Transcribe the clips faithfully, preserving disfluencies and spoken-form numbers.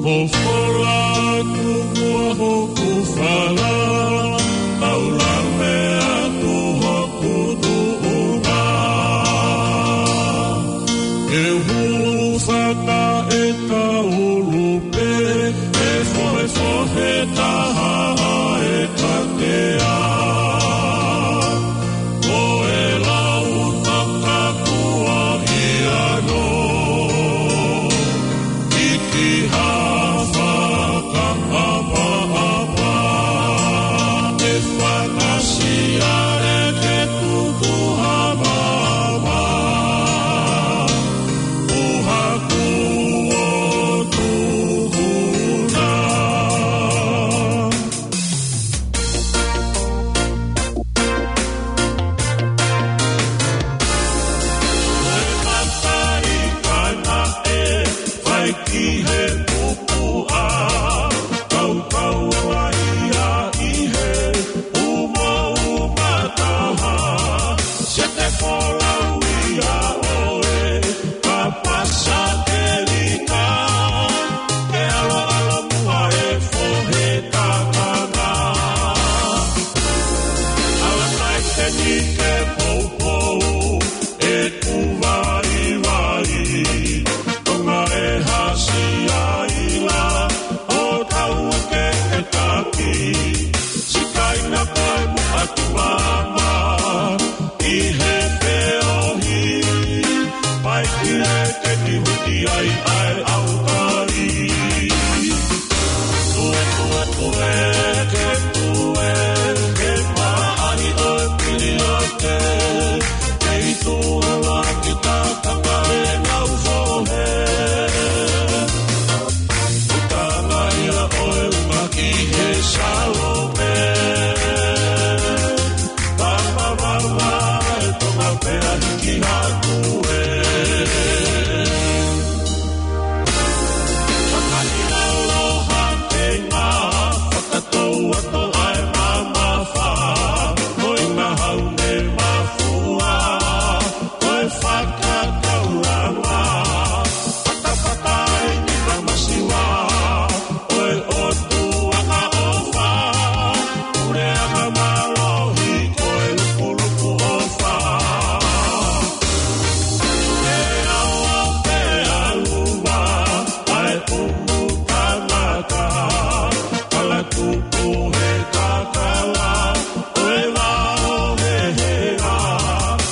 ʻO fola atu muʻa hoku fala, ʻo lave atu hoku tuʻunga. ʻE hulu fata e taulu pē, ʻe fohefohe taha ʻa e katea. Ko e lau takakuaʻi anō, ʻi ha fakaʻapaʻapa, ʻe fakaʻasi ʻa e ke tuku ha mama, ʻo haku ʻo tuhuna. Ko e kakai kaena ʻe fai ki he pupuʻa, kaukau ʻa ia ʻi he umauma taha, sete folau ia ʻo e kapasa kelika, ke ʻaloʻalo muʻa e fohe takanga. Ala kai te ni ke poupou e kuvaivai, tonga e hasi aila, ʻo tau ke ke taki, sikaina koe muʻa ki mama, ʻi he feohi, pai ki he ke ni huti ai ʻa e ʻaukai. Tue, tue, tue, ke tue, ke maʻali ʻo e piliote, ke itu ala ki takanga e ngau fohe. Utanga ia ʻo e uma ki he Salome. Papa, papa, e tonga pea hiki hake e. Fakaʻiloa ʻa e ngaahi fakatouato ʻa e mamafa, ko e ngahau ne mafua, ko e fakataulanga, fatafata ʻi he masiva, ko e ʻOtua ʻofa, puleʻanga mālohi, ko e lukuluku ʻofa. Ke awa, ke aluva, ʻa e pupu tangata, kala tupu he kakala, ʻo e vao he hea,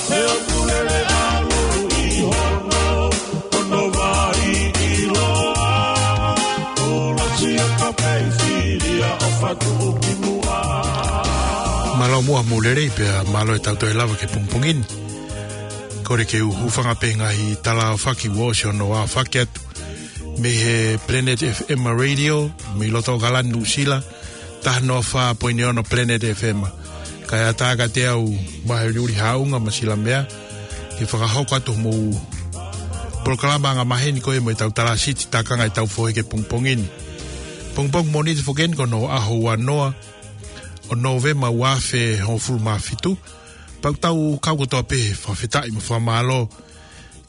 he ʻoku lele ʻalu ʻi hono, hono vai ʻiloa, ʻo lasi a kapei filia ʻo fatu ki muʻa. Mālō muʻa mo lelei pea mālō e tau toe lava ki he pongipongi ni. Kole ke u hūfanga pē he ngaahi tala aofaki kuo ʻosi hono aofaki atu. Mei he Planet F M Radio, mei loto ʻAokalani Nuʻusila, taha noa fā poini ono Planet F M. Kae ʻatā kiate au Maheuli Haʻunga Masilamea, ke fakahoko atu homou polokalama angamaheni ko ē mo e tau tala siti takanga e tau fohe ki he pongipongi ni. Pongipongi Mōnite foki eni ko hono ʻaho ua noa ʻo Nōvema ua afe hongofulu mā fitu, pea ʻoku tau kau kotoa pē he fakafetaʻi mo e fakamālō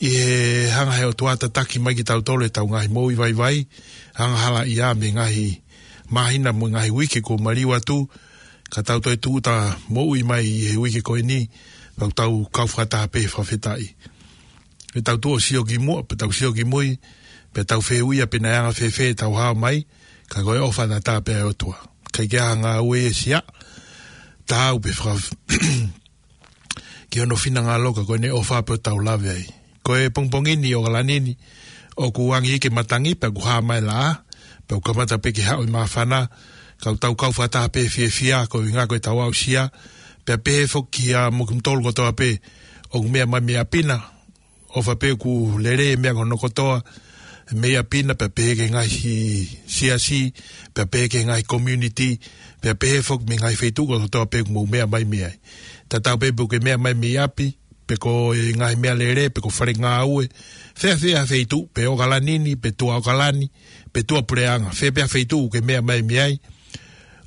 ʻi he hanga he ʻOtua ʻo tataki mai kitautolu he tau ngaahi moʻui vaivai, angahala ia mei he ngaahi māhina mo e ngaahi uike kuo maliu atu, ka tau toe tūʻuta moʻui mai ʻi he uike ko eni, pea ʻoku tau kau fakataha pē he fakafetaʻi. Ke tau tuʻu ʻo sio ki muʻa, pea tau sio ki mui, pea tau fehuʻia pe naʻe anga fēfē ʻetau hao mai, ka ko e ʻofa tatau pē ʻa e ʻOtua. ʻIkai ke ʻi ai ha ngāue ʻe sia, taau pe faka-, ki hono finangalo ka ko ʻene ʻofa pē ʻoku tau lave ai. Ko e pongipongi ni ʻo ʻAokalani ni, ʻoku angi hiki e matangi pea ʻoku hā mai e laʻā, pea ʻoku kamata pē ke haʻu e māfana, ka ʻoku tau kau fakataha pē he fiefia, ko e ʻuhinga ko ʻetau aʻusia, pea pehē foki kiate kimoutolu kotoa pē ʻoku meʻa mai mei ʻapi na, ʻofa pē ʻoku lelei e meʻa ko hono kotoa, mei ʻapi na pea pehē ki he ngaahi siasi, pea pehē ki he ngaahi community, pea pehē foki mei he ngaahi feituʻu kotoa pē ʻoku mou meʻa mai mei ai. Tatau pē pe ʻoku ke meʻa mai mei ʻapi, pe ko e ngaahi meʻa lelei, pe ko e fale ngāue, fēfē ha feituʻu, pe ʻAokalani ni, pe tuʻa ʻAokalani, pe tuʻa puleʻanga, fē pē ha feituʻu ʻoku ke meʻa mai mei ai,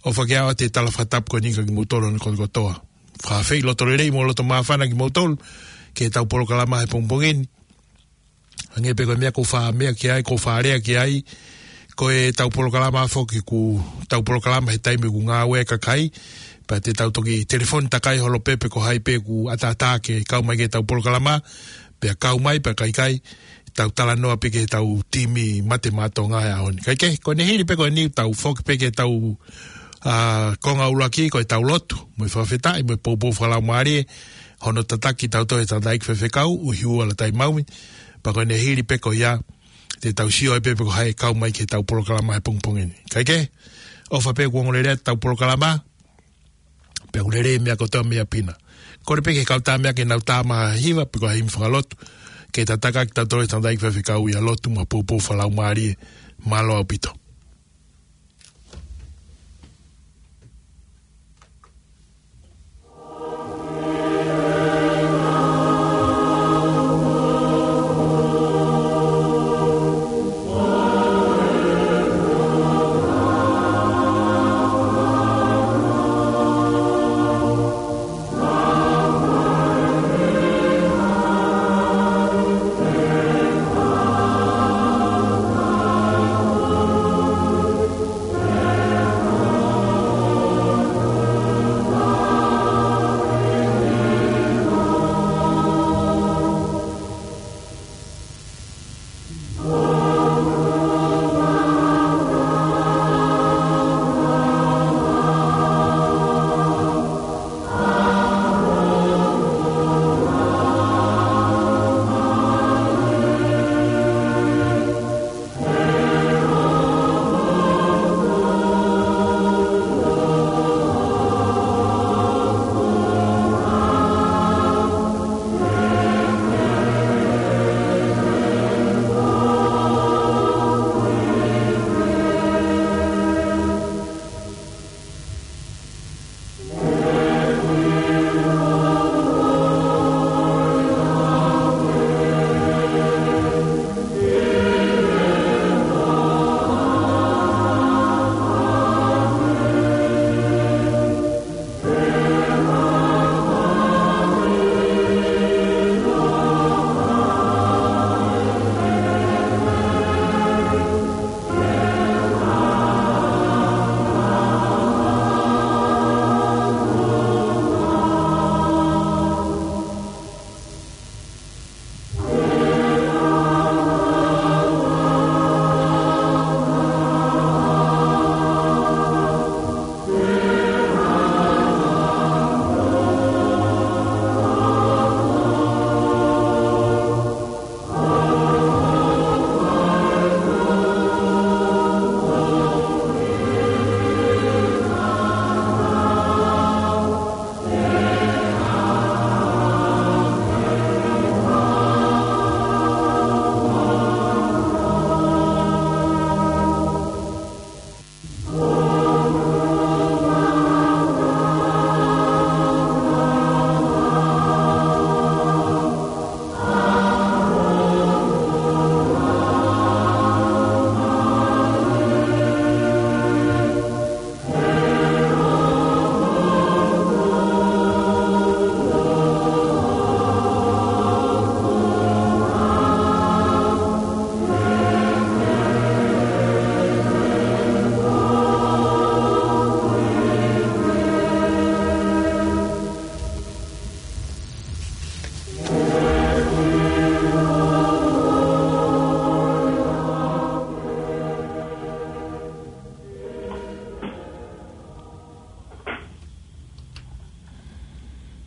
ʻofa ke ʻoatu e tala fakatapu ko eni kiate kimoutolu ʻo e kotoa. Fakafeʻiloto lelei mo loto māfana kimoutolu, ki he tau polokalama he pongipongi ni. Hangē pē ko e meʻa ʻoku ou faʻa meʻa ki ai, ʻoku ou faʻa lea ki ai, Ko e tau polokalama foki, ko e tau polokalama he taimi ʻoku ngāue ai e kakai, pea te tau toki telefoni takai holo pē pe ko hai pē ʻoku ʻataʻatā ke kau mai ki he tau polokalama, pea kau mai, pea ka ʻikai, tau talanoa pē ki he tau timi Mate Maʻa Tonga he ʻaho ni. Kae kehe, ko ʻene hili pē ko eni, tau foki pē ki he tau, ā, konga ʻuluaki, ko e tau lotu, mo e fakafetaʻi, mo e poupou fakalaumālie, hono tataki kitautolu ʻe he tangataʻeiki faifekau, ʻUhiua Lātaimaumi, pea ko ʻene hili pē ko ia, te tau sio ai pē pe ko hai ʻe kau mai ki he tau polokalama he pongipongi ni. Kae kehe, ʻofa pē kuo ongoongolelei atu e tau polokalama, pea ʻoku lelei e meʻa kotoa mei ʻapi na. Kole pē ki he kau tā meʻa ke nau tā mai ha hiva, pe ko ha himi fakalotu, ke tataki kitautolu ʻe he tangataʻeiki faifekau ʻi ha lotu mo e poupou fakalaumālie, mālō ʻaupito.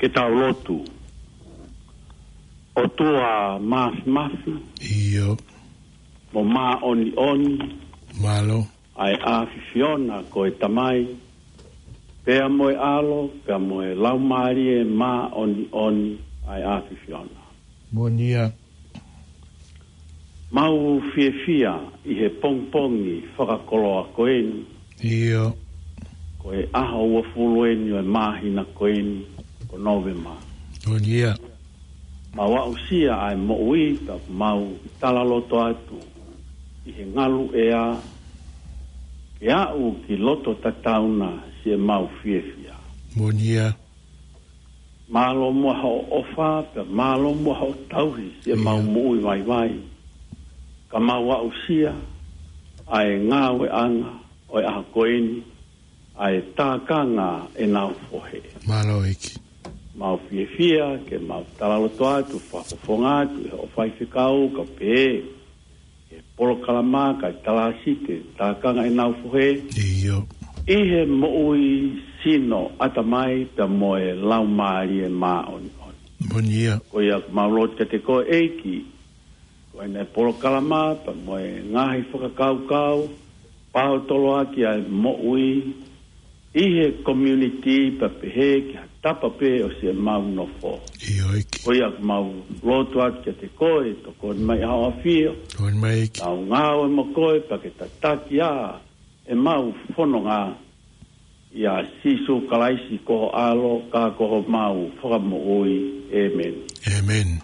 Ke tau lotu. ʻOtua Māfimafi, ʻio, mo Māʻoniʻoni, mālō, ʻa e ʻAfiona ko e Tamai, pea mo e ʻAlo, pea mo e Laumālie Māʻoniʻoni ʻa e ʻAfiona. Moʻoni ia. Mau fiefia ʻi he pongipongi fakakoloa ko eni. ʻIo. Ko e ʻaho uofulu eni ʻo e māhina ko eni ko Nōvema. Moʻoni ia. Mau aʻusia ʻa e moʻui, pea mau talaloto atu ʻi he ngalu ʻea ke aʻu ki loto tatau na siʻemau fiefia. Moʻoni ia. Mālō muʻa hoʻo ʻofa, pea mālō muʻa hoʻo tauhi siʻemau, ʻio, moʻui vaivai. Ka mau aʻusia ʻa e ngāueʻanga ʻo e ʻaho ko eni ʻa e tākanga ʻenau fohe. Mālō ʻEiki. Mau fiefia ke mau talaloto atu, fakafofonga atu ʻe hoʻo faifekau ka pehē ʻe polokalama kae talāsite tākanga ʻenau fohe. ʻIo. ʻI he moʻui sino ʻatamai pea mo e laumālie māʻoniʻoni. Moʻoni ia. Ko ia ʻoku mau lotu kiate koe ʻEiki, ko ʻene polokalama pea mo e ngaahi fakakaukau, pau toloaki ʻa e moʻui ʻi he community pea pehē ki ha tapa pē ʻosi ʻemau nofo. ʻIo ʻEiki. Ko ia ʻoku mau lotu atu kiate koe, tokoni mai ʻa hoʻo ʻAfio. Tokoni mai ʻEiki. Tau ngāue mo koe pea ke tataki ʻa ʻemau fononga, ʻia Sīsū Kalaisi ko ho ʻAlo ka ko homau Fakamoʻui. ʻĒmeni. ʻĒmeni.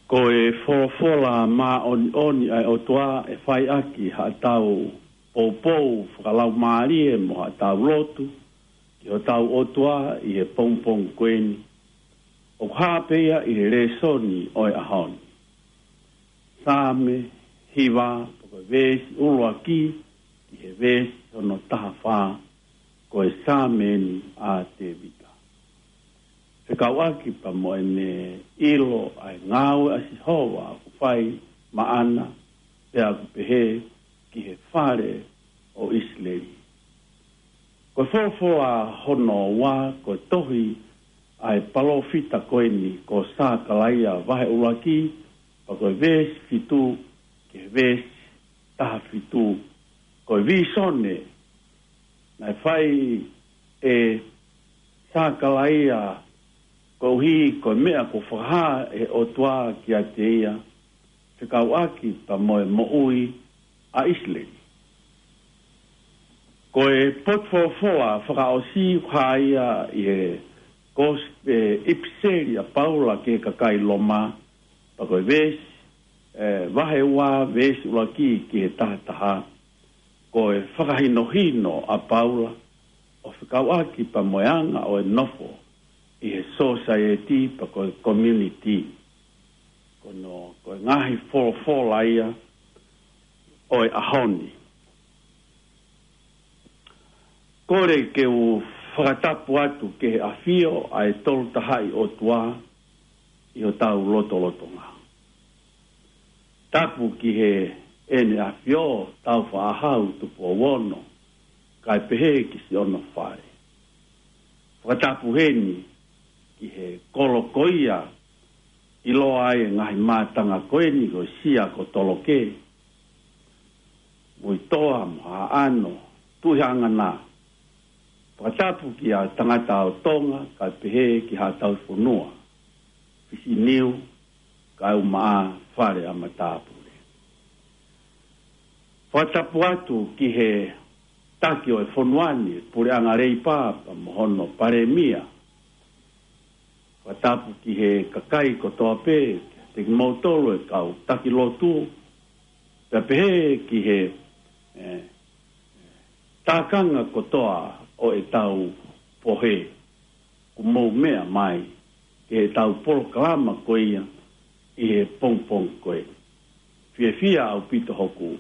Ko e folofola māʻoniʻoni ʻa e ʻOtua ʻe fai ʻaki haʻatau poupou fakalaumālie mo haʻatau lotu ki hotau ʻOtua ʻi he pongipongi ko eni. ʻOku hā pē ia ʻi he lēsoni ʻo e ʻaho ni. Saame hiva, pea ko e veesi ʻuluaki ki he veesi hono taha fā, ko e Saame eni ʻa Tēvita. Fekauʻaki pea mo ʻene ʻilo ʻa e ngāue ʻa Sihova ʻoku fai maʻana, pea ʻoku pehē ki he fale ʻo ʻIsileli. Ko e folofola hono ua, ko e tohi ʻa e palōfita ko eni ko Sākalaia vahe ʻuluaki, pea ko e veesi fitu ki he veesi taha fitu. Ko e vīsone naʻe fai ʻe Sākalaia koeʻuhi ko e meʻa kuo fakahā ʻe he ʻOtua kiate ia, fekauʻaki pea mo e moʻui ʻa ʻIsileli. Ko e potu folofola fakaʻosi ʻoku hā ia ʻi he kos-, ʻe, ʻipiseli ʻa Paula ki he kakai Loma, pea ko e veesi, ʻe, vahe ua veesi ʻuluaki ki he taha taha. Ko e fakahinohino ʻa Paula ʻo fekauʻaki pea mo e anga ʻo e nofo ʻi he sōsaieti pea ko e community. Ko hono, ko e ngaahi folofola ia ʻo e ʻaho ni. Kole ke u fakatapu atu ki he ʻAfio ʻa e Tolu Tahaʻi ʻOtua ʻi hotau lotolotonga. Tapu ki heʻene ʻAfio, Tāufaʻāhau Tupou Ono, kae pehē ki siʻono fale. Fakatapu heni ki he kolo ko ia ʻiloa ai e ngaahi mātanga ko eni ko Sia ko Toloke, Muitoa mo Haʻano, Tuʻi Hangana. Fakatapu kia Tangata ʻo Tonga, kae pehē ki Haʻa Tauhi Fonua, Fisi Niu, kae ʻumaʻā Fale ʻa Matāpule. Fakatapu atu ki he taki ʻo e fonua ni, Puleʻanga Leipa pea mo hono Palēmia. Fakatapu ki he kakai kotoa pē, kiate kimoutolu e kau taki lotu, pea pehē ki he, eh, tākanga kotoa ʻo ʻetau pohe, kuo mou meʻa mai ki heʻetau polokalama ko ia ʻi he pongipongi ko ē. Fiefia ʻaupito hoku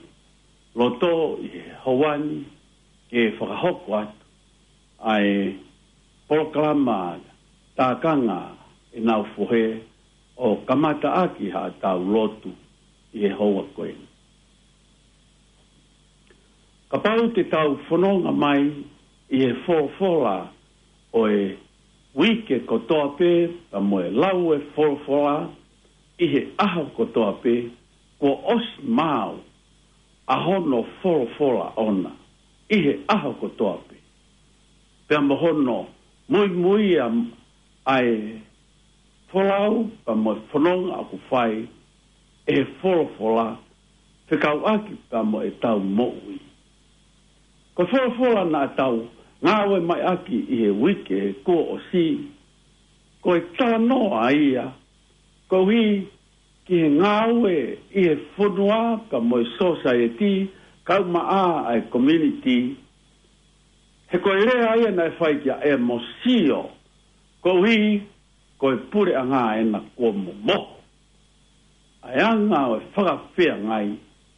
loto ʻi he houa ni ke fakahoko atu ʻa e polokalama tākanga ʻenau fohe ʻo kamata ʻaki haʻatau lotu ʻi he houa ko ē. Kapau te tau fononga mai ʻi he folofola ʻo e uike kotoa pē, pea mo e lau e folofola ʻi he ʻaho kotoa pē, kuo ʻosi maau ʻa hono folofola ʻoʻona ʻi he ʻaho kotoa pē. Pea mo hono muimui ʻa, ʻa e folau, pea mo e fononga ʻoku fai ʻe he folofola fekauʻaki pea mo ʻetau moʻui. Ko e folofola naʻa tau ngāue mai ʻaki ʻi he uike kuo ʻosi, ko e talanoa ia, koeʻuhi ki he ngāue ʻi he fonua pea mo e sōsaieti, kaumaʻā ʻa e community, he ko e lea ia naʻe fai kia ʻEmosio, koeʻuhi ko e puleʻanga ena kuo momoho ʻa e anga ʻo e fakafeangai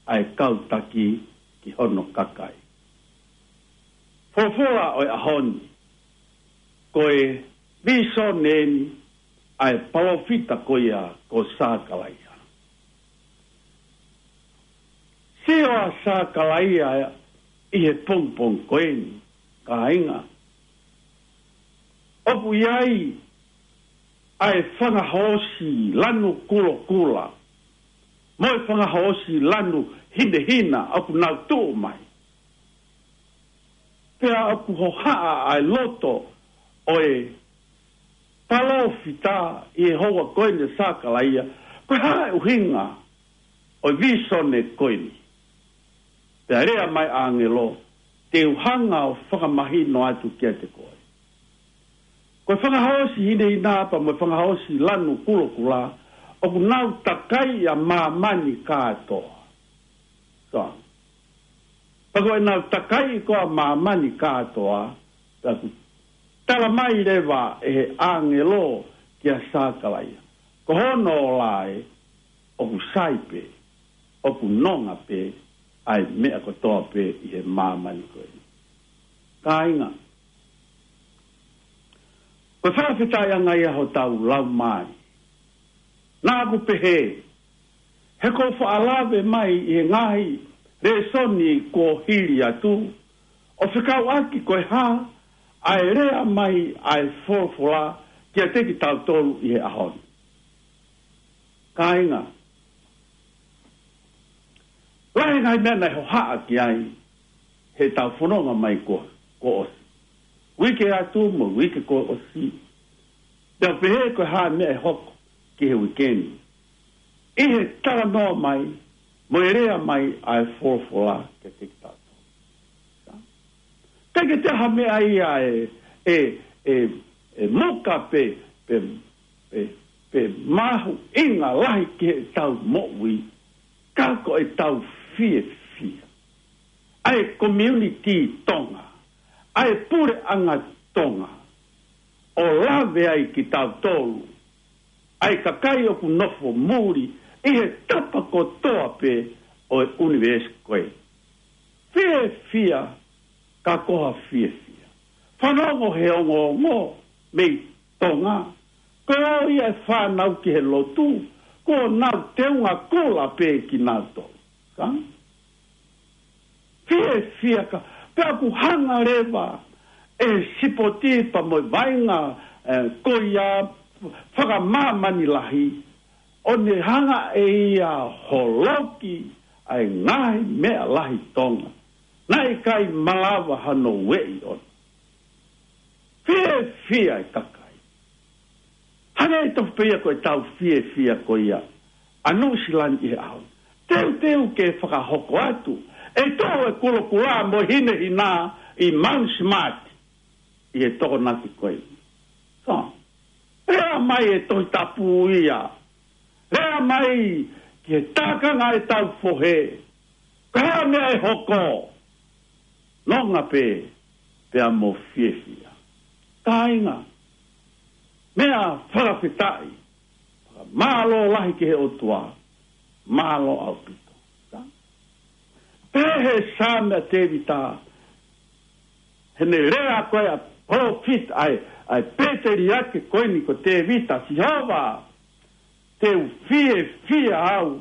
ʻa e kau taki ki hono kakai. Folofola ʻo e ʻaho ni, ko e vīsone eni ʻa e palōfita ko ia ko Sakalaia. Sio ʻa Sakalaia ʻi he pongipongi ko eni, kāinga. ʻOku ʻi ai ʻa e fanga hoosi lanu kulokula mo e fanga hoosi lanu hinehina ʻoku nau tuʻu mai. Pea ʻoku hohaʻa ʻa e loto ʻo e palōfita ʻi he houa ko eni, Sakalaia, ko e hā e ʻuhinga ʻo e vīsone ko eni. Pea lea mai ʻāngelo, te u hanga ʻo fakamahino atu kiate koe. Ko e fanga hoosi hinehina pea mo e fanga hoosi lanu kulokula, ʻoku nau takai ʻa māmani kātoa. Ka, pea ko ʻenau takai ko ē ʻa māmani kātoa, pea ʻoku tala mai leva ʻe he ʻāngelo kia Sakalaia, ko hono ola ē, ʻoku sai pē, ʻoku nonga pē ʻa e meʻa kotoa pē ʻi he māmani ko ē. Kāinga, ko e fakafetaʻiʻanga ia hotau lau mai. Naʻa ku pehē, he ko e faʻa lave mai ʻi he ngaahi lēsoni kuo hili atu, ʻo fekauʻaki ko e hā ʻa e lea mai ʻa e folofola kiate kitautolu ʻi he ʻaho ni. Kāinga, lahi e ngaahi meʻa naʻe hohaʻa ki ai heʻetau fononga mai kuo, kuo ʻosi. Uike atu mo e uike kuo ʻosi. Pea pehē ko e hā e meʻa ʻe hoko ki he uike ni ʻi he talanoa mai mo e lea mai ʻa e folofola kiate kitautolu. Teʻeki ke ʻi ai ha meʻa ia ʻe, ʻe, ʻe, ʻe muka pe, pe, pe, pe mahuʻinga lahi ki heʻetau moʻui, ka ko ʻetau fiefia ʻa e community Tonga, ʻa e puleʻanga Tonga, ʻo lave ai kitautolu, ʻa e kakai ʻoku nofo muli ʻi he tapa kotoa pē ʻo e ʻunivēsi ko ē. Fiefia, ka ko ha fiefia. Fanongo he ongoongo mei Tonga. Ko ia e fānau ki he lotu, kuo nau teunga kula pē kinautolu. Ka? Fiefia ka, pea ʻoku hanga leva ʻe he sipoti pea mo e vaʻinga, eh, ko ia fakamāmani lahi, ʻo ne hanga ʻe ia ʻo holoki ʻa e ngaahi meʻa lahi Tonga naʻe ʻikai malava hano ueʻi ʻona. Fiefia e kakai. Hangē tofu pē ia ko ʻetau fiefia ko ia ʻa Nuʻusila ni ʻi he ʻaho ni. Teuteu ke fakahoko atu ʻE toʻo e kulokula mo e hinehina ʻi Mount Smart ʻi he Tokonaki ko ē. So, lea mai e Tohi Tapu ia. Lea mai ki he tākanga ʻetau fohe. Ko e hā e meʻa ʻe hoko? Nonga pē, pea mo fiefia. Kāinga, meʻa fakafetaʻi. Mālō lahi ki he ʻOtua. Mālō ʻaupito. Pehē he Saame ʻa Tēvita, heʻene lea ko ē ʻa e palōfita, ʻa e, ʻa e pēteliake ko eni ko Tēvita, Sihova, te u fiefia au.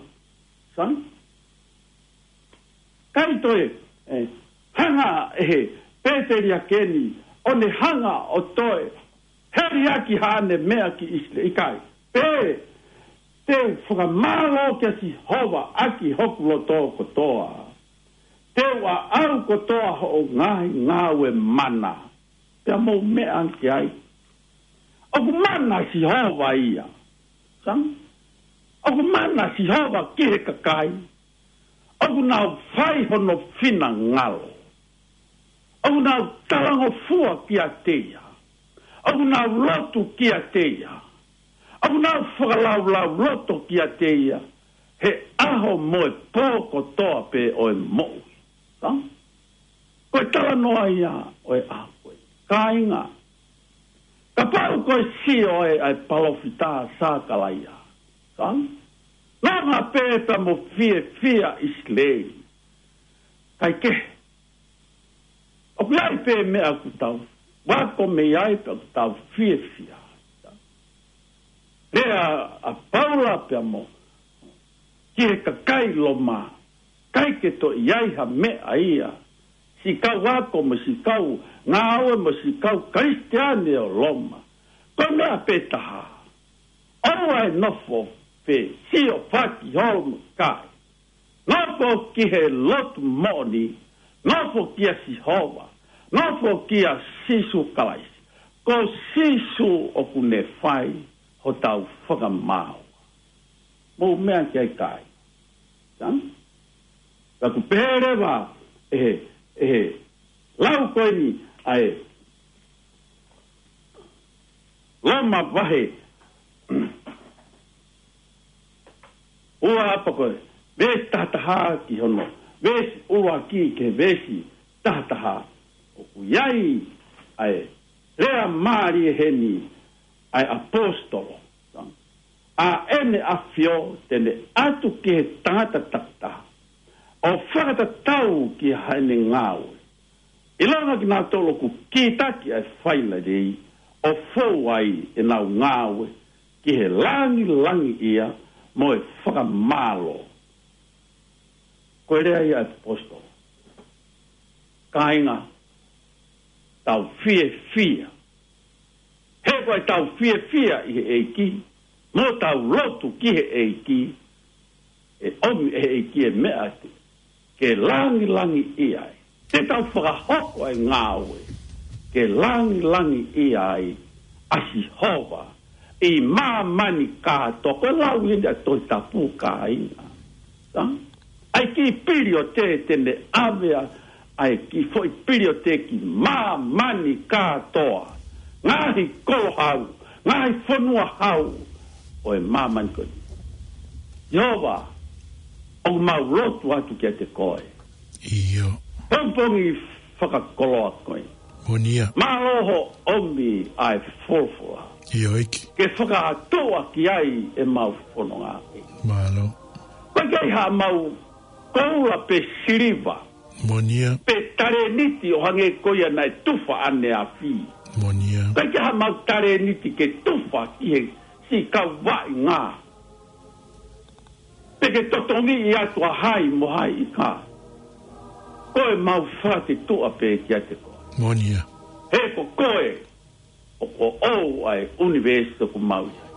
Sai? ʻIkai toe, ē, hanga ʻe he pēteliake ni ʻo ne hanga ʻo toe heliaki haʻane meʻa ki ʻIsileli, ʻikai. Pea te u fakamālō kia Sihova ʻaki hoku loto kotoa. Te u ʻaʻau kotoa hoʻo ngaahi ngāue mana. Pea mou meʻa ki ai. ʻOku mana Sihova ia. Sai? ʻOku mana Sihova ki he kakai. ʻOku nau fai hono finangalo. ʻOku nau talangofua kiate ia. ʻOku nau lotu kiate ia. ʻOku nau fakalaulauloto kiate ia he ʻaho mo e pō kotoa pē ʻo e moʻui. Sai? Ko e talanoa ia ʻo e ʻaho ko ē. Kāinga, kapau ko e sio ē ʻa e palōfita Sakalaia. Sai? Nonga pē pea mo fiefia ʻIsileli. ʻIkai ke. ʻOku ʻi ai pē meʻa ʻoku tau ako mei ai pea ʻoku tau fiefia. Lea ʻa Paula pea mo ki he kakai Loma, ʻikai ke toe ʻi ai ha meʻa ia. Siʻi kau ako mo siʻi kau ngāue mo siʻi kau Kalisitiane ʻo Loma. Ko e meʻa pē taha. ʻOua ʻe nofo pē sio fakiholo mo kai. Nofo ki he lotu moʻoni, nofo kia Sihova, nofo kia Sīsū Kalaisi. Ko Sīsū ʻoku ne fai hotau fakamaau. Mou meʻa ki ai kāinga. Sai? Ka ʻoku pehē leva ʻe he, ʻe he lau ko eni ʻa e Loma vahe ua pea ko e veesi taha taha ki hono veesi ua ki he veesi taha taha. ʻOku ʻi ai ʻa e lea mālie heni ʻa e ʻaposetolo. ʻA ʻEne ʻAfio te ne ʻatu ki he tangata takitaha ʻo fakatatau ki haʻane ngāue. ʻIlonga kinautolu ʻoku kītaki ʻa e failelei ʻo fou ai ʻenau ngāue ki he langilangiʻia mo e fakamālō. Ko e lea ia ʻa e ʻaposetolo. Kāinga, tau fiefia. He ko ʻetau fiefia ʻi he ʻEiki, mo tau lotu ki he ʻEiki, ʻe ʻomi ʻe he ʻEiki e meʻa te ke langilangiʻia ai. Te tau fakahoko e ngāue ke langilangiʻia ai ʻa Sihova ʻi māmani kātoa. Ko e lau eni ʻa e Tohi Tapu, kāinga. Sai? ʻA e kiʻi piliote te ne ʻave ʻa, ʻa e kiʻi foʻi piliote ki māmani kātoa. Ngaahi kolo hau, ngaahi fonua hau ʻo e māmani ko eni. Sihova, ʻoku mau lotu atu kiate koe. ʻIo. Pongipongi fakakoloa ko eni. Moʻoni ia. Mālō hoʻo ʻomi ʻa e folofola. ʻIo ʻEiki. Ke fakatuʻa ki ai ʻemau fononga. Mālō. ʻOku ʻikai haʻamau koula pe siliva. Moʻoni ia. Pe talēniti ʻo hangē ko ia naʻe tufa ʻaneafi. Moʻoni ia. ʻOku ʻikai haʻamau talēniti ke tufa ki he siʻi kau vaʻinga. Pe ke totongiʻi atu ʻa hai mo hai ʻi ka. Ko ʻemau fakatuʻa pē kiate koe. Moʻoni ia. He ko koe ʻoku ʻoʻou ʻa e ʻunivēsi ʻoku mau ʻi ai.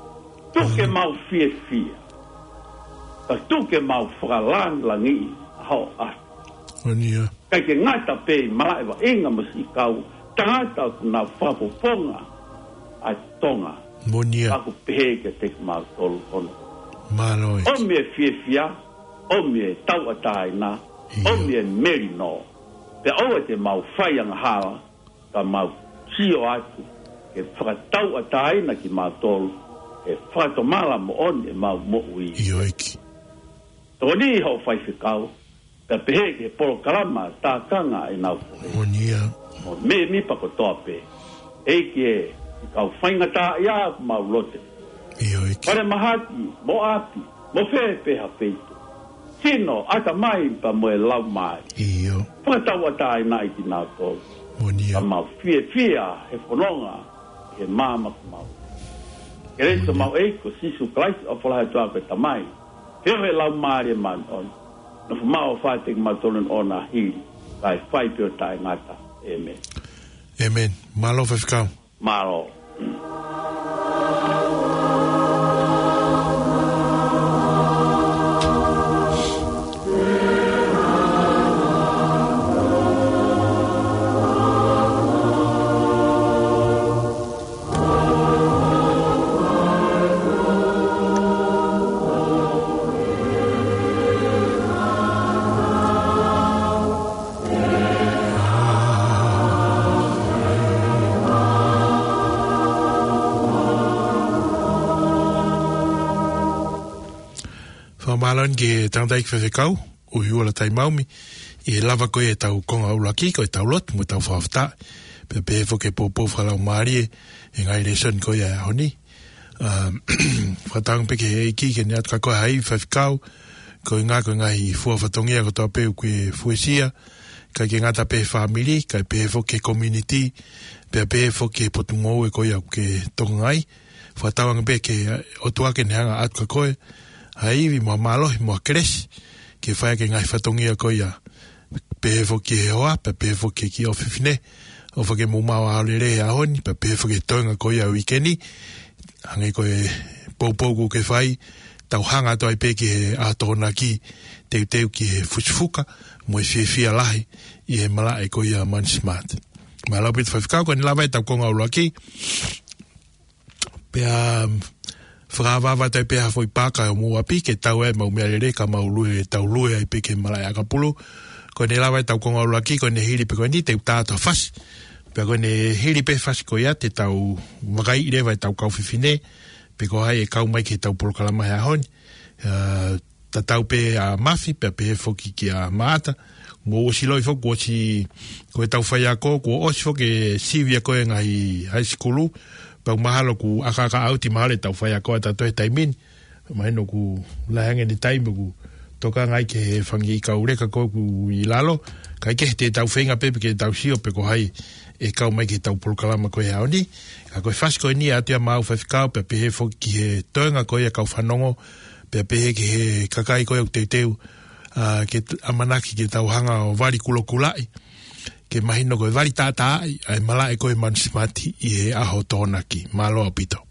Tuku ke mau fiefia. Ka tuku ke mau fakalangilangiʻi ʻa hoʻo ʻAfio. Moʻoni ia. ʻIkai ke ngata pē ʻi malaʻe vaʻinga mo siʻi kau tangata ʻoku nau fakapoponga ʻa Tonga. Moʻoni ia. Ka ʻoku pehē kiate kimautolu hono. Mālō ʻEiki. ʻOmi e fiefia, ʻomi e tauʻatāina, ʻIo. ʻOmi e melino. Pea ʻoua te mau fai angahala, ka mau sio atu ke fakatauʻatāina kimautolu he fakatomala moʻoni ʻemau moʻui. ʻIo ʻEiki. Tokoni hoʻo faifekau, pea pehē ki he polokalama tākanga ʻenau fohe. Moʻoni ia. Mo e mēmipa kotoa pē. ʻEiki ē, ʻi he kau faingataʻaʻia ʻoku mau lotu. ʻIo ʻEiki. Falemahaki, mo ʻapi, mo fē pē ha feituʻu. Sino, ʻatamai pea mo e laumālie. ʻIo. Fakatauʻatāinaʻi kinautolu. Moʻoni ia. Ka mau fiefia he fononga he maama ʻoku mau. Kelesi ʻa Moʻoni. Mau ʻEiki ko Sīsū Kalaisi ʻofa lahi atu ʻa e Tamai. Feohi ʻa e Laumālie Māʻoniʻoni. Nofo maʻu ʻo fai kiate kimautolu ʻene ʻofa hili, kae fai pē ʻo taʻengata. ʻĒmeni. ʻĒmeni. Mālō faifekau. Mālō. Fakamālō eni ki he tangataʻeiki faifekau, ʻUhiua Latai Maumi, ʻi he lava ko ia ʻetau konga ʻuluaki, ko ʻetau lotu, mo ʻetau fakafetaʻi, pea pehē foki ki he poupou fakalaumālie, ʻi he ngaahi lēsoni ko ia ʻo e ʻaho ni. ʻA, fakatauange pē ki he ʻEiki ke ne ʻatu kia koe ha ivi faifekau, koeʻuhi ko e ngaahi fua fatongia kotoa pē ʻoku ke fuesia, ʻikai ke ngata pē he fāmili, kae pehē foki ki he community, pea pehē foki ki he potungāue ko ia ʻoku ke tokangaʻi, fakatauange pē ki he ʻOtua ke ne hanga ʻo ʻatu kia koe, ha ivi mo ha mālohi mo ha kelesi, ke fai ʻaki e ngaahi fatongia ko ia. Pehē foki ki he hoa, pea pehē foki ki he ʻofefine, ʻofa ke mou maʻu ʻaho lelei he ʻaho ni, pea pehē foki ki he toenga ko ia ʻo e uike ni, hangē ko e poupou ʻoku ke fai, tau hanga atu ai pē ki he ʻaho Tokonaki, teuteu ki he fusifuka, mo e fiefia lahi, ʻi he malaʻe ko ia Money Smart. Mālō ʻaupito faifekau, ko eni lava ʻetau konga ʻuluaki, pea, um, fakaava atu ai pē ha foʻi paaka ʻo mou ʻapi, ke tau ʻai ʻemau meʻalele, ka mau lue, tau lue ai pē ki he malaʻe ʻakapulu. Ko eni lava ʻetau konga ʻuluaki, ko eni hili pē ko eni, te u tā atu ha fasi. Pea ko eni hili pē fasi ko ia, te tau vakaiʻi leva ʻetau kau fefine, pe ko hai ʻe kau mai ki heʻetau polokalama he ʻaho ni. Uh, tatau pē ʻa Mafi, pea pehē foki kia Maʻata. Mo ʻosi loi foki, kuo ʻosi, ko ʻetau faiako, kuo ʻosi foki e sivi ʻa e ngaahi high school. Pea mahalo kuo ʻakaʻaka ʻauti mahalo ʻetau faiako ʻatautolu he taimi ni. Mahino kuo lahi ange ʻene taimi ʻoku tokangaʻi ki he fanga kiʻi kau leka ko ē ʻoku ʻi lalo. Kae kehe te tau feinga pē ke tau sio pe ko hai ʻe kau mai ki heʻetau polokalama ko ē he ʻaho ni. Ka ko e fasi ko eni ʻoatu ia maʻau faifekau pea pehē foki ki he toenga ko ia kau fanongo. Pea pehē ki he kakai ko ē ʻoku teuteu, ʻa, ke t-, ʻamanaki ke tau hanga ʻo vali kulokulaʻi, ke mahino ko e vali tātāʻi ʻa e malaʻe ko ē Money Smart ʻi he ʻaho Tokonaki. Mālō ʻaupito.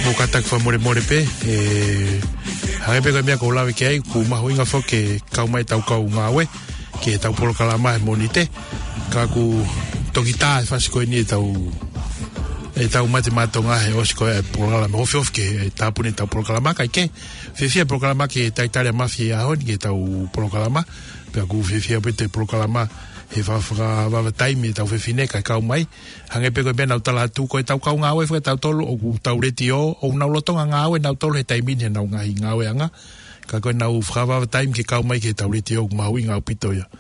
Mo kātaki fakamolemole pē, ē, hangē pē ko e meʻa ʻoku ou lave ki ai, ʻoku mahuʻinga foki ke kau mai ʻetau kau ngāue ki heʻetau polokalama he Mōnite. Ka ʻoku toki tā e fasi ko eni ʻetau, ʻetau Mate Maʻa Tonga he ʻosi ko ē e polokalama. Ofi ofi ke tāpuni ʻetau polokalama, kae kehe, fiefia e polokalama ki he talitali ʻa Mafi he ʻaho ni ki heʻetau polokalama. Pea ʻoku fiefia pē ʻetau polokalama he fa-, fakavavevave taimi ʻetau fefine kae kau mai. Hangē pē ko e meʻa naʻá ku tala atu, ko ʻetau kau ngāue foki ʻatautolu, ʻoku tau letiō, ʻoku nau lolotonga ngāue nautolu he taimi ni heʻenau ngaahi ngāueʻanga. Ka ko ʻenau fakavavevave taimi ke kau mai ki heʻetau letiō, ʻoku mahuʻinga ʻaupito ia.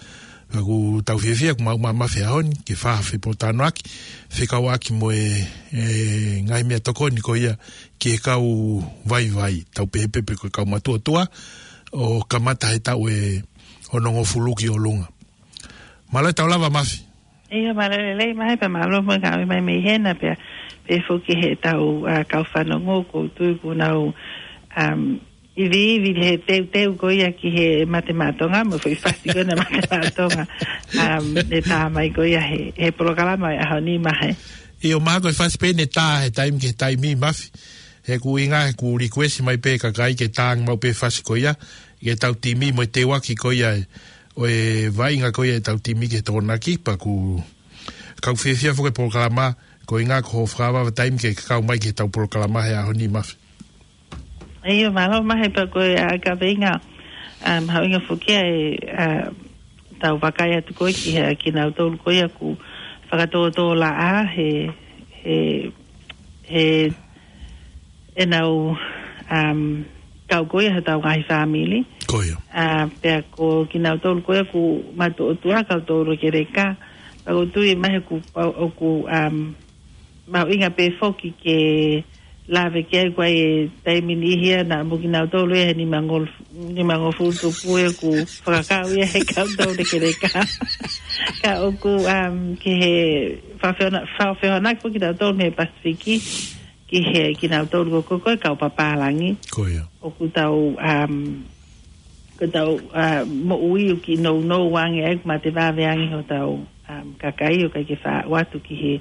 Ka ʻoku tau fiefia, ʻoku mau mamafa he ʻaho ni, ke fai ha fepōtalanoaʻaki, fekauʻaki mo e, e ngaahi meʻatokoni ko ia ki he kau vaivai, tau pehē pē pe ko e kau matuʻotuʻa, ʻo kamata he taʻu ʻe onongofulu ki ʻolunga. Mālō e tau lava, Mafi. ʻIo, mālō e lelei, Mahe, pea mālō mo e ngāue mai mei hena pea, pehē foki ki heʻetau, ā, kau fanongo, ʻoku ou tui kuo nau, um, iviivi he teuteu ko ia ki he Mate Maʻa Tonga, mo e foʻi fasi ko ena Mate Maʻa Tonga, um, ʻe tā mai ko ia he, he polokalama ʻo e ʻaho ni, Mahe. ʻIo, mahalo ko e fasi pē eni ʻe tā he taimi ki he taimi, Mafi. He ʻoku ʻuhinga, he ʻoku request mai pē e kakai ke tā ange maʻu pē e fasi ko ia, ki heʻetau timi mo e teuaki ko ia ʻo e vaʻinga ko ia ʻetau timi ki he Tokonaki, pea ʻoku, ka ʻoku fiefia foki e polokalama, ko e ʻuhinga ko hoʻo fakavavevave taimi ke kau mai ki heʻetau polokalama he ʻaho ni, Mafi. ʻIo, mālō, Mahe, pea ko e, ā, kaveinga, um, mahuʻinga foki ʻa e, ā, tau vakai atu ko ē ki he, kinautolu ko ia ʻoku fakatōtōlaʻā he, he, he ʻenau, um, kau ko ia heʻetau ngaahi fāmili. Ko ia. Ā, pea ko kinautolu ko ia ʻoku matuʻotuʻa, kau toulekeleka. Pea ʻoku ou tui, Mahe, ʻoku, ʻoku, um, mahuʻinga pē foki ke lave ki ai, ko e taimi niʻihi ia naʻa mo kinautolu ia he nimangofulu, nimangofulu tupu ia ʻoku fakakau ia he kau toulekeleka. Ka ʻoku, um, ki he fakafehona-, fakafehoanaki foki kinautolu mei he Pasifiki, ki he kinautolu ko ē ko e kau papālangi. Ko ia. ʻOku tau, um, ko ʻetau, ā, moʻui ʻoku kiʻi nounou ange ai, ʻoku mate vave ange hotau, um, kakai ʻoku ʻikai ke faʻa ʻoatu ki he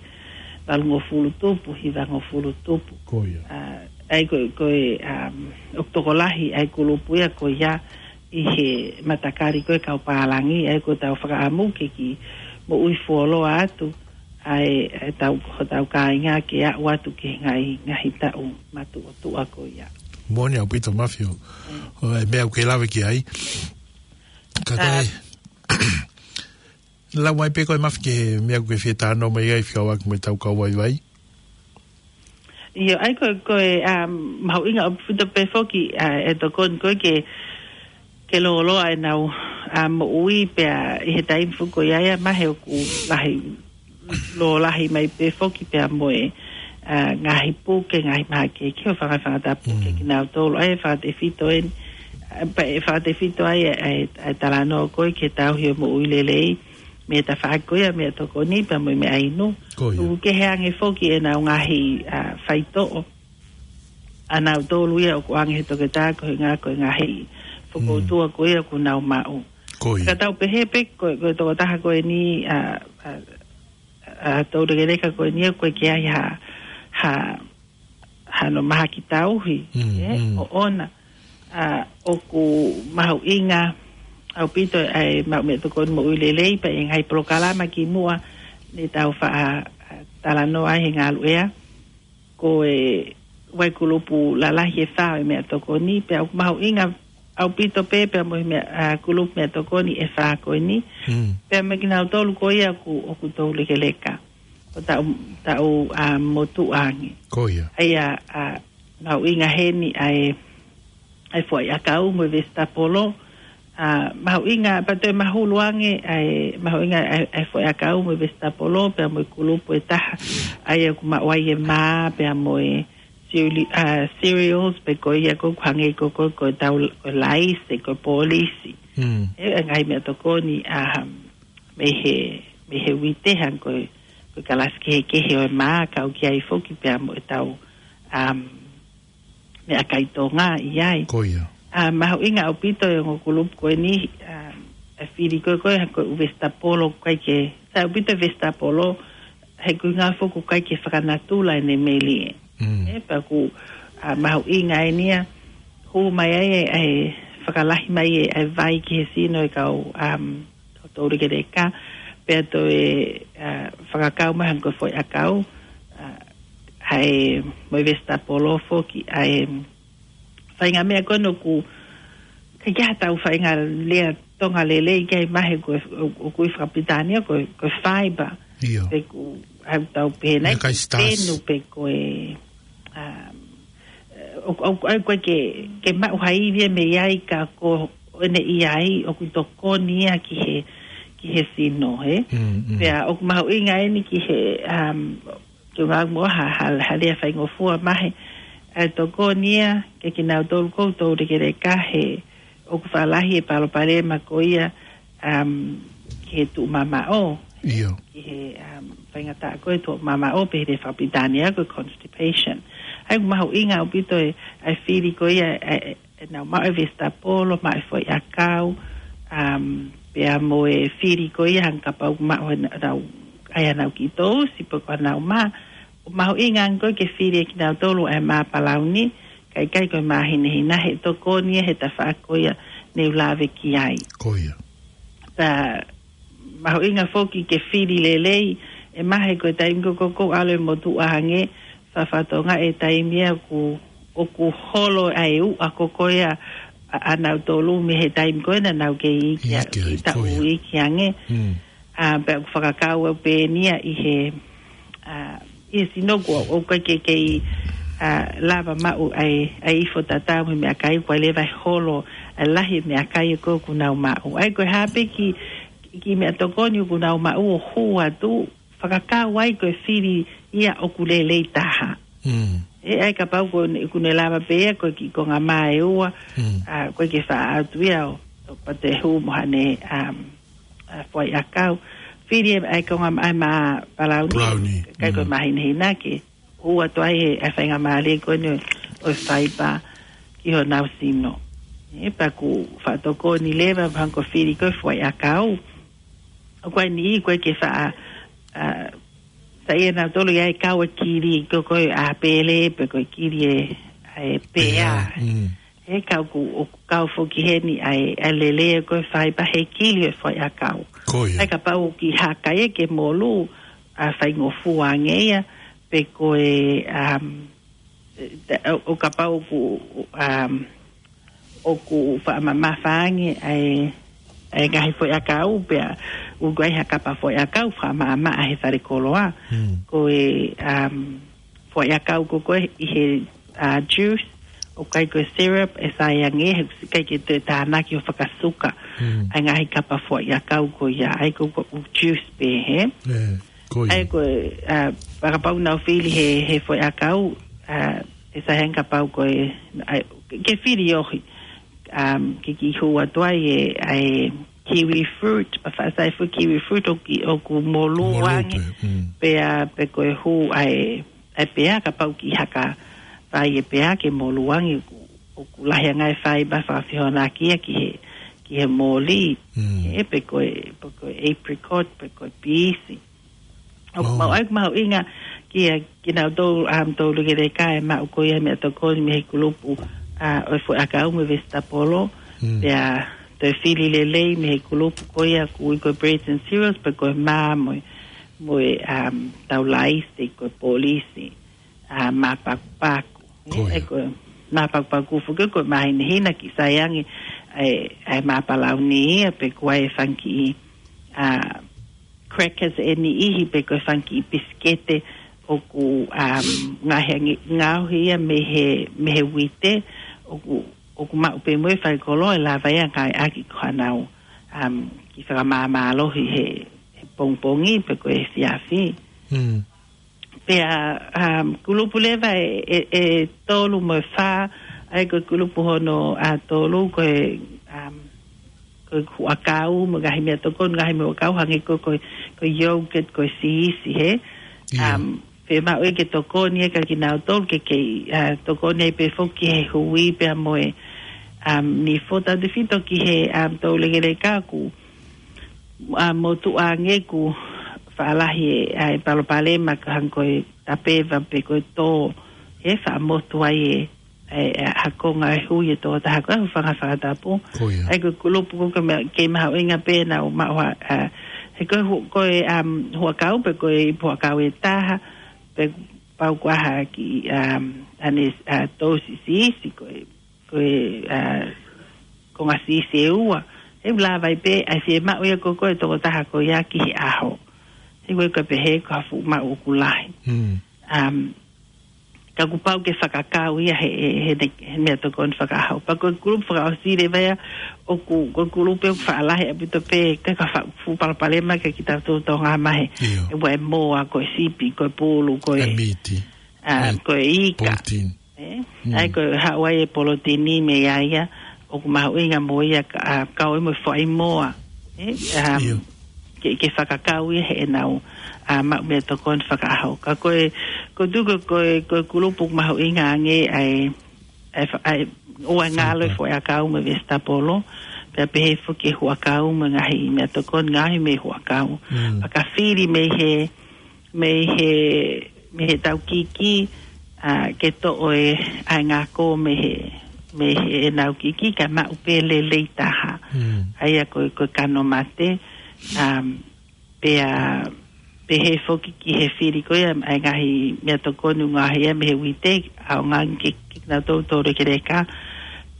valungofulu tupu, hivangofulu tupu. Ko ia. ʻA, ʻa ia ko, ko e, um, ʻoku tokolahi ʻa e kulupu ia ko ia ʻi he matakali ko e kau pālangi, ʻa ia ko ʻetau fakaʻamu ke kiʻi moʻui fuoloa atu, ʻa e, ʻa e tau, hotau kāinga ke aʻu atu ki he ngaahi, ngaahi taʻu matuʻotuʻa ko ia. Moʻoni ʻaupito Mafi ʻo, ʻo e meʻa ʻoku ke lave ki ai. Ka ko e, lau mai pē ko e Mafi ki he meʻa ʻoku ke fie talanoa mai ai fekauʻaki mo ʻetau kau vaivai. ʻIo, ʻa ia ko, ko e, um, mahuʻinga ʻaupito pē foki, ʻa, ʻe tokoni ko ē ke, ke lōloa ʻenau, um, moʻui pea ʻi he taimi foki ko ia ia mahalo ʻoku lahi, lōlahi mai pē foki pea mo e, ʻa, ngaahi puke, ngaahi mahaki ke o fanga, fanga tapu ke kinautolu, ʻa ia fakatefito eni, ʻa, pea ʻe fakatefito ai, ʻa, ʻa, ʻa e talanoa ko ē ke tauhi ʻo moʻui lelei, mei he tafaʻaki ko ia, meʻatokoni, pea mo e meʻainu. Ko ia. ʻOku kehe ange foki ʻenau ngaahi, ʻa, faitoʻo. ʻA nautolu ia ʻoku ʻoange he toketā ko e ngaahi, ko e ngaahi fokoutua ko ia ʻoku nau maʻu. Ko ia. Ka tau pehē pē ko, ko e tokotaha ko eni, ʻa, ʻa, ʻa, toulekeleka ko eni ʻoku ʻikai ke ʻi ai ha, ha, hano mahaki tauhi, ʻe, ʻoʻona, ʻa, ʻoku mahuʻinga ʻaupito ʻa e maʻu meʻatokoni moʻui lelei pea ʻi he ngaahi polokalama kimuʻa ne tau faʻa, ʻa, talanoa ai he ngaluʻea, ko e ʻi ai e kulupu lalahi ʻe fā ʻo e meʻatokoni, pea ʻoku mahuʻinga ʻaupito pē, pea mo e meʻa, ʻa, kulupu meʻatokoni ʻe fā ko eni. Pea mo kinautolu ko ia ʻoku, ʻoku toulekeleka. ʻO taʻu, taʻu, ʻa, motuʻa ange. Ko ia. ʻA ia, ʻa, mahuʻinga heni ʻa e, ʻa e foʻi ʻakau mo e vesitapolo. ʻA, mahuʻinga, pea toe mahulu ange, ʻa e, mahuʻinga ʻa e, ʻa e foʻi ʻakau mo e vesitapolo, pea mo e kulupu ʻe taha. ʻA ia ʻoku maʻu ai e mā, pea mo e cereal-, ʻa, cereals, pe ko ia ko ē ʻoku hangē ko, ko, ko ʻetau, ko e laise, ko e polisi. ʻE, ʻa e ngaahi meʻatokoni, ʻa, mei he, mei he uite hangē ko e, ko e kalasi kehekehe ʻo e mā, kau ki ai foki pea mo ʻetau, um, meʻakai Tonga ʻi ai. Ko ia. ʻA, mahuʻinga ʻaupito e ongo kulupu ko eni, um, ʻa e fili ko ē, ko e, ko e ʻū vesitapolo ʻoku ʻikai ke, sai ʻaupito e vesitapolo, he ʻoku ʻikai foki ʻoku ʻikai ke fakanatula ʻene melie. ʻE, pea ʻoku, ʻa, mahuʻinga eni ia, hū mai ai ʻa e, ʻa e fakalahi mai ʻa e, ʻa e vai ki he sino ʻa e kau, um, kau toulekeleka, pea toe, ʻa, fakakau mai hangē ko e foʻi ʻakau, ʻa, ʻa e, mo e vesitapolo foki, ʻa e, faʻahinga meʻa ko eni ʻoku, ʻikai ke ʻi ai haʻatau faʻahinga lea Tonga lelei ki ai mahalo ko e, ʻo, ʻoku ui fakapilitānia ko e, ko e fiber. ʻIo. Pe ʻoku, ʻa, tau pehē nai, meʻakai ko e starch. Penu pe ko e, um, ʻo, ʻo, ʻo, ko e ke, ke maʻu ha ivi ia mei ai ka ko ʻene ʻi ai, ʻoku tokoni ia ki he, ki he sino, ʻe? Pea ʻoku mahuʻinga eni ki he, um, ke ngāue mo ha, ha, ha lea faingofua mahalo, ʻa e tokoni ia ke kinautolu ko ē ʻoku toulekeleka he ʻoku faʻa lahi e palopalema ko ia, um, ki he tuʻumamaʻo. ʻIo. Ki he, um, faingataʻa ko ē tuʻumamaʻo pe he lea fakapilitānia ko e constipation. ʻA ia ʻoku mahuʻinga ʻaupito e, ʻa e fili ko ia, ʻa e, ʻenau maʻu e vesitapolo, maʻu e foʻi ʻakau, um, pea mo e fili ko ia hangē kapau ʻoku maʻu ʻenau, ʻa ia ʻenau kiʻi tousi pe ko ʻenau mā. ʻOku mahuʻinga ange ko ē ke fili ʻe kinautolu ʻa e mā palauni, kae ʻikai ko e mā hinehina he tokoni ia he tafaʻaki ko ia ne u lave ki ai. Ko ia. Pea mahuʻinga foki ke fili lelei, ʻe mahalo ko e taimi ko ē ʻoku ʻalu e motuʻa ange, fakafatonga e taimi ia ʻoku, ʻoku holo ai e uʻa ko ē ʻa, ʻa, ʻa nautolu mei he taimi ko ē naʻa nau kei iiki, iiki ai, taʻu iiki ange. ʻA, pea ʻoku fakakau au pē eni ia ʻi he, ʻa, ʻi he sino ko ē ʻoku ʻikai ke kei, ʻa, lava maʻu ʻa e, ʻa e ifo tatau mo e meʻakai, ʻoku ʻi ai leva e holo, ʻa e lahi e meʻakai ko ē ʻoku nau maʻu. ʻA ia ko e hā pē kiʻi, kiʻi meʻatokoni ʻoku nau maʻu ʻo hū atu, fakakau ai ko e fili ia ʻoku lelei taha. ʻE, ʻa ia kapau ko ʻene, ʻoku ne lava pē ia ko e kiʻi konga mā ʻe ua, ʻa, ko e ke faʻa ʻatu ia ʻo, ʻo pea toe hū mo haʻane, um, ʻa, foʻi ʻakau. Fili e, ʻa e konga mā, ʻa e mā palauni. Palauni. ʻIkai ko e mā hinehina ke hū atu ai e, ʻa e faingamālie ko eni ʻo e fiber ki honau sino. ʻE, pea ʻoku faʻa tokoni leva, hangē ko e fili ko ē foʻi ʻakau. ʻOku ʻi ai e niʻihi ʻoku ʻikai ke faʻa, ʻa, ta ia nautolu ia e kau e kili, ko, ko e ʻapele, pe ko e kili e, ʻa e pea. Pea, mm. He kau ku, ʻoku kau foki heni ʻa e, ʻa e lele ko e faiba he kili e foʻiʻakau. Ko ia. ʻA ia kapau ʻoku haka ia ke molu, ʻa faingofua ange ia, pe ko e, um, ʻo, ʻo kapau ʻoku, um, ʻoku fakamamafa ange ʻa e, ʻa e ngaahi foʻiʻakau pea, ʻoku ʻi ai ha kapa foʻiʻakau fakamamafa he fale koloa. Mm. Ko e, um, foʻiʻakau ko ko ē ʻi he, uh, juice, ʻoku ʻikai ko e syrup, ʻe sai ange, he ʻoku ʻikai ke toe tānaki ʻo fakasuka. Mm. ʻA e ngaahi kapa foʻiʻakau ko ia, ʻa ia ko, ko e juice pē, he? ʻE, ko ia. ʻA ia ko e, uh, fakapau naʻa nau fili he, he foʻiʻakau, uh, ʻe sai ange kapau ko e, ʻa ia, ke fili ʻohi, um, ke kiʻi hū atu ai e, ʻa e kiwi fruit, pea faʻa sai foʻi kiwi fruit ʻoku, ʻoku molu ange. Molu atu, mm. Pea, pe ko e hū ʻa e, ʻa e pea kapau ʻoku haka fai e pea ke molu ange ʻoku, ʻoku lahi ange e faiba fakafehoanaki ia ki he, ki he moli. Mm. ʻE pe ko e, pe ko e apricot, pe ko e piisi. ʻOku mau, ʻa ia ʻoku mahuʻinga kia kinautolu, um, toulekeleka ʻe maʻu ko ia meʻatokoni mei he kulupu, uh, ʻo e foʻiʻakau mo e vesitapolo. Mm. Pea toe fili lelei mei he kulupu ko ia ʻoku ui ko e breads and cereals, pe ko e mā mo e, mo e, um, taulaisi, ko e polisi, uh, māpakupaku. Ko ia. ʻE ko e māpakupaku foki ko e māhinahina kiʻi sai ange ʻa e, ʻa e māpalauni ia pe ko e fanga kiʻi, uh, crackers ʻe niʻihi pe ko e fanga kiʻi pisikete ʻoku, um, ngaohi ange, ngaohi ia mei he, mei he uite ʻoku, ʻoku maʻu pē mo e fai kolo ʻe lava ia ngāueʻaki ko hanau, um, kiʻi fakamāmālohi he, he pongipongi pe ko e efiafi. Mm. Pea, um, kulupu leva ʻe, ʻe, ʻe tolu mo e fā, ʻa ia ko e kulupu hono ʻe tolu ko e, um, ko e huʻakau mo e ngaahi meʻatokoni, ngaahi meʻa huʻakau hangē ko, ko, ko e yogurt, ko e siisi, he? ʻIo. Um, fiemaʻu ia ke tokoni ia kia kinautolu ke, ke, uh, tokoni ai pē foki he hui pea mo e, um, nifo, tautefito ki he, um, toulekeleka ʻoku, uh, motuʻa ange ʻoku faʻa lahi e, uh, e palopalema ka hangē ko e tapeva pe ko e tō, he faʻa motu ai e, e, e, ha konga e hui e tokotaha ko ē, hūfanga he fakatapu. Ko ia. ʻA ia ko e kulupu ko ē ke ma-, ke mahuʻinga pē naʻa nau maʻu ha, a, he ko e hu-, ko e, um, huʻakau pe ko e ipu huʻakau ʻe taha, pe pau ko ha kiʻi, um, ʻane, a, tō siʻisiʻi ko e, ko e, a, konga siʻisiʻi ʻe ua. He ʻoku lava ai pē, ʻa e fiemaʻu ia ko ē ʻa e tokotaha ko ia ki he ʻaho. He ko e ka pehē ko ha fuʻu maʻu ʻoku lahi. Mm. Um, ka kuo pau ke fakakau ia he, he, he, he meʻatokoni fakaʻaho. Pea ko e kulupu fakaʻosi leva ia ʻoku, ko e kulupu ʻoku faʻa lahi ʻaupito pē, ka, ka fa-, fuʻu palopalema kia kitautolu Tonga mai he. ʻIo. ʻE ua e moa, ko e sipi, ko e pulu, ko e, ʻa e miti. A, ʻa e ko e ika. Protein. ʻE? Mm. ʻA ia ko e haʻu ai e polotini mei ai ia, ʻoku mahuʻinga mo ia ka, a, kau ai mo e foʻi moa. ʻE? Um, ʻIo. ke, ke fakakau ia heʻenau, a, maʻu meʻatokoni fakaʻaho. Ka ko e, ko e tuku ko e, ko e kulupu mahuʻinga ange ʻa e, ʻa e fa-, ʻa e, ʻoua ʻe ngalo e foʻiʻakau mo e vesitapolo, pea pehē foki e huʻakau mo e ngaahi meʻatokoni ngaohi mei he huʻakau. Mm. Pea ka fili mei he, mei he, mei he taukiki, a, ke toʻo e, ʻa e ngako mei he, mei heʻenau kiki, kae maʻu pē lelei taha. Mm. ʻA ia ko e, ko e kano mate, um, pea, pehē foki ki he fili ko ia, ʻa e ngaahi meʻatokoni ngaohi ia mei he uite, ʻaonga ange ke, ke nau toutou toulekeleka,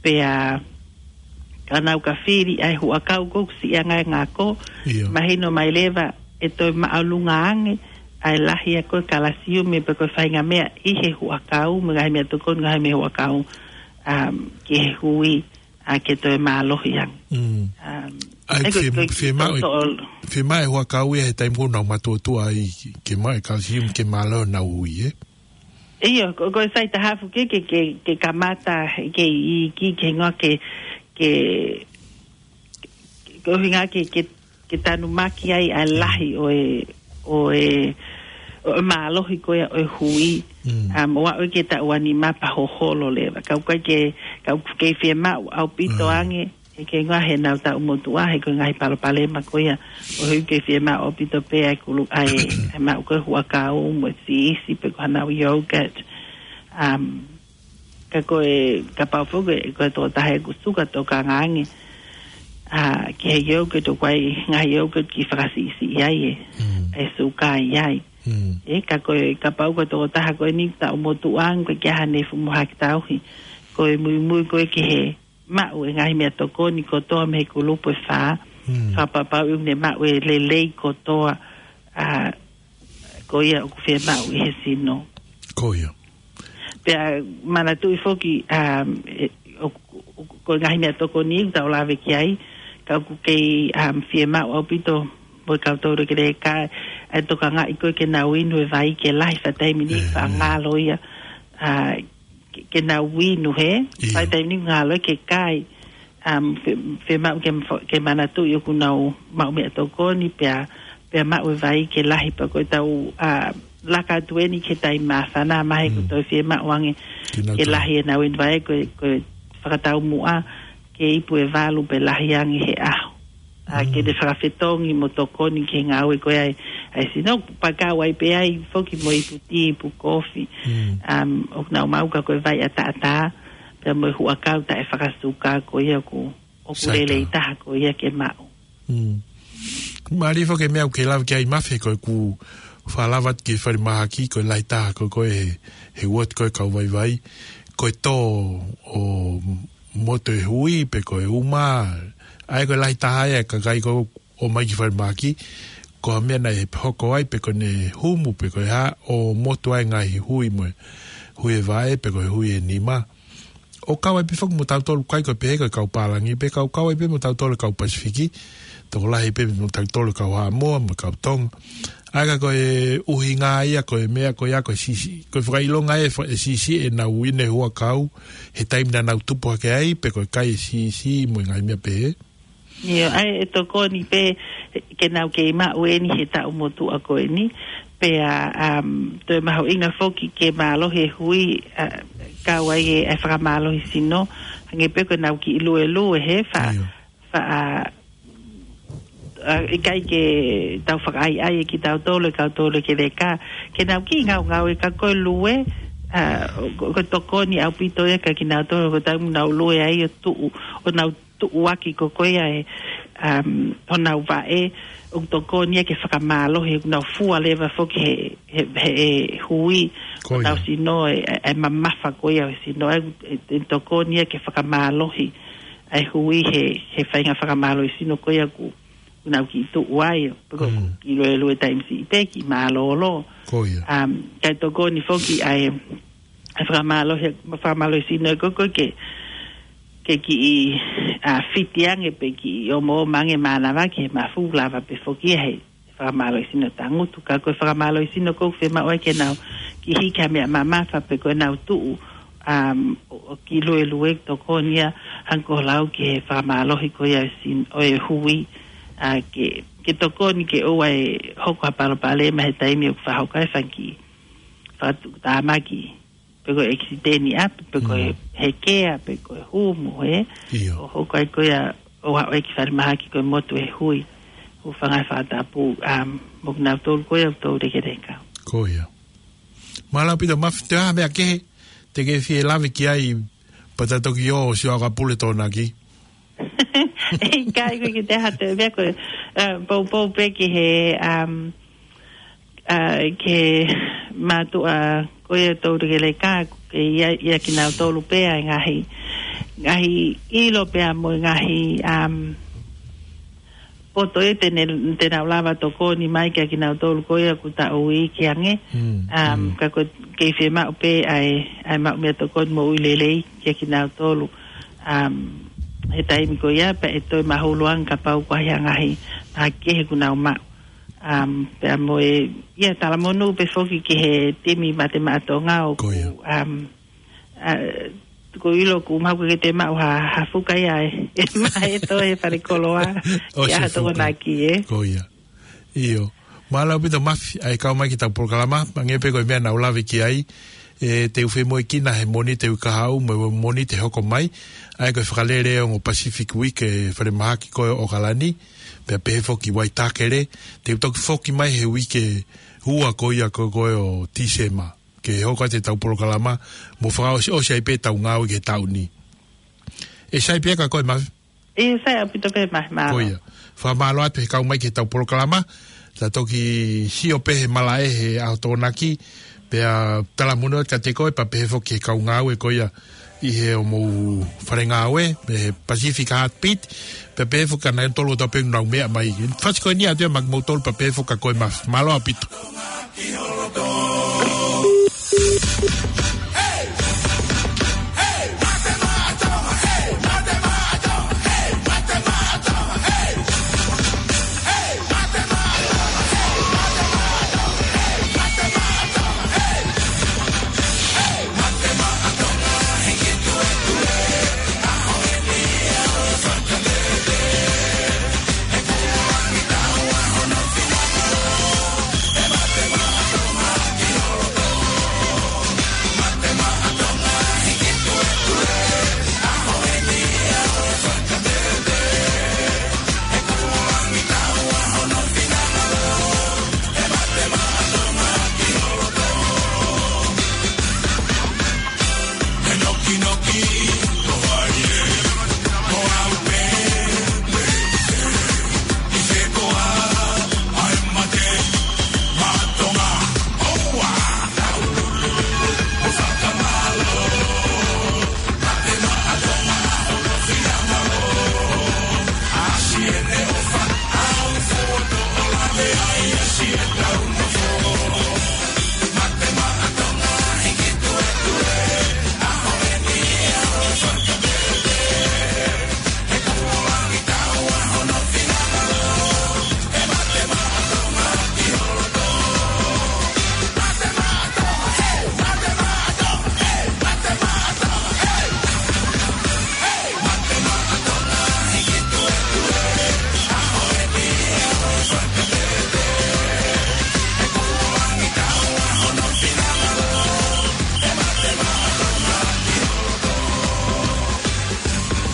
pea, ka nau ka fili ʻa e huʻakau ʻoku siʻi ange ʻa e ngako, ʻIo. mahino mai leva ʻe toe māʻolunga ange ʻa e lahi ʻa e ko e kalasiume pe ko e faʻahinga meʻa ʻi he huʻakau, mo e ngaahi meʻatokoni ngaohi mei he huʻakau, um, ki he hui, a, ke toe mālohi ange. Mm. Um, ʻA ia ʻe ko, fie-, ko, fiemaʻu, to-, to-, fiemaʻu e huʻakau ia he taimi ko ē naʻa nau matuʻotuʻa ai ke maʻu e kalasiume ke mālohi honau hui, ē? ʻIo, ko, ko e sai taha foki ke, ke, ke kamata, ke iiki, ke hingoa ke, ke, ko e ʻuhinga ke, ke, ke tanumaki ai ʻa e lahi ʻo e, ʻo e, ʻo e mālohi ko ia ʻo e hui. Mm. Um, ʻo aʻu ke taʻu ʻe nima pea hoholo leva. Ka ʻoku ʻikai ke, ka ʻoku kei fiemaʻu ʻaupito Mm. ange, ʻIkai ngā he nau taʻu motuʻa, he ko e ngaahi palopalema ko ia. ʻO he ʻoku ke fiemaʻu ʻaupito pē ʻa e kulu, ʻa e, ʻa e maʻu ko e huʻakau mo e siisi pe ko hanau yogurt. Um, ka ko e, kapau foki, ko e tokotaha ʻoku suka tokanga ange. ʻA, ki he yogurt ʻoku ʻi ai ngaahi yogurt ʻoku fakasiʻisiʻi ai e, Mm. e suka ʻi ai. Mm. ʻE, ka ko e, kapau ko e tokotaha ko eni taʻu motuʻa ange, ko e ke hane fumu haki tauhi. Ko e muimui ko e ke he maʻu e ngaahi meʻatokoni kotoa mei he kulupu ʻe fā. Mm. Fakapapauʻi ʻoku ne maʻu e lelei kotoa, ʻa, ko ia ʻoku fiemaʻu ʻi he sino. Ko ia. Pea manatuʻi foki, um, e, ʻo, ʻo, ko e ngaahi meʻatokoni ʻoku tau lave ki ai, ka ʻoku kei, um, fiemaʻu ʻaupito mo e kau toulekeleka, ʻa e tokangaʻi ko e ke nau inu e vai ke lahi, faʻa taimi ni, ʻE, faʻa ʻe. ngalo ia, ʻa, ke, ke nau inu he, ʻIo. faʻa taimi ni ngalo ke kai, um, fe, fiemaʻu ke, ke manatuʻi ʻoku nau maʻu meʻatokoni pea, pea maʻu e vai ke lahi pea ko e tau, ʻa, laka atu eni ke taimi māfana, mahalo ʻoku Mm. toe fiemaʻu ange Ke nau ke toe. lahi ʻenau inu vai ko e, ko e fakataumuʻa ke ipu ʻe valu pe lahi ange he ʻaho. ʻA, Mm. ke te fakafetongi mo tokoni ki he ngāue ko ia ʻa e, ʻa e sino, pea kau ai pē ai foki mo e ipu tī, ipu kofi. Mm. Um, ʻoku nau maʻu ka ko e vai ʻataʻatā, pea mo e huʻakau taʻefakasuka ko ia ʻoku, ʻoku Sai lelei tā. taha ko ia ke maʻu. Mm. Mālie foki e meʻa ʻoku ke lave ki ai Mafi, ko ʻeku fakalava atu ki he falemahaki, ko e lahi taha ko e, ko e he, he uooti ko e kau vaivai, ko e tō ʻo motu e hui, pe ko e uma, ʻa ia ko e lahi taha ia e kakai ko ē ʻoku ō mai ki falemahaki, ko ha meʻa naʻe hoko ai, pe ko ʻene humu, pe ko e hā, ʻo motu ai e ngaahi hui mo e, hui e vaʻe, pe ko e hui e nima. ʻO kau ai pē foki mo tautolu kai ko e pehē ko e kau pālangi, pe kau kau ai pē mo tautolu kau Pasifiki, tokolahi pē mo tautolu kau Haʻamoa, mo kau Tonga. ʻA ia ka ko e ʻuhinga ia, ko e meʻa ko ia, ko e siʻisiʻi, ko e fakaʻilonga e fa-, e siʻisiʻi ʻenau inu e huʻakau, he taimi naʻa nau tupu hake ai, pe ko e kai e siʻisiʻi mo e ngaahi meʻa pehē. ʻIo, ʻa e tokoni pē ke nau kei maʻu eni he taʻu motuʻa ko eni. Pea, um, toe mahuʻinga foki ke mālohi e hui, ʻa, kau ai e, e fakamālohi sino, hangē pē ko ʻenau kiʻi luelue he fa, ʻIo. fa, ʻa, ʻa, ʻikai ke tau fakaʻaiʻai e kitautolu, e kau toulekeleka, ke nau kiʻi ngaungaue ka ko e lue, ʻa, ko, ko e tokoni ʻaupito ia kia kinautolu, ko e taimi ʻoku nau lue ai ʻo tuʻu, ʻo nau tuʻuaki ko ko ia e, um, honau vaʻe, ʻoku tokoni ia ke fakamālohi, ʻoku nau fua leva foki he, he, he, he hui, Ko ia. honau sino, e, e, e mamafa ko ia ʻo e sino, e, e, e tokoni ia ke fakamālohi, e hui he, he faʻahinga fakamālohi sino ko ia ʻoku, ʻoku nau kiʻi tuʻu ai, pe ko Mm. kiʻi luelue taimi siʻi pē, kiʻi mālōlō. Ko ia. Um, kae tokoni foki ʻa e, e fakamālohi, fakamālohi sino ko ko ke, ke kiʻi, ʻa, fiti ange pe kiʻi ʻomoʻoma ange mānava ke mafu lava pē foki he fakamālohi sino tangutu. Ka ko e fakamālohi sino ko ē ʻoku fiemaʻu ai ke nau kiʻi hiki ha meʻa mamafa pe ko ʻenau tuʻu, um, ʻo, ʻo kiʻi luelue tokoni ia hangē ko e lau ki he fakamālohi ko ia ʻo e sin-, ʻo e hui, ʻa, ke, ke tokoni ke ʻoua ʻe hoko ha palopalema he taimi ʻoku fakahoko ai e fanga kiʻi fakatuʻutāmaki, pe ko e ʻekisiteni ʻapi, pe ko e Mm. hekea, pe ko e humu, ē? ʻIo. ʻO hoko ai ko ia ʻo aʻu ai ki falemahaki ko e motu e hui. Hūfanga he fakatapu, um, mo kinautolu ko ia ʻoku toulekeleka. Ko ia. Mālō ʻaupito Mafi, toe ha meʻa kehe te ke fie lave ki ai, pea ta toki ō ʻo sio ʻa ka pule tōnaki. ʻIkai ko e kiʻi taha atu e meʻa ko e, uh, poupou pē ki he, um, uh, ki he mātuʻa ko ia toulekeleka, ke ʻia, ʻia kinautolu pē ʻa e ngaahi, ngaahi ʻilo pea mo e ngaahi, um, poto ē te ne, te nau lava tokoni mai kia kinautolu ko ia ʻoku taʻu iiki ange. Mm, Um, mm. ka ko e kei fiemaʻu pē ʻa e, ʻa e maʻu meʻatokoni moʻui lelei kia kinautolu. Um, he taimi ko ia pea ʻe toe mahulu ange kapau ko e hā e ngaahi meʻa kehe ʻoku nau maʻu. Um, pea mo e, ʻia talamonū pē foki ki he timi Mate Maʻa Tonga ʻoku, Ko ia. um, ʻa, ko e ʻilo ʻoku mahalo ke te maʻu ha, ha fuka ia ē, ʻe maʻu ʻe toe he falekoloa, ʻOsi ia ha fuka. tokonaki, ē. Ko ia. ʻIo. Mālō ʻaupito Mafi, ʻa e kau mai ki heʻetau polokalama, hangē pē ko e meʻa naʻa ku lave ki ai, ʻE te u femoʻuekina he Mōnite ʻi he kahaʻu mo e Mōnite hoko mai. ʻA ia ko e fakalele ʻo e ongo Pacific Week ʻi he falemahaki ko ē ʻo ʻOkalani. Pea pehē foki Waitakere. Te u toki foki mai he uike ua ko ia ko, ko ē ʻo Tīsema. Ke hoko atu ʻetau polokalama. Mo fakaʻosiʻosi ai pē ʻetau ngāue ki he taʻu ni. ʻE sai pē ka ko e ma- ʻE sai ʻaupito pē ma, ma. Ko ia. Fakamālō atu he kau mai ki heʻetau polokalama. Ta toki sio pē he malaʻe he ʻaho Tokonaki. Pea talamonū atu kiate koe, pea pehē foki he kau ngāue ko ia ʻi he ʻomou fale ngāue, he Pacific Heartbeat. Pea pehē foki kia nautolu ʻoku tau pē nau meʻa mai. Fasi ko eni atu ia maʻa kimoutolu pea pehē foki kia koe ma. Mālō ʻaupito.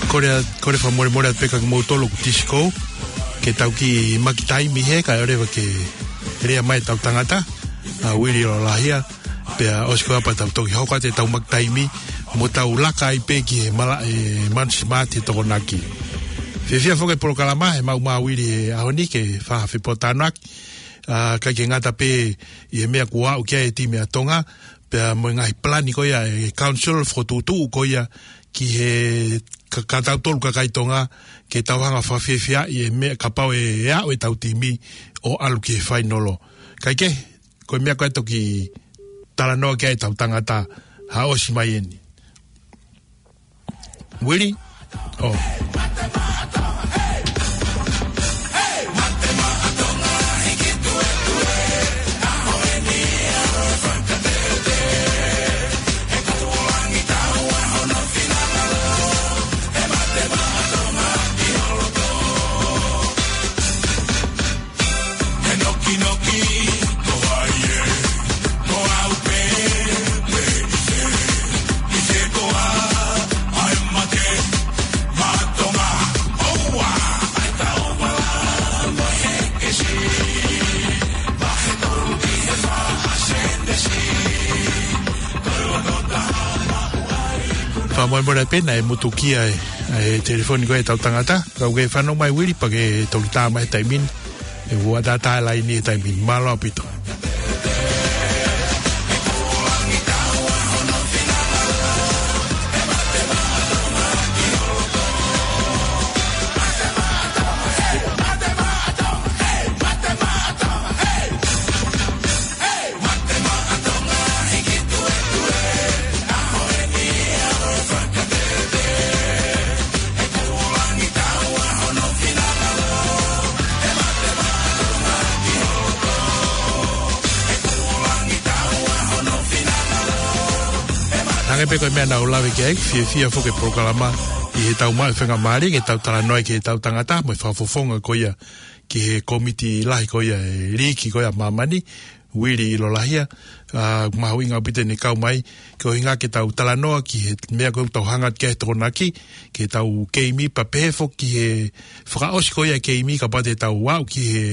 Kole, kole fakamolemole atu pē kia kimoutolu ʻoku tisi kou, ke tau kiʻi maki taimi he, kae ʻoleva ke lea mai ʻetau tangata, ʻa Uili Lolahia, pea ʻosi ko ia pea tau toki hoko atu ʻetau maki taimi, mo tau laka ai pē ki he mala, ʻe, Manu Simati he Tokonaki. Fiefia foki e polokalama, he maʻu mai ʻa Uili he ʻaho ni ke fai ha fepōtalanoaʻaki, ʻa, ʻikai ke ngata pē ʻi he meʻa kuo aʻu ki ai e timi ʻa Tonga, pea mo e ngaahi palani ko ia e council fokotuʻutuʻu ko ia ki he ka, kia tautolu kakai Tonga, ke tau hanga fakafiefiaʻi e meʻa kapau ʻe, ʻe aʻu ʻetau timi ʻo ʻalu ki he fainolo. Kae kehe, ko e meʻa ko ē toki talanoa ki ai ʻetau tangata, ʻa ʻosi mai eni. Uili? ʻO. Fakamolemole pē naʻe mutukia e, e telefoni ko ē ʻetau tangata. Ka ʻoku ke fanongo mai Uili pea ke toki tā mai he taimi ni. ʻE ua tātā laini he taimi ni. Mālō ʻaupito. Hangē pē ko e meʻa naʻa ku lave ki ai, fiefia foki e polokalama ʻi heʻetau maʻu faingamālie ke tau talanoa ki heʻetau tangata mo e fakafofonga ko ia ki he kōmiti lahi ko ia e liiki ko ia ʻa māmani. Uili ʻi Lolahia, ʻa, mahuʻinga ʻaupito ʻene kau mai, koeʻuhinga ke tau talanoa ki he meʻa ko ē ʻoku tau hanga ki he Tokonaki, ke tau keimi pea pehē foki ki he fakaʻosi ko ia e keimi kapau te tau aʻu ki he,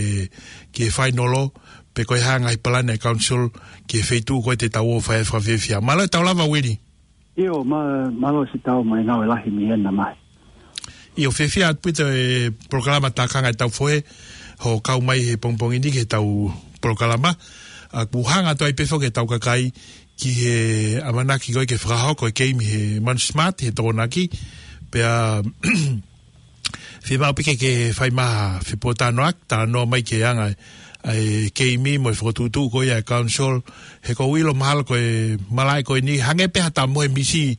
ki he fainolo, pe ko e hā e ngaahi palani ʻa e council, ki he feituʻu ko ē te tau ō fai ai e fakafiefia. Mālō e tau lava Uili. ʻIo, mā-, mālō siʻi tau mai ngāue lahi mei hena mai. ʻIo, fiefia ʻaupito e polokalama Tākanga ʻo e Tau Fohe, hoʻo kau mai he pongipongi ni ki he tau polokalama. ʻA, kuo hanga atu ai pē foki e tau kakai ki he ʻamanaki ko ē ke fakahoko e keimi he Manu Smart, he Tokonaki. Pea fiemaʻu pē ke ke fai mai ha fepōtalanoaʻaki, talanoa mai ki he anga ʻa e keimi mo e fokotuʻutuʻu ko ia ʻa e council, he ʻoku ou ʻilo mahalo ko e malaʻe ko eni, hangē pē ha tau mohe misi,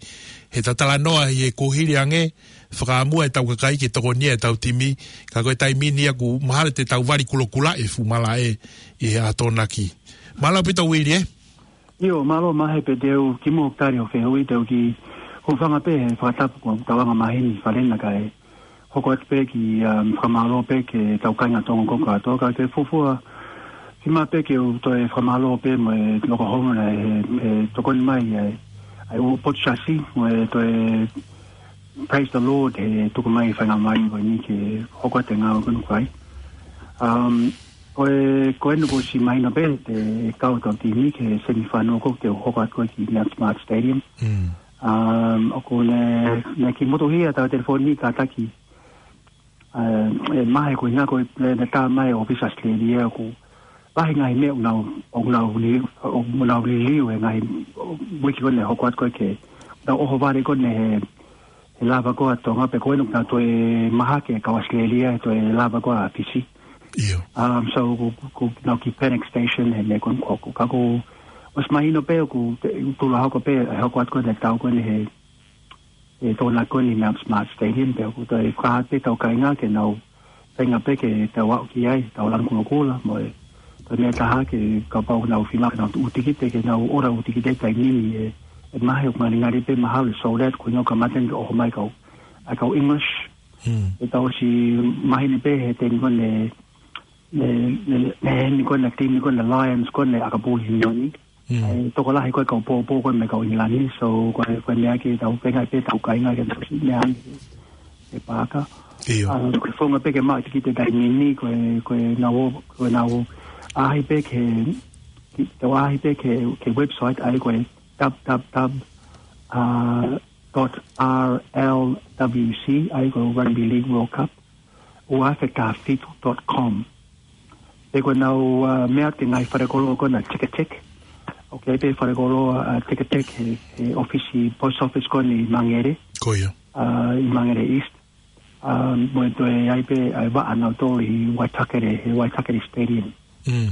he tau talanoa ʻi he kuohili ange, fakaʻamua e tau kakai ke tokonia e tau timi, ka ko e taimi ni ʻoku mahalo te tau vali kulokula e fuʻu malaʻe ʻi he Tokonaki. Mālō ʻaupito Uili ē. ʻIo, mālō Mahe, pea te u kimuʻa ʻoku tali hoʻo fehuʻi, te u kiʻi hūfanga pē he fakatapu ko ē ʻoku tau anga maheni falena kae hoko atu pē ki, um, fakamālō pē ki he tau kāinga Tonga ko ē kātoa, ka ke fuofua, fiemaʻu pē ke u toe fakamālō pē mo e loko hono na he, he tokoni mai ʻa e, ʻa e ʻū potu siasi, mo e toe praise the Lord, he tuku mai e faingamālie ko eni ke hoko atu e ngāue ko eni ʻoku fai. Um, ko e, ko eni kuo ʻosi mahino pē, te kau e tau timi ki he semifinal ko ē te u hoko atu ko ē ki Mount Smart Stadium. Mm. Um, ʻoku ne, ne kiʻi motuhia ʻetau telefoni kātaki. Uh, ʻe Mahe, koeʻuhinga ko e, ne, ne tā mai ʻa e ʻōfisi ʻAositelēlia ʻoku lahi e ngaahi meʻa ʻoku nau, ʻoku nau li-, ʻoku nau liliu he ngaahi, ʻo, uike ko eni ʻe hoko atu ko ē ke nau ʻohovale ko eni he, he lava ko ē ʻa Tonga, pea ko eni ʻoku nau toe mahaki e kau ʻAositelēlia he toe lava ko ē ʻa Fisi. ʻIo. Um, so, ko, ko, ko nau ki Panic Station he meʻa ko eni ko ē. Ka kuo ʻosi mahino pē ʻoku te-, tulahoko pē, ʻe hoko atu ko ē ʻetau tau ko eni he, he Tokonaki ko eni Mount Smart Stadium, pea ʻoku toe fakahā atu pē ʻetau kāinga ke nau feinga pē ke tau aʻu ki ai, tau lanu kulokula, mo e, toe meʻa ʻe taha ke kapau ʻoku nau fiemaʻu ke nau tuʻu tikite, ke nau ʻola ʻū tikite he taimi ni ē, ʻe Mahe, ʻoku ngalingali pē mahalo ʻe sold out, koeʻuhinga ʻoku kamata eni ke ʻoho mai e kau, ʻa e kau English. Hmm. ʻE tau ʻosi maheni pē he timi ko eni, ne, ne, ne, ne, he timi ko eni, timi ko eni Lions ko eni ʻa Kapuli Unioni. Mm. ʻE, tokolahi ko ē kau pōpō ko ē mei he kau ʻIngilani, so ko e, ko e meʻa ke tau feinga pē ʻetau kāinga ke tau siʻi meʻa ange he paaka. ʻIo. ʻA, ko e founga pē ke maʻu e tikite he taimi ni, ko e, ko e nau, ko e nau ʻaʻahi pē ki he, ki, tau ʻaʻahi pē ki he, ki he website ʻa ia ko e dub dub dub, uh, dot R L W C, ʻa ia ko e Rugby League World Cup, ua afe taha fitu dot com. Pea ko ʻenau, uh, meʻa ki he ngaahi falekoloa ko ena Ticketek. ʻOku ʻi ai pē falekoloa, uh, Ticketek he, he ʻōfisi post office ko eni ʻi Mangere. Ko ia. Uh, ʻi Mangere East. Uh, mo e toe ʻi ai pē, uh, vaʻa ʻanautolu ʻi Waitakere, he Waitakere Stadium. Mm.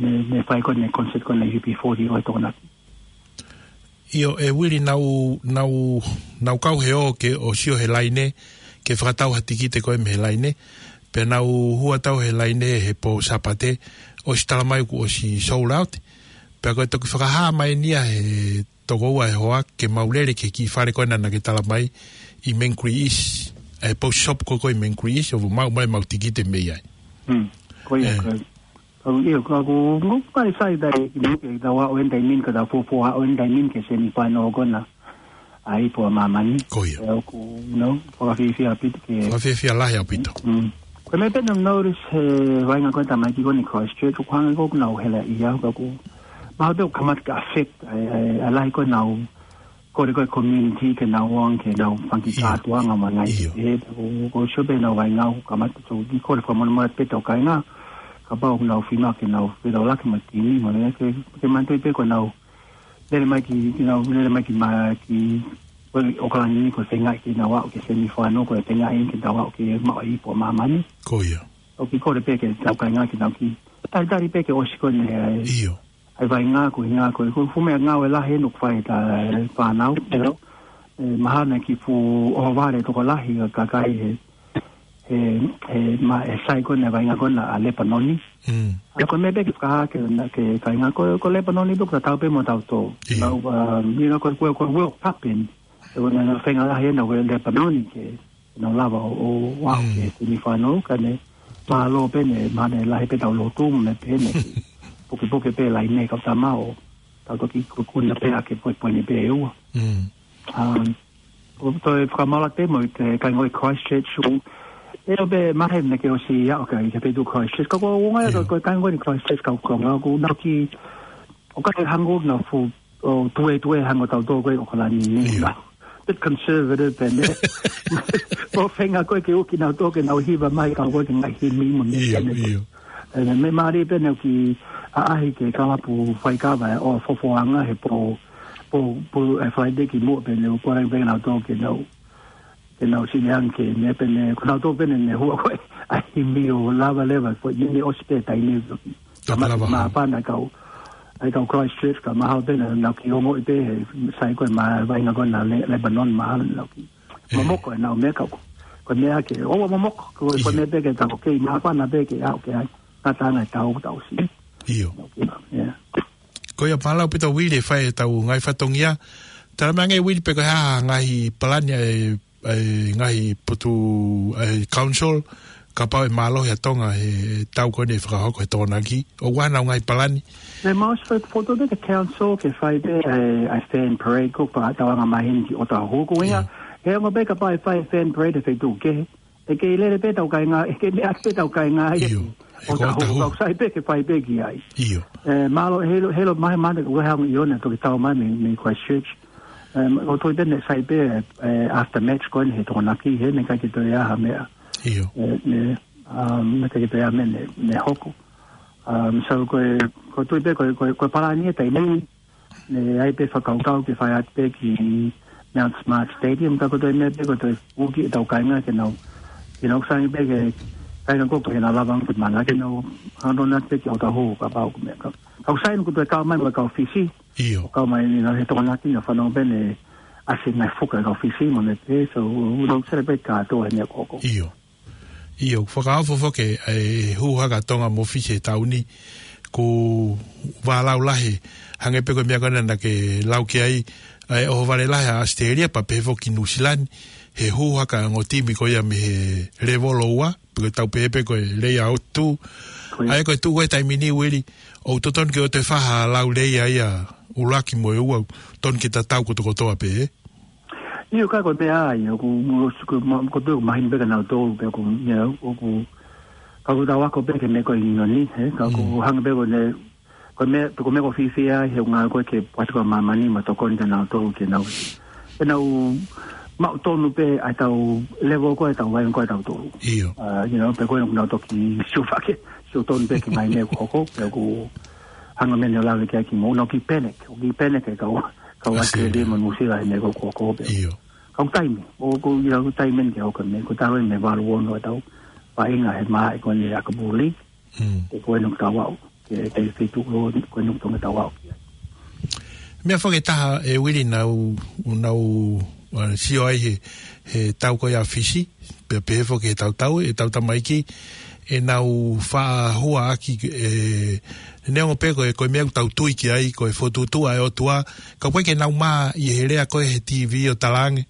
Ne, ne fai ko eni e concert ko ena U B forty ʻo e Tokonaki. ʻIo, ʻe Uili, nau, nau, nau kau he ō ke ʻo sio he laine, ke fakatau ha tikite ko ē mei he laine. Pea nau hū atu au he laine he pō Sāpate, ʻosi tala mai kuo ʻosi sold out. Pea ko e toki fakahā mai eni ia he toko ua e hoa ke mau lele ki he kiʻi fale ko ena naʻa ke tala mai ʻi Mangere East, ʻa e post shop ko ē ʻi Mangere East, ʻo maʻu mai ʻemau tikite mei ai. Hmm. Ko ia, ʻe. Ko ia. Ka u, ʻio, ka ʻoku, ʻoku ou ʻai sai tai ki muʻa ke tau aʻu eni he taimi ni, ka tau fuofua aʻu eni he taimi ni ki he semifinal ko ena ʻa e Ipu ʻa Māmani. Ko ia. ʻE ʻoku, you know, fakafiefia ʻaupito ke. Fakafiefia lahi ʻaupito. Mm. Ko e meʻa pē naʻa ku notice he vaʻinga ko ē tamaiki ko eni Christchurch, ʻoku hangē ko ē ʻoku nau hela ʻi ai, ka ʻoku mahalo pē ʻoku kamata ke affect ʻa e, ʻa e, ʻa e lahi ko ē ʻenau kole ko ē community ke nau ō ange ke nau fanga kiʻi, ʻio, kātoanga mo e ngaahi, ʻio, ʻe, ko, ko e sio pē ʻenau vaʻinga ʻoku kamata, so kiʻi kole fakamolemole pē ʻetau kāinga, kapau ʻoku nau fiemaʻu ke nau fetalanoaʻaki mo e timi, mo e ke, ke manatuʻi pē ko ʻenau lele mai ki, ke nau lele mai ki ma-, ki, ko ʻOkalani ni ko e feingaʻi ke nau aʻu ki he semifinal, ko e feingaʻi ke nau aʻu ke maʻu e Ipu ʻa Māmani. Ko ia. ʻOku kiʻi kole pē ki heʻetau kāinga ke nau kiʻi talitali pē ke ʻosi ko eni, ʻe, ʻio, ʻa e vaʻinga ko e, ʻuhinga ko e, ko e fuʻu meʻangāue lahi eni ʻoku fai ʻe he fānau. Hello. ʻE, mahalo naʻe kiʻi fuʻu ʻohovale tokolahi ʻa e kakai he, he, he ma-, he sai ko ena e vaʻinga ko ena ʻa Lepanoni. Mm. ʻA ia ko e meʻa pē ke fakahā ki he, ki he kāinga ko, ko Lepanoni pē ʻoku tatau pē mo tautolu. ʻIo. Nau, um, you know, ko e, ko e, ko e World Cup eni. ʻE, ko ʻenau feinga lahi ena ʻa Lepanoni ke nau lava ʻo, ʻo aʻu, mm, ki he semifinal, ka ne mālō pē eni, mahalo naʻe lahi pē ʻetau lotu mo e meʻa pehē ni. pukepuke pē laine kau tama ʻo tau toki kukuna pē ʻa ke poe poini pē ua. Mm. Um, ʻo toe fakamālō atu mo e kāinga ʻi Christchurch ʻoku ʻio pē maheni ke ʻosi ia ʻo kai ke petu Christchurch. Ka ko ʻuhinga ia ʻIo. ko e kāinga ʻi Christchurch kau ko ngā ʻoku nau ki ʻo kai hangē nau fuʻu ʻo tuetue hangē ʻoku tau tō ko ē ʻAokalani ni. ʻIo. Bit conservative pē ne. Mo fenga ko ē ke uki nau tō ke nau hiva mai kau ko ē ke ngaahi himi mo ne ʻIo, pē ne. ʻIo. E, me mālie pē ne ki ʻaʻahi ke kalapu faikava ʻo fofoʻanga he pō, pō, pō e Friday ki muʻa pē ne ʻo kore pē nau tō ke nau, ke nau sini ange ke ne pē ne, ko nau tō pē ne ne hua ko ē, ʻa himi ʻo lava leva, ko ʻi ne ʻosi pē taimi ne. Tō Ka ma-, lava ma hau. pana kau, ʻai kau Christchurch, ka mahalo pē ne nau ki ongo i pē, he sai ko ē ma vainga ko ē na Le-, Lebanon mahalo nau ki. E. Momoko e nau meʻa kau. Ko e meʻa ke, ʻoua momoko, ko, ko e ʻIo. meʻa pē ke tau kei ma pana pē ke au ke ai. Ka tanga e tau, tau si. ʻIo. Nau ki, yeah. Ko ia mālō ʻaupito Uili e fai e tau ngaahi fatongia. Tala mai ange Uili pe ko e hā ngaahi palani e, e ngaahi potu e council. Kapau ʻe mālohi ʻa Tonga he tau ko eni ʻe fakahoko he Tokonaki. ʻOku ʻi ai haʻanau ngaahi palani. Ne mau se foto pē ke council ke fai pē e, e fan parade ko pa tau anga maheni ki ʻOtahuhu ko ia. ʻIo. He ongo pē kapau ʻe fai fan parade he feituʻu kehe. ʻE kei lele pē tau kāinga, ʻe kei meʻa pē tau kāinga ia ʻIo. ki ʻOtahuhu. ʻOtahuhu. Kau sai pē ke fai pē ki ai. ʻIo. E, mālō, heʻilo, heʻilo mai mana, ua hang i ona toki tau mai mei, mei Christchurch. E, ʻo toi pē ne sai pē, e, after match ko eni he Tokonaki, he ne kai ke toe ʻi ai ha meʻa. ʻIo. E, ne, um, ne kai ke toe ʻi ai ha meʻa ne, ne hoko. Um, so ko e, ko e tui pē, ko e, ko e, ko e palani e taimi ni, ne ʻai pē fakakaukau ke fai atu pē ki Mount Smart Stadium, ka ko e toe meʻa pē ko e toe uki e tau kāinga ke nau, ke nau sangi pē ke kāinga ko ke nau lava ke mana ke nau hano nat pē ki ʻOtahuhu kapau ko e meʻa ka. Kau sai ko e toe kau mai mo e kau Fisi. ʻIo. Kau mai ni na he Tokonaki na fanau pē ne ʻasi mai fuka e kau Fisi mo ne pē, so, u nau sere pē kātoa he meʻa ko ʻoku. ʻIo. ʻIo, fakaofo foki e hū haka Tonga mo Fisi he taʻu ni, ko e vālau lahi, hangē pē ko e meʻa ko ena naʻa ke lau ki ai, ʻa e ʻohovale lahi ʻa ʻAositelēlia, pea pehē foki Nuʻusila ni, he hū haka ongo timi ko ia mei he lēvolo ua, pe ko e tau pehē pē ko e layout two. Ko ia. ʻA ia ko e tuʻu ko ē taimi ni Uili, ʻoku totonu ke ʻoua te fai ha lau lelei ʻa ia ʻuluaki mo e ua, tonu ke tatau kotokotoa pē, ē? ʻIo ka ko e meʻa ia, ʻoku mo-, ʻoku ma-, ko e pē ʻoku mahino pē kia nautolu pē ʻoku, you know, ʻoku, ka ʻoku tau ako pē ki he meʻa ko ē ʻi ʻIngilani, he, ka ʻoku Mm. hangē pē ko ʻene, ko e meʻa, ko e meʻa ʻoku fiefia ai, he ʻuhinga ko ē ki he pātiko ʻa māmani mo e tokoni kia nautolu ke nau, ke nau maʻu tonu pē ʻa e tau level ko ē ʻa e tau vainga ko ē ʻa tautolu. ʻIo. Uh, you know, pea ko ē ʻoku nau toki sio fake, sio tonu pē ki he ngaahi meʻa ʻoku hoko, pea ʻoku hangē ko e meʻa naʻe lave ki ai kimuʻa, ʻoku nau kiʻi panic, ʻoku kiʻi panic e kau, kau ʻAositelēlia. ʻAositelēlia mo Nuʻusila he meʻa ko ē ʻoku hoko pē. ʻIo. Kau taimi, ʻoku, you know, taimi eni ke hoko e meʻa, ko e taimi eni ʻe valu ono ʻetau vaʻinga he māhina ko eni ʻa e ʻAkapulu League. Mm. He ko eni ʻoku tau aʻu, ke, ke, ke tuku lo, ko eni ʻoku tau aʻu ki ai. Meʻa foki ʻe taha ʻe Uili naʻa ku, naʻa ku, uh, sio ai he, he tau ko ia ʻa Fisi, pea pehē foki he tau tau, ʻetau tamaiki, ʻenau faʻa hua ʻaki, ʻe, neongo pē ko e, ko e meʻa ʻoku tau tui ki ai, ko e fokotuʻutuʻu ʻa e ʻOtua, ka ʻoku ʻikai ke nau mā ʻi he lea ko ē he TV ʻo talaange,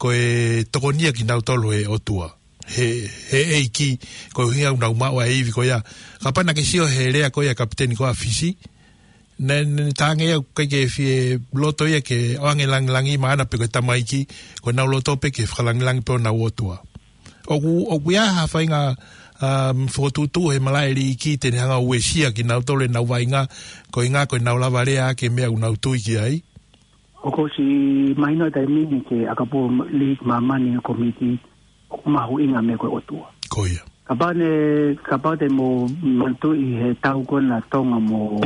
ko e tokonia kinautolu ʻe he ʻOtua. He, he ʻEiki, ko e ʻuhinga ʻoku nau maʻu ʻa e ivi ko ia. Kapau naʻa ke sio he lea ko ia ʻa e kapiteni ko ia ʻa Fisi, naʻe, naʻe talaange ia ʻoku ʻikai ke fie loto ia ke ʻoange langilangi maʻana pe ko e tamaiki, ko ʻenau loto pē ke fakalāngilangi pē honau ʻOtua. ʻOku, ʻoku ʻi ai ha faʻahinga, um, fokotuʻutuʻu he malaʻe liiki te ne hanga ʻo uesia kinautolu ʻenau vaʻinga, ko e ʻuhinga ko ʻenau lava lea ʻaki e meʻa ʻoku nau tui ki ai. ʻOku ʻosi mahino e taimi ni ki he ʻAkapulu League māmani ʻo e kōmiti, ʻoku mahuʻinga e meʻa ko e ʻOtua. Ko ia. Kapau ne, kapau te mo manatuʻi he tau ko ena ʻa Tonga mo,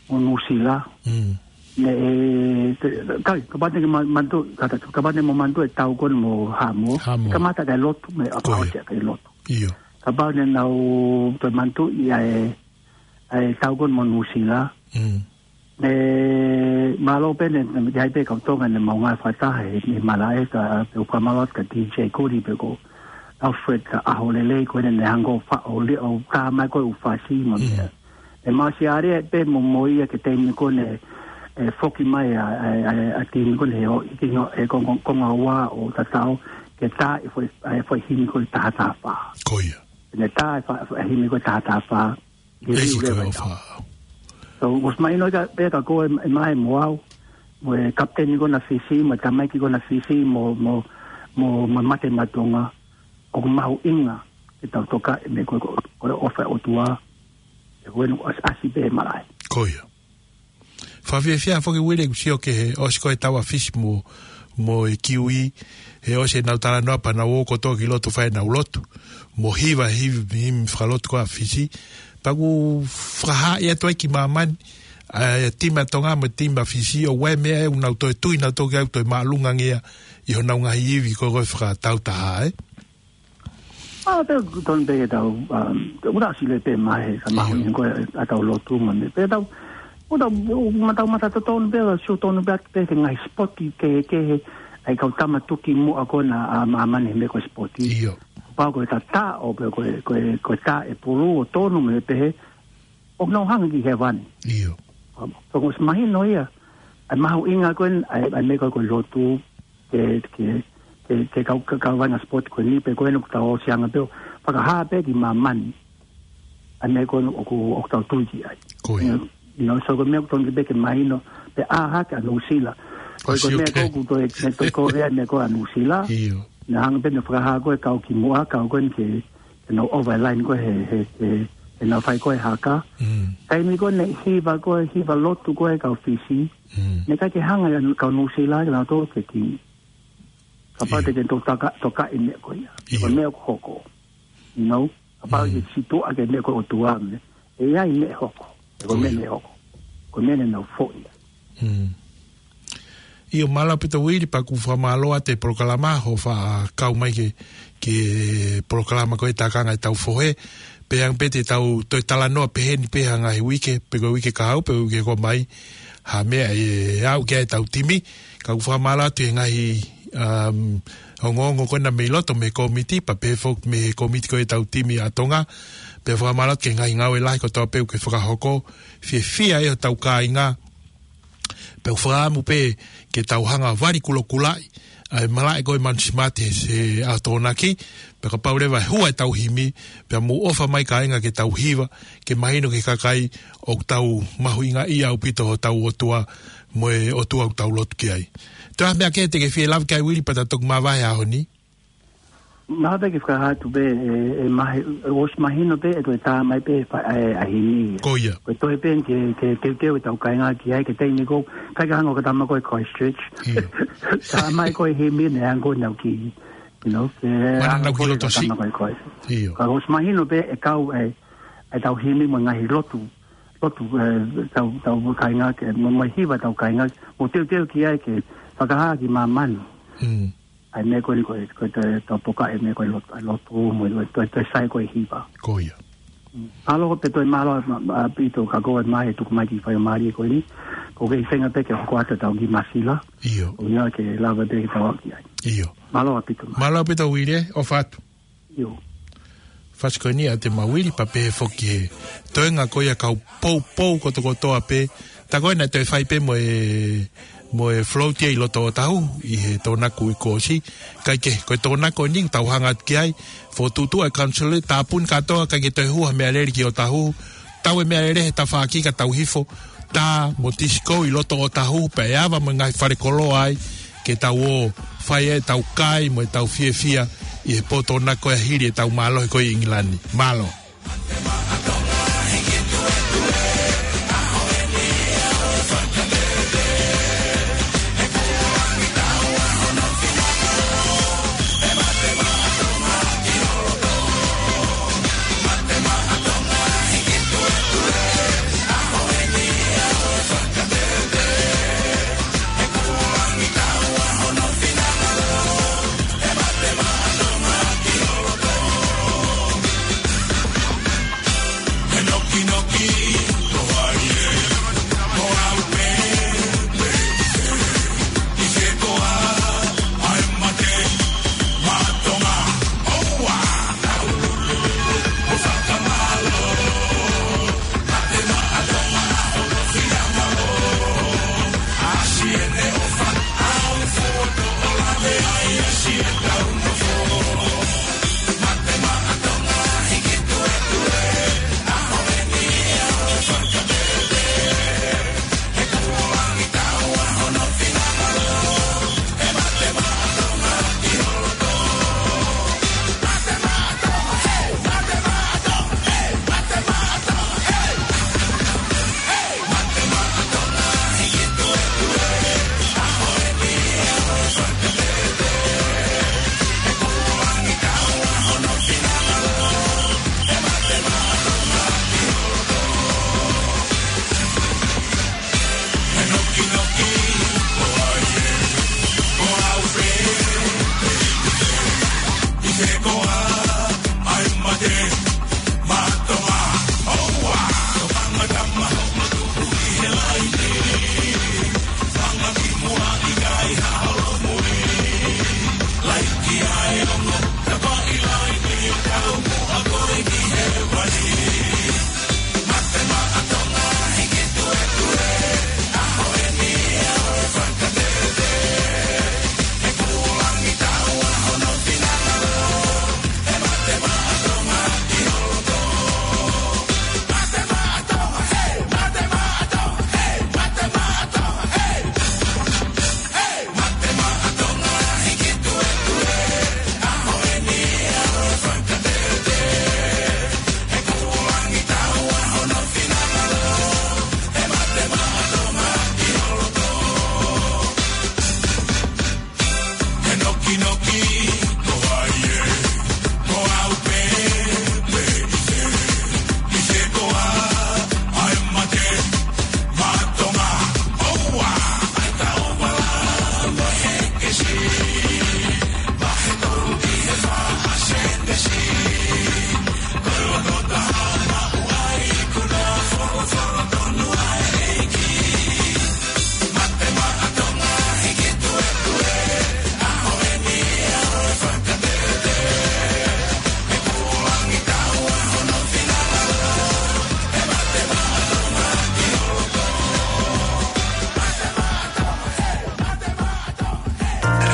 mo Nuʻusila. Mm. Ne, e, te, kai, kapau te ke ma-, manatuʻi, kata, kapau te mo manatuʻi e tau ko ena mo Haʻamoa. Haʻamoa. Kamata ki he lotu, mo e Ko ia. ʻapasia ki he lotu. ʻIo. Kapau ne nau toe manatuʻi ʻa e, ʻa e tau ko ena mo Nuʻusila. Mm. Ne, mālō pē ne, ne, ʻi ai pē kau Tonga ne mau ngāue fakataha he, he malaʻe ka, pea ʻoku ou fakamālō atu kia DJ Kuri pe ko Alfred ka ʻaho lelei ko ē ne hanga ʻo fa-, ʻo li-, ʻo tā mai ko ē ʻū fasi mo Mm. ne. ʻE mau ʻosi ʻalu pē mo, mo ia ki he taimi ko ē ne, ʻe foki mai ʻa, ʻa, ʻa, ʻa e timi ko ē ne ʻo, ʻi he konga, konga ua ʻo tatau, ke tā e foʻi, ʻa e foʻi himi ko ē taha taha fā. Ko ia. Ne tā e fa-, foʻi himi ko ē taha taha fā. ʻEiki ko e ʻofa. So, ʻosi mahino ia pē kia koe, ʻe Mae mo au, mo e kapiteni ko ena Fisi, mo e tamaiki ko ena Fisi, mo, mo, mo, mo Mate Matonga, ʻoku mahuʻinga ke tau tokaʻi e meʻa ko ē, ko e ʻofa ʻa e ʻOtua, ʻe ko ē naʻe ʻasi, ʻasi pē he malaʻe. Ko ia. Fakafiefia foki Uile, ʻoku sio ki he ʻosi ko ē ʻetau ʻa Fisi mo, mo e Kiui, he ʻosi ʻenau talanoa pea nau ō kotoa ki loto fai ʻenau lotu. Mo e hiva, hiva, hiva fakalotu ko ē ʻa Fisi. Pea ʻoku fakahā ia atu ai ki māmani, ʻa e timi ʻa Tonga mo e timi ʻa Fisi, ʻoku ʻi ai e meʻa ʻoku nau toe tui, nau toki ʻai toe māʻolunga ange ia ʻi honau ngaahi ivi ko ē ko e fakatautaha, ē? ʻA, pea ʻoku totonu pē ke tau, um, ʻoku tau sio pē mai he, ka mahu Io. ni ko e, ʻa ʻetau lotu mo e meʻa. Pea tau, ʻoku tau, ʻoku ma tau matatotonu pē, ʻa sio tonu pē, pē ki he ngaahi sipoti kehekehe, ʻa e kau tama tuki muʻa ko ena ʻa māmani he meʻa ko e sipoti. Io. Pau ko e tata, ʻo pē ko e, ko e, ko e taʻepulu, ʻo tonu mo e pehē, ʻoku nau hanga ki hēvani. Io. So, ʻoku ʻosi mahino ia, ʻa e mahuʻinga ko ē, ʻa e, ʻa e meʻa ko ē ko e lotu, ke, ke, ke, ke kau, ke kau vaʻinga sipoti ko eni, pea ko ena ʻoku tau ʻosi anga pē ʻo fakahā pē ki māmani. ʻA e meʻa ko ē ʻoku, ʻoku tau tui ki ai. Ko ia. You know, so ko e meʻa ʻoku totonu pē ke mahino, pea ʻā hake ʻa Nuʻusila. Ko e, ko e Āsia meʻa Oceania. Ko ē ʻoku toe, meʻa toe ko e meʻa ko ē ʻa Nuʻusila. Io. Naʻe hanga pē ʻo fakahā ko ē kau ki muʻa, kau ko ē ke, ke nau ʻova e laine ko ē he, he, he, he nau fai ko ē haka. Mm. Taimi ko ē naʻe hiva ko ē, hiva lotu ko ē kau Fisi. Mm. Naʻe ʻikai ke hanga ia kau Nuʻusila ke nau tō ke ki. Kapau Io. te ke tō taka, tokaʻi e meʻa ko ia. Io. Ko e meʻa ʻoku hoko. You know? Kapau Mm. te sītuʻa ki he meʻa ko e ʻOtua mo e. ʻE ʻi ai e meʻa ʻe hoko. Ko e Ko meʻa ia. naʻe hoko. Ko e meʻa naʻa nau foʻi. Mm. ʻIo, mālō ʻaupito Uili, pea ʻoku fakamālō atu e polokalama, hoʻo faʻa kau mai ki he, ki he polokalama ko e Tākanga ʻetau Fohe. Pea ʻe ʻi ai pē ʻetau toe talanoa pehē ni pē he ngaahi uike, pe ko e uike kahaʻu, pe ko e uike ʻoku ʻomai, ha meʻa ʻe aʻu ki ai ʻetau timi. Ka ʻoku fakamālō atu he ngaahi, um, ongoongo ko ena mei loto mei he kōmiti, pea pehē foki mei he kōmiti ko ē ʻetau timi ʻa Tonga. Pea fakamālō atu ki he ngaahi ngāue lahi kotoa pē ʻoku ke fakahoko, fiefia ʻi hotau kāinga. Pea ʻoku fakaʻamu pē ke tau hanga ʻo vali kulokulaʻi ʻa e malaʻe ko ē Manusima he, he ʻaho Tokonaki, pea kapau leva ʻe hua ʻetau himi, pea mou ʻofa mai kāinga ke tau hiva, ke mahino ki he kakai ʻoku tau mahuʻingaʻia ʻaupito hotau ʻOtua, mo e ʻOtua ʻoku tau lotu ki ai. Toe ʻi ai ha meʻa kehe te ke fie lave ki ai Uili pea ta toki mavahe he ʻaho ni? Mahalo pē ke fakahā atu pē, ʻe, ʻe mahi-, ʻosi mahino pē, ʻe toe tā mai pē, fa-, ʻe, ʻa e himi. Ko ia. Ko e toe pē, ke, ke teuteu ʻetau kāinga ki ai, ki he taimi ko ē, ʻikai ke hanga ʻo ka tama ko ē Christchurch. Io. Tā mai ko ē himi naʻe hanga ko ē nau ki, you know, ke Mana hanga nau ki ko ē loto ka si. tama ko ē Christchurch. Io. Ka ʻosi mahino pē, ʻe kau, ʻe, ʻetau himi mo e ngaahi lotu. Lotu, ʻe, tau, tau kāinga ke, mo, mo hiva tau kāinga, mo teuteu ki ai ke fakahā ki māmani. Mm. ʻA e meʻa ko eni ko e, ko e toe, toe poka e meʻa ko e lotu, lotu mo e, toe, toe sai ko e hiva. Ko ia. Mālō pē toe mālō, ma, ma, ʻaupito ka ko e mai e tuku mai ki he faingamālie ko eni. Ko e kei feinga pē ke hoko atu ʻetau ngaahi māsila. ʻIo. ʻO ia ke lava pē ke tau ki ai. ʻIo. Mālō ʻaupito mai. Mālō ʻaupito Uile, ʻofa atu. ʻIo. Fasi ko eni ʻa e temi Uile pea pehē foki he toenga ko ia kau poupou kotokotoa pē. Tā ko ena ʻe toe fai pē mo e, mo e float ia ʻi loto ʻOtahu, ʻi he Tohonaku ʻi Kōsi. Kae kehe, ko e Tohonaku eni ʻoku tau hanga atu ki ai, fokotuʻutuʻu ʻa e council, tāpuni kātoa, ʻikai ke toe hū ha meʻalele ki ʻOtahu. Tau e meʻalele he tafaʻaki ka tau hifo, tā mo tisiko ʻi loto ʻOtahu, pea ʻe ava mo e ngaahi fale koloa ai, ke tau ō, fai ʻetau kai mo ʻetau fiefia, ʻi he pō Tokonaki ko ē hili ʻetau mālohi ko ē ʻi ʻIngilani. Mālō.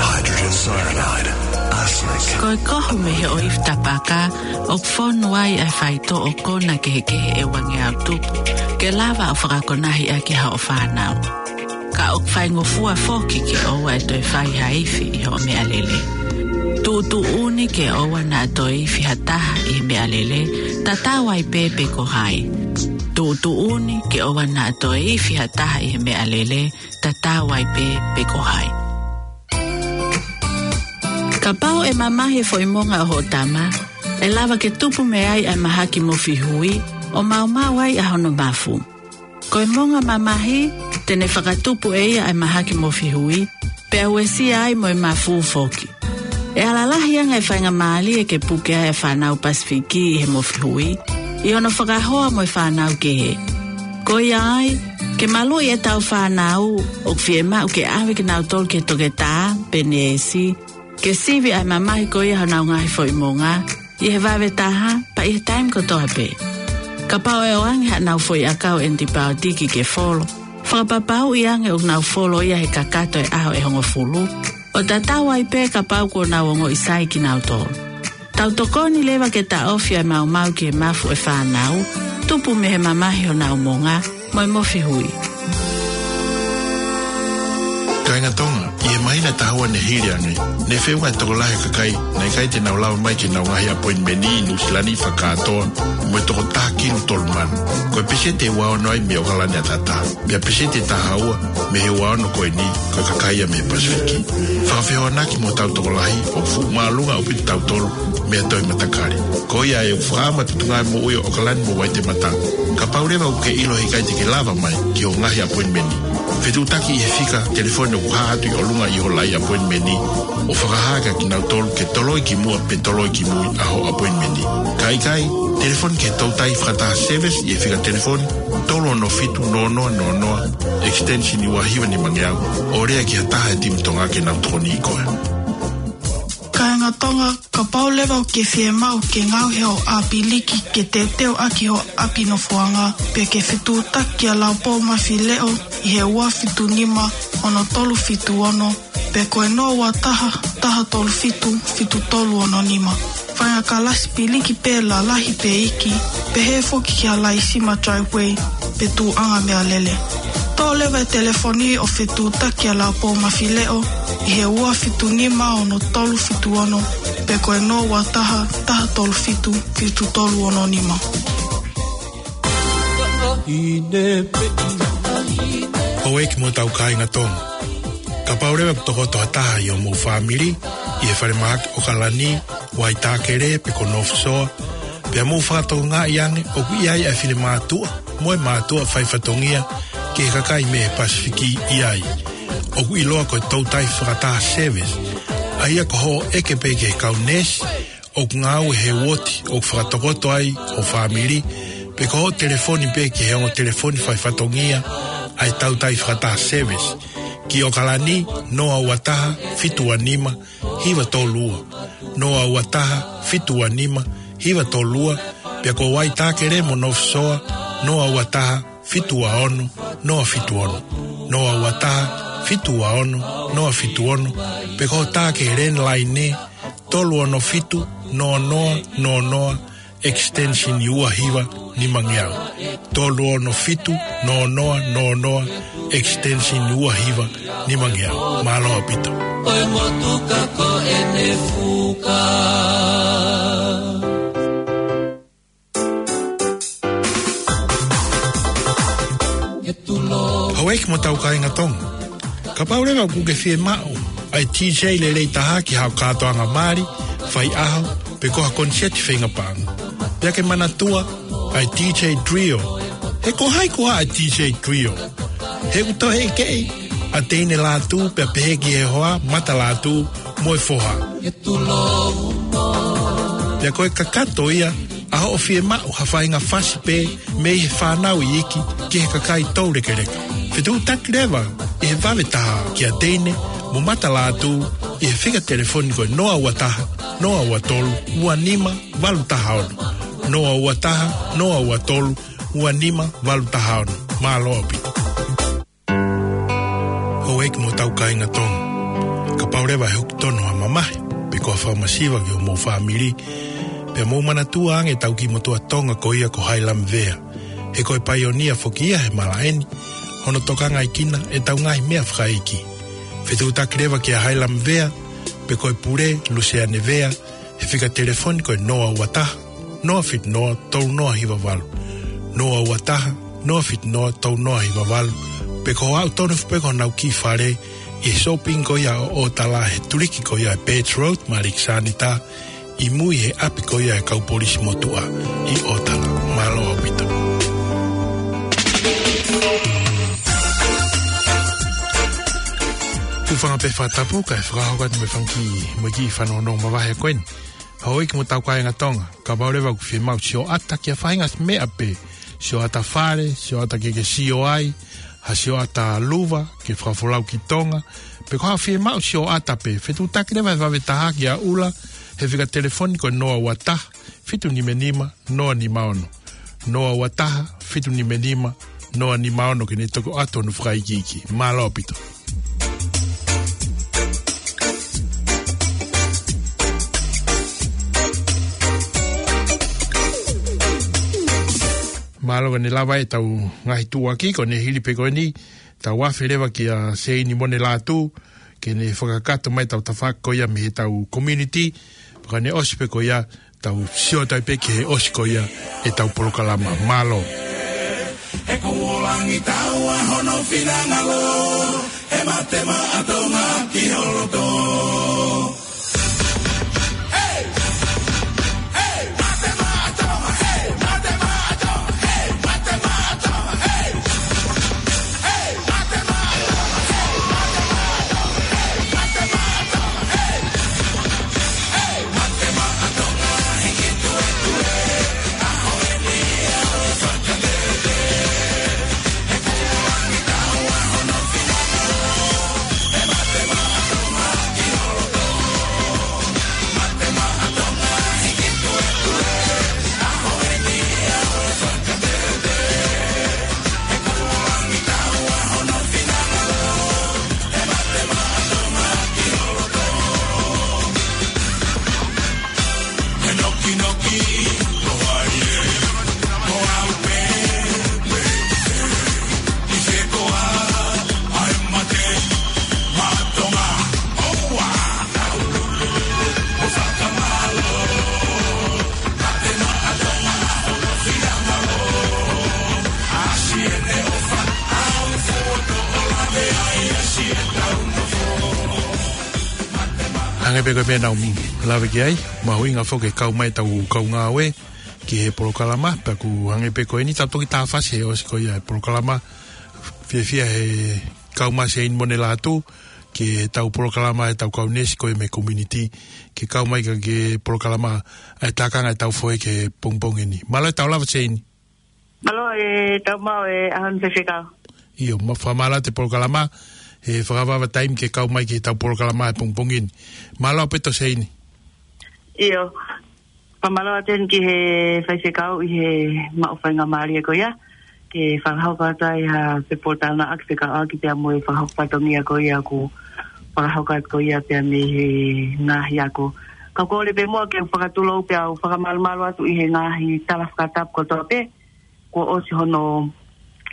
Hydrogen cyanide, arsenic. Ko e kohu mei he ʻoifi tapaka, ʻoku fonu ai ʻa e faitoʻo kona kehekehe ʻe uangeau tupu, ke lava ʻo fakakonahi ʻaki hoʻo fānau. Ka ʻoku faingofua foki ke ʻoua ʻe toe fai ha ifi ʻi hoʻo meʻalele. Tuʻutuʻuni ke ʻoua naʻa toe ifi ha taha ʻi he meʻalele, tatau ai pē pe ko hai. Tuʻutuʻuni ke ʻoua naʻa toe ifi ha taha ʻi he meʻalele, tatau ai pē pe ko hai. Kapau ʻe mamahi e foʻi monga ʻo hoʻo tama, ʻe lava ke tupu mei ai ʻa e mahaki mofi hui, ʻo maumau ai ʻa hono mafu. Ko e monga mamahi, te ne fakatupu ʻe ia ʻa e mahaki mofi hui, pea uesia ai mo e mafu foki. ʻE ala lahi ange e faingamālie ke puke ai ʻa e fānau Pasifiki ʻi he mofi hui, ʻi hono fakahoa mo e fānau kehe. Ko ia ai, ke maluʻi ʻetau fānau, ʻoku fiemaʻu ke ʻave kinautolu ki he toketā, pe neesi, ke sivi ʻa e mamahi ko ia honau ngaahi foʻi monga, ʻi he vave taha, pea ʻi he taimi kotoa pē. Kapau ʻe ʻoange haʻanau foʻi ʻakau ʻenipaotiki ke folo, fakapapauʻi ange ʻoku nau folo ia he kakato e ʻaho ʻe hongofulu, ʻo tatau ai pē kapau kuo nau ongoʻi sai kinautolu. Tau tokoni leva ke taʻofi ʻa e maumau ki he mafu ʻo e fānau, tupu mei he mamahi honau monga, mo e mofi hui. Kāinga Tonga, ʻi he māhina ʻe taha ua ne hili ange, ne feʻunga e tokolahi e kakai naʻe ʻikai te nau lava mai ki heʻenau ngaahi appointment ʻi Nuʻusila ni fakakātoa, mo e toko taha kilu tolu mano. Ko e peseti ʻe ua ono ai mei ʻOkalani ʻataʻatā. Pea peseti ʻe taha ua mei he ua ono ko eni, ko e kakai ia mei he Pasifiki. Fakafehoanaki mo hotau tokolahi, ʻoku fuʻu māʻolunga ʻaupito kitautolu mei ha toe matakali. Ko ia ʻoku fakaʻamu atu e tuʻunga moʻui ʻo ʻOkalani mo Vaitematā. Kapau leva ʻoku ke ʻilo he ʻikai te ke lava mai ki hoʻo ngaahi appointment, fetuʻutaki ʻi he fika telefoni ʻoku hā atu ʻi ʻolunga ʻi hoʻo laʻi appointment, ʻo fakahā kia kinautolu ke toloi ki muʻa pe toloi ki mui ʻa hoʻo appointment. Ka ʻikai, telefoni ki he toutai fakataha service ʻi he fika telefoni tolu ono fitu noa noa noa noa, extension ua hiva nimangeau, ʻo lea ki ha taha he timi Tonga ke nau tokoniʻi koe. Kāinga Tonga, kapau leva ʻoku ke fiemaʻu ke ngaohi hoʻo ʻāpiliki ke teuteu ʻaki hoʻo ʻapi nofoʻanga, pe ke fetuʻutaki kia Laupou Mafileʻo ʻi he ua fitu nima ono tolu fitu ono, pe ko e noa ua taha, taha tolu fitu, fitu tolu ono nima. Faʻahinga kalasi piliki pē lalahi pe iiki, pehē foki kia Laisima Driveway, pe tuʻunga meʻalele. Toʻo leva e telefoni ʻo fetuʻutaki kia Laupou Mafileʻo ʻi he ua fitu nima ono tolu fitu ono, pe ko e noa ua taha, taha tolu fitu, fitu tolu ono nima. Houʻeiki mo hotau kāinga Tonga. Kapau leva ʻoku tokoto ha taha ʻi hoʻomou fāmili ʻi he falemahaki ʻOkalani, Waitākele pe ko North Shore, pea mou fakatokangaʻi ange ʻoku ʻi ai ʻa e finemātuʻa mo e mātuʻa faifatongia ki he kakai mei he Pasifiki ʻi ai. ʻOku ʻiloa ko e toutai fakataha service, ʻa ia ko hoʻo ʻeke pē ki he kau neesi ʻoku ngāue he uooti ʻoku fakatokoto ai ho fāmili, pe ko hoʻo telefoni pē ki he ongo telefoni faifatongia ʻa e toutai fakataha service, ki ʻOkalani, noa ua taha, fitu ua nima, hiva tolu ua, noa ua taha, fitu ua nima, hiva tolu ua, pea ko Waitākele mo North Shore, noa ua taha, fitu ua ono, noa fitu ono, noa ua taha, fitu ua ono, noa fitu ono, pe ko e tā ki he landline, tolu ono fitu, noa noa noa noa, extension ua hiva nimangeau. Tolu ono fitu, noa noa noa noa, extension ua hiva nimangeau. Mālō ʻaupito. Ko e motuka ko ʻene fuka. Houʻeiki mo hotau kāinga Tonga. Kapau leva ʻoku ke fiemaʻu ʻa ʻa e DJ lelei taha ki haʻo kātoanga mali, faiʻaho, pe ko ha koniseti feinga paʻanga. Pea ke manatua, ʻa e DJ Trio. He ko hai koā ʻa e DJ Trio? He ʻoku toe ʻekeʻi ʻa Teine Lātū, pea pehē ki he hoa, Mata Lātū, mo e foha. Pea ko e kakato ia ʻa hoʻo fiemaʻu ha faʻahinga fasi pē mei he fānau iiki ki he kakai toulekeleka. Fetuʻutaki leva ʻi he vave taha kia Teine mo Mata Lātū ʻi he fika telefoni ko e noa ua taha, noa ua tolu, ua nima, valu taha ono. Noa ua taha, noa ua tolu, ua nima, valu taha ono. Mālō ʻaupito. Houʻeiki mo hotau kāinga Tonga. Kapau leva ʻe hoko tonu ha mamahi, pe ko ha fakamasiva ki homou fāmili, pea mou manatua ange ʻetau kiʻi motuʻa Tonga ko ia ko Hailami Vea. He ko e paionia foki ia he malaʻe ni, hono tokangaʻi kinautolu ʻetau ngaahi meʻa fakaikiiki. Fetuʻutaki leva kia Hailami Vea, pe ko e pule, Luseane Vea, he fika telefoni ko e noa ua taha, noa fitu noa, tolu noa hiva valu. Noa ua taha, noa fitu noa, tolu noa hiva valu. Pe ko e aʻu tonu foki pē ki honau kiʻi fale, ʻi he shopping ko ia ʻo ʻOtala he tuliki ko ia ʻa e Birch Road, Malik Sanita, ʻi mui he ʻapi ko ia ʻa e kau polisi motuʻa ʻi ʻOtala. Mālō ʻaupito. Hūfanga pē fakatapu, kae fakahoko atu mo e fanga kiʻi, mo e kiʻi fanongo mavahe ko eni. Houʻeiki mo hotau kāinga Tonga, kapau leva ʻoku ke fiemaʻu sioʻata ki ha faʻahinga meʻa pē, sioʻata fale, sioʻata ke ke sio ai, ha sioʻata luva, ke fakafolau ki Tonga, pe ko ha fiemaʻu sioʻata pē, fetuʻutaki leva he vave taha kia ʻUla, he fika telefoni ko e noa ua taha, fitu nima nima, noa nima ono. Noa ua taha, fitu nima nima, noa nima ono, ke ne toki ʻoatu hono fakaikiiki. Mālō ʻaupito. Mālō, ko ʻene lava ʻetau ngaahi tuʻuaki, ko ʻene hili pē ko eni, tau afe leva kia Seini Mone Lātū, ke ne fakakakato mai ʻetau tafaʻaki ko ia mei heʻetau community, pea ka ne ʻosi pē ko ia, tau sio atu pē ki he ʻosi ko ia ʻetau polokalama. Mālō. He kuo langi taua hono finangalo, he mate maʻa Tonga ki ho loto. Hey! Hey! Mate maʻa Tonga, hey! Mate maʻa Tonga, hey! Mate maʻa Tonga, hey! Hangē pē ko e meʻa naʻa ku lave ki ai, mahuʻinga foki ke kau mai ʻetau kau ngāue ki he polokalama, pea ʻoku hangē pē ko eni, tau toki tāfasi he ʻosi ko ia e polokalama, fiefia he kau mai Seini Mone Lātū ki heʻetau polokalama ʻetau kau neesi ko ia mei he community, ke kau mai ki he polokalama ʻa e tākanga ʻetau fohe ki he pongipongi ni. Mālō e tau lava Seini. Mālō e tau maʻu e ʻaho ni Faifekau. ʻIo, ma fakamālō atu e polokalama, he fakavavevave taimi ke kau mai ki heʻetau polokalama he pongipongi ni. Mālō ʻaupito Seini. ʻIo, fakamālō atu eni ki he Faifekau ʻi he maʻu faingamālie ko ia, ke fakahoko atu ai ha pepōtalanoaʻaki fekauʻaki pea mo e fakahoko fatongia ko ia ʻoku fakahoko atu ko ia pea mei he ngaahi ako. Kau kole pē muʻa ke u fakatulou pea u fakamalumalu atu ʻi he ngaahi tala fakatapu kotoa pē, kuo ʻosi hono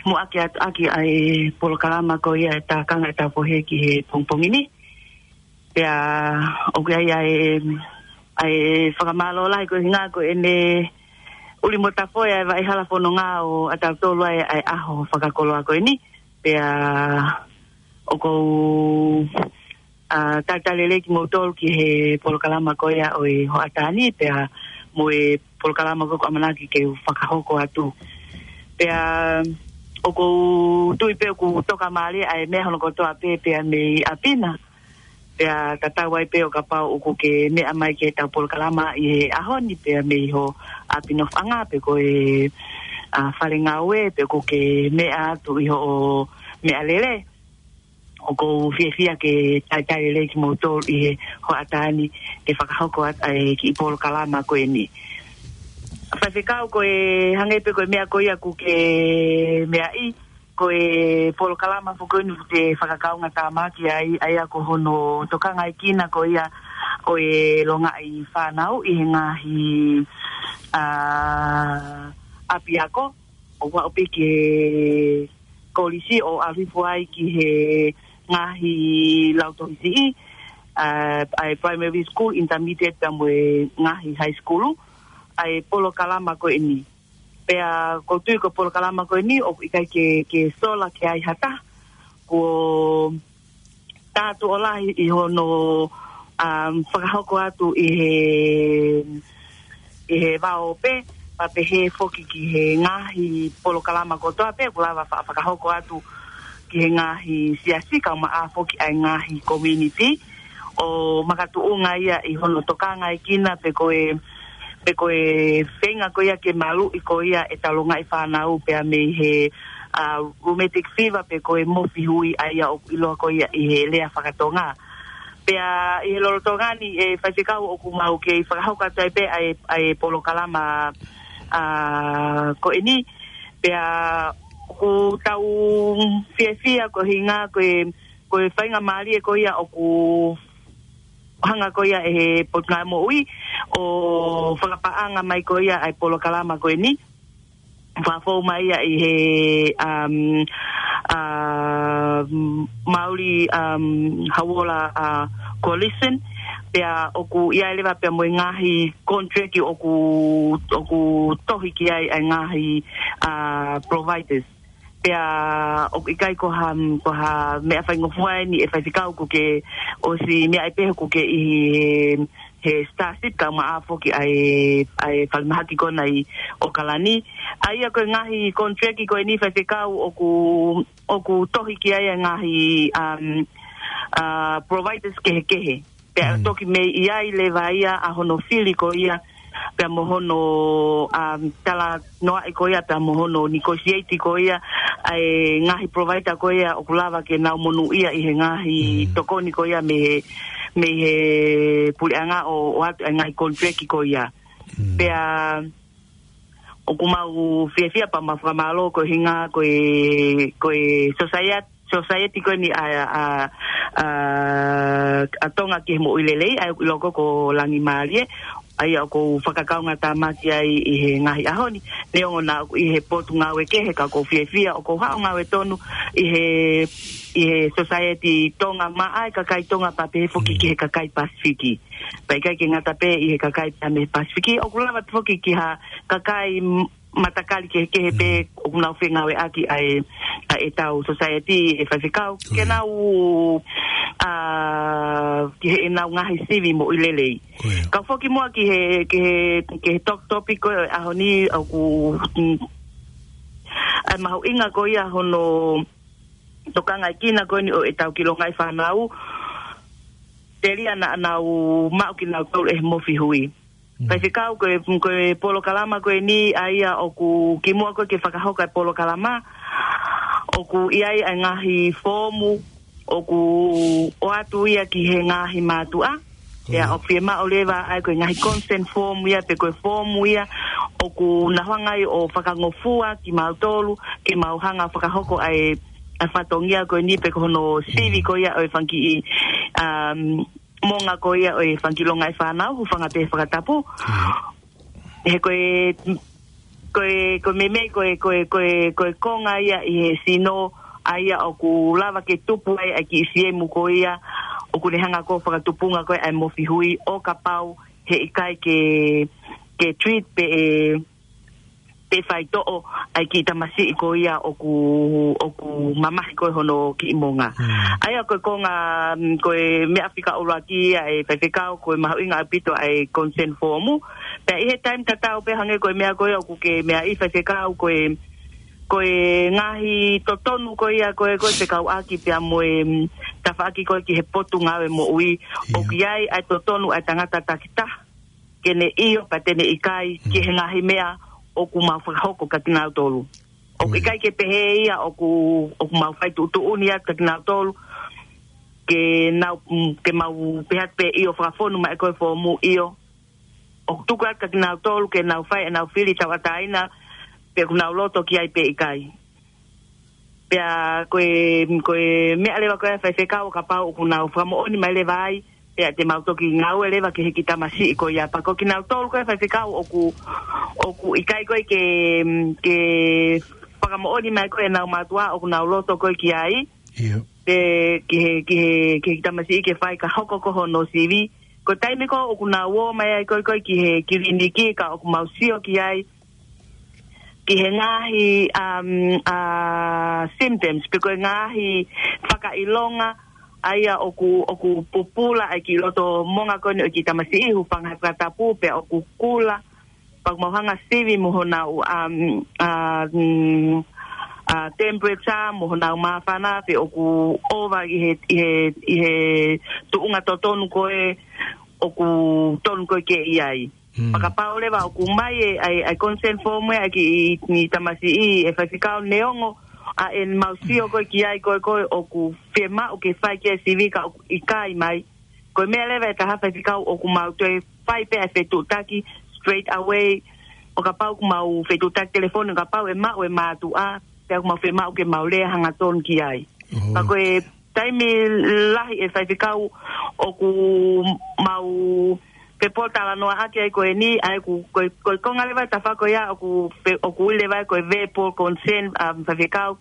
muʻaki atu ʻaki ʻa e polokalama ko ia e tākanga ʻetau fohe ki he pongipongi ni. Pea ʻoku ʻi ai ʻa e, ʻa e fakamālō lahi ko e ʻuhinga ko ʻene ʻuli mo tafoe ʻa e vaʻe hala fononga ʻo ʻatautolu ʻa e, ʻa e ʻaho fakakoloa ko eni. Pea ʻoku ou ʻa, talitali lelei kimoutolu ki he polokalama ko ia ʻo e hoʻatā ni, pea mo e polokalama ko ia ʻoku ʻamanaki ke u fakahoko atu. Pea ʻoku ou tui pē ʻoku tokamālie ʻa e meʻa hono kotoa pē, pea mei ʻapi na. Pea tatau ai pē ʻo kapau ʻoku ke meʻa mai ki heʻetau polokalama ʻi he ʻaho ni, pea mei ho ʻapi nofoʻanga, pe ko e, ʻa, fale ngāue, pe ʻoku ke meʻa atu ʻi hoʻo meʻalele, ʻoku ou fiefia ke talitali lelei kimoutolu ʻi he hoʻatā ni ke fakahoko atu ʻa e kiʻi polokalama ko eni. Faifekau, ko e hangē pē ko e meʻa ko ia ʻoku ke meaʻi, ko e polokalama foki eni ʻoku te fakakaungātāmaki ai, ʻa ia ko hono tokangaekina ko ia ʻo e longaʻi fānau ʻi he ngaahi, ʻa, ʻapiako, ʻo aʻu pē ki he kolisi ʻo ʻalu hifo ai ki he ngaahi lautohi siʻi, ʻa, ʻa e primary school, intermediate, pea mo e ngaahi high school, ʻa e polokalama ko eni. Pea ʻoku ou tui ko e polokalama ko eni ʻoku ʻikai ke, ke sola ki ai ha taha, ko e tātuʻo lahi ʻi hono, um, fakahoko atu ʻi he, ʻi he vao pē, pea pehē foki ki he ngaahi polokalama kotoa pē ʻoku lava fa-, fakahoko atu ki he ngaahi siasi, kae ʻumaʻā foki ʻa e ngaahi community, ʻo makatuʻunga ia ʻi hono tokangaekina pe ko e, pe ko e feinga ko ia ke maluʻi ko ia ʻetau longaʻi fānau pea mei he, ʻa, rheumatic fever pe ko e mofi hui, ʻa ia ʻoku ʻiloa ko ia ʻi he lea fakatonga. Pea ʻi he lolotonga ni, ʻe faifekau, ʻoku mau kei fakahoko atu ai pē ʻa e, ʻa e polokalama, ʻa, ko eni. Pea ʻoku tau fiefia ko e ʻuhinga ko e, ko e faingamālie ko ia ʻoku hanga ko ia ʻe he Potungāue Moʻui ʻo fakapaʻanga mai ko ia ʻa e polokalama ko eni. Fakafou mai ia ʻi he, um, um, Mauli, um, Hauola, ʻa, Coalition, pea ʻoku ʻi ai leva pea mo e ngaahi contract ʻoku, ʻoku tohi ki ai ʻa e ngaahi, ʻa, providers. Pea ʻoku ʻikai ko ha, ko ha meʻa faingofua eni ʻe faifekau, ʻoku ke ʻosi meaʻi pē ʻoku ke ʻi he, he Starship kae ʻumaʻā foki ʻa e, ʻa e falemahaki ko ena ʻi ʻOkalani. ʻA ia ko e ngaahi contract ko eni faifekau ʻoku, ʻoku tohi ki ai ʻa e ngaahi, um, ʻa, providers kehekehe. Pea toki mei ai leva ia ʻa hono fili ko ia, pea mo hono, um, talanoaʻi ko ia, pea mo hono negotiate ko ia, ʻa e ngaahi provider ko ia ʻoku lava ke nau monūʻia ʻi he ngaahi tokoni ko ia mei he, mei he puleʻanga ʻo, ʻoatu ʻa e ngaahi contract ko ia. Pea ʻoku mau fiefia pea mau fakamālō ko e ʻuhinga ko e, ko e society, society ko eni ʻa, ʻa, ʻa, ʻa Tonga ki he Moʻui Lelei, ʻa ia ʻoku ʻiloa ko e ko Langimālie, ʻa ia ʻoku ou fakakaungātāmaki ai ʻi he ngaahi ʻaho ni. Neongo naʻa ʻoku ʻi he potungāue kehe, ka ʻoku ou fiefia ʻoku ou haʻu ʻo ngāue tonu ʻi he, ʻi he society Tonga maʻa e kakai Tonga pea pehē foki ki he kakai Pasifiki. Pea ʻikai ke ngata pē ʻi he kakai pea mei he Pasifiki, ʻoku lava foki ki ha kakai m-, matakali kehekehe pē ʻoku nau fengāueʻaki ʻa e, ʻa ʻetau society, ʻe faifekau, ke nau, ʻa, ki heʻenau ngaahi sivi moʻui lelei. Kau foki muʻa ki he, ki he, ki he tok-, topic ko e ʻaho ni ʻoku, mm, ʻa e mahuʻinga ko ia hono tokangaekina ko eni ʻo ʻetau kiʻi longaʻi fānau, telia naʻa nau maʻu kinautolu ʻe he mofi hui. Faifekau, ko e, ko e polokalama ko eni ʻa ia ʻoku kimuʻa ko ē ke fakahoko e polokalama, ʻoku ʻi ai ʻa e ngaahi foomu, ʻoku ʻoatu ia ki he ngaahi mātuʻa. Pea ʻoku fiemaʻu leva ʻa e ko e ngaahi consent form ia pe ko e foomu ia ʻoku nau hanga ai ʻo fakangofua kimautolu, ke mau hanga fakahoko ʻa e, ʻa e fatongia ko eni pe ko hono sivi ko ia ʻo e fanga kiʻi, um, moʻunga ko ia ʻo e fanga kiʻi longaʻi fānau, hūfanga pē he fakatapu. He ko e, ko e, ko e meimei, ko e, ko e, ko e, ko e konga ia ʻi he sino, ʻa ia ʻoku lava ke tupu ai ʻa e kiʻi siemu ko ia, ʻoku ne hanga ko ē ʻo fakatupunga ko ē ʻa e mofi hui ʻo kapau he ʻikai ke, ke treat pe ʻe, pe faitoʻo ʻa e kiʻi tamasiʻi ko ia ʻoku, ʻoku mamahi ko ē hono kiʻi monga. ʻA ia ko e konga, mm, ko e meʻa fika ʻuluaki ia ʻa e faifekau, ko e mahuʻinga ʻaupito ʻa e consent form. Pea ʻi he taimi tatau pē hangē ko e meʻa ko ia ʻoku ke meaʻi faifekau, ko e, ko e ngaahi totonu ko ia ko e, ko e fekauʻaki pea mo e, mm, tafaʻaki ko ē ki he Potungāue Moʻui. ʻOku ʻi ai ʻa e totonu ʻa e tangata takitaha ke ne ʻio pea te ne ʻikai ki he ngaahi meʻa ʻoku mau fakahoko kia kinautolu. ʻOku ʻikai ke pehē ia ʻoku, ʻoku mau fai tuʻutuʻuni atu kia kinautolu ke nau, mm, ke mau pehē atu pē ʻio fakafonu mai ko e foomu ʻio. ʻOku tuku atu kia kinautolu ke nau fai ʻenau fili tauʻatāina pe ʻoku nau loto ki ai pe ʻikai. Pea ko e, ko e meʻa leva ko e faifekau ʻo kapau ʻoku nau fakamoʻoni mai leva ai, pea te mau toki ngāue leva ki he kiʻi tamasiʻi ko ia. Pea ko kinautolu ko e faifekau ʻoku, ʻoku ʻikai ko ē ke, ke fakamoʻoni mai ko ē ʻenau mātuʻa ʻoku nau loto ko ē ki ai. Pe ki he, ki he, ki he kiʻi tamasiʻi ke fai ka hoko ko hono sivi. Ko e taimi ko ē ʻoku nau ō mai ai ko ē, ko ē ki he kiliniki ka ʻoku mau sio ki ai ki he ngaahi, um, uh, symptoms, pe ko e ngaahi fakaʻilonga, ʻa ia ʻoku, ʻoku pupula ai ki loto monga ko eni ʻo e kiʻi tamasiʻi, hūfanga he fakatapu, pea ʻoku kula, pea ʻoku mau hanga sivi mo honau, um, uh, mm, uh, temperature, mo honau māfana, pe ʻoku ova ʻi he, ʻi he, ʻi he tuʻunga totonu ko ē ʻoku tonu ko ē ke ʻi ai. Pea kapau leva ʻoku ʻomai e, ʻa e, ʻa e consent form ē ʻa e kiʻi, kiʻi tamasiʻi ʻe faifekau neongo ʻa ʻemau sio ko ē ki ai ko ē ko ē ʻoku fiemaʻu ke fai ki ai e sivi ka ʻoku ʻikai mai. Ko e meʻa leva ʻe taha faifekau ʻoku mau toe fai pē ʻa e fetuʻutaki straight away. ʻO kapau ʻoku mau fetuʻutaki telefoni, ʻo kapau ʻe maʻu e mātuʻa, pea ʻoku mau fiemaʻu ke mau lea hangatonu ki ai. Pea ko e taimi lahi ʻe faifekau ʻoku mau fepōtalanoaʻaki ai ko eni, ʻa ia ko e, ko e, ko e konga leva tafaʻaki ko ia ʻoku fe-, ʻoku ui leva ko e verbal consent, um, faifekau,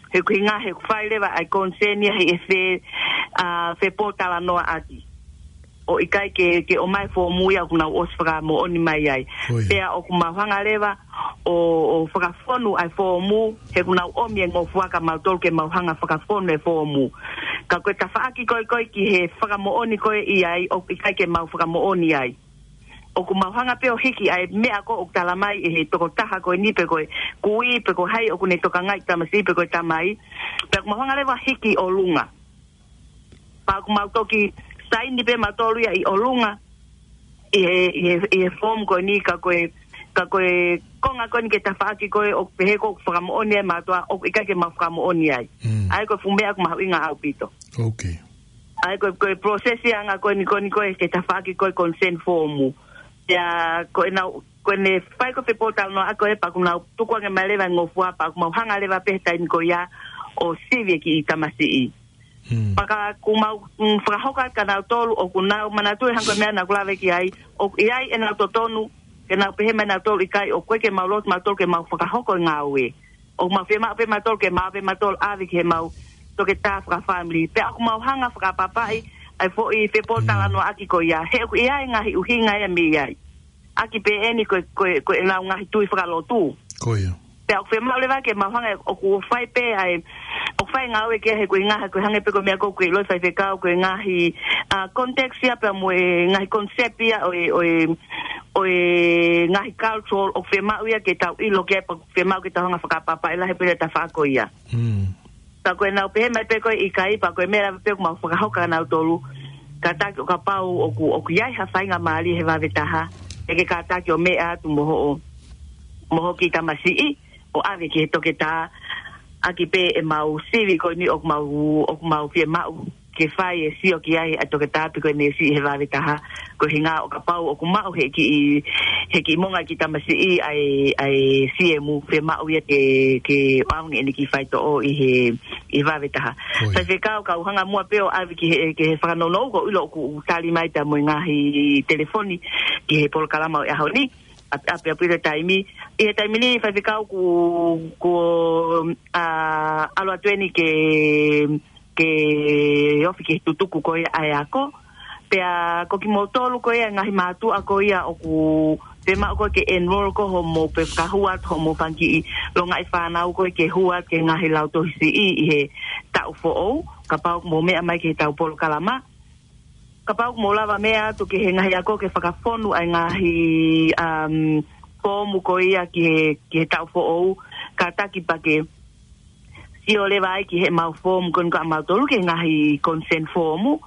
he ʻoku ʻuhinga he ʻoku fai leva ʻa e consent ia he ʻe fe-, uh, fepōtalanoaʻaki. ʻO ʻikai ke, ke ʻomai e foomu ia ʻoku nau ʻosi fakamoʻoni mai ai. Pea ʻoku mau hanga leva ʻo, ʻo fakafonu ʻa e foomu, he ʻoku nau ʻomi e ngofua kia mautolu ke mau hanga fakafonu e foomu. Ka ko e tafaʻaki ko ē ko ē ki he fakamoʻoni ko ē ʻi ai ʻoku ʻikai ke mau fakamoʻoni ai. ʻOku mau hanga pē ʻo hiki ʻa e meʻa ko ē ʻoku tala mai ʻe he tokotaha ko eni pe ko e kui, pe ko hai ʻoku ne tokangaʻi e tamasiʻi pe ko e tamai. Pea ʻoku mau hanga leva hiki ʻolunga. Pea ʻoku mau toki saini pē mautolu ia ʻi ʻolunga ʻi he, ʻi he, ʻi he form ko eni ka ko e, ka ko e konga ko eni ki he tafaʻaki ko ē ʻoku pehē ko ē ʻoku fakamoʻoni ai e mātuʻa ʻoku ʻikai ke mau fakamoʻoni ai. ʻA ia ko e fuʻu meʻa ʻoku mahuʻinga ʻaupito. ʻA ia ko e, ko e process ia ʻanga ko eni ko eni ko ē ki he tafaʻaki ko ē consent form. Pea ko ʻenau, ko ʻene fai ko ē fepōtalanoaʻaki ko ē pea ʻoku nau tuku ange mai leva e ngofua pea ʻoku mau hanga leva pē he taimi ko ia ʻo sivi e kiʻi tamasiʻi. Pea ka ʻoku mau, mm, fakahoko atu kia nautolu ʻoku nau manatuʻi hangē ko e meʻa naʻa ku lave ki ai, ʻoku ʻi ai ʻenau totonu ke nau pehē mai nautolu ʻikai, ʻoku ʻikai ke mau loto mautolu ke mau fakahoko e ngāue. ʻOku mau fiemaʻu pē mautolu ke mau pē mautolu ʻave ki heʻemau toketā fakafāmili. Pea ʻoku mau hanga fakaʻapaʻapaʻi ʻa e foʻi fepōtalanoaʻaki ko ia. He ʻoku ʻi ai e ngaahi ʻuhinga ia mei ai. ʻAki pē eni ko e, ko e, ko ʻenau ngaahi tui fakalotu. Pea ʻoku fiemaʻu leva ke mau hanga ʻoku fai pē ʻa e, ʻoku fai e ngāue ki ai he ko e ngaahi, ko e hangē pē ko e meʻa ko ē ʻoku ke ʻiloʻi faifekau, ko e ngaahi, ʻa, context ia pea mo e ngaahi concept ia ʻo e, ʻo e, ʻo e ngaahi cultural ʻoku fiemaʻu ia ke tau ʻilo ki ai pea ʻoku fiemaʻu ke tau hanga fakaʻapaʻapaʻi lahi pē ʻa e tafaʻaki ko ia. Ka ko ʻenau pehē mai pē ko ē ʻikai pea ko e meʻa leva pē ʻoku mau fakahoko kia nautolu. Kātaki ʻo kapau ʻoku, ʻoku ʻi ai ha faingamālie he vave taha, ʻe ke kātaki ʻo meʻa atu mo hoʻo, mo hoʻo kiʻi tamasiʻi, ʻo ʻave ki he toketā, ʻaki pē ʻemau sivi ko eni ʻoku mau, ʻoku mau fiemaʻu ke fai e sio ki ai ʻa e toketā pe ko e neesi he vave taha, ko e ʻuhinga ʻo kapau ʻoku maʻu he kiʻi, he kiʻi monga kiʻi tamasiʻi ʻa e, ʻa e siemu, fiemaʻu ia ke, ke ʻoange ʻene kiʻi faitoʻo ʻi he, ʻi he vave taha. Faifekau, kau hanga muʻa pē ʻo ʻave ki he, ki he fakanounou, ko e ʻilo ʻoku tali mai pea mo e ngaahi telefoni ki he polokalama ʻo e ʻaho ni. ʻAp-, ʻapi, ʻapi, ʻapi, taimi. ʻI he taimi ni, faifekau, ʻoku, ʻoku, ʻa, ʻalu atu eni ke, ke ofi ki he tutuku ko ia ʻa e ako. Pea ko kimoutolu ko ia e ngaahi mātuʻa ko ia ʻoku fiemaʻu ko ē ke enroll ko hoʻomou pe fakahū atu hoʻomou fanga kiʻi longaʻi fānau ko ē ke hū atu ki he ngaahi lautohi siʻi ʻi he taʻu foʻou, kapau ʻoku mou meʻa mai ki heʻetau polokalama. Kapau ʻoku mou lava meʻa atu ki he ngaahi ako ke fakafonu ʻa e ngaahi, um, foomu ko ia ki he, ki he taʻu foʻou, kātaki pea ke sio leva ai ki heʻemau foomu ko eni ʻa mautolu ki he ngaahi consent foomu,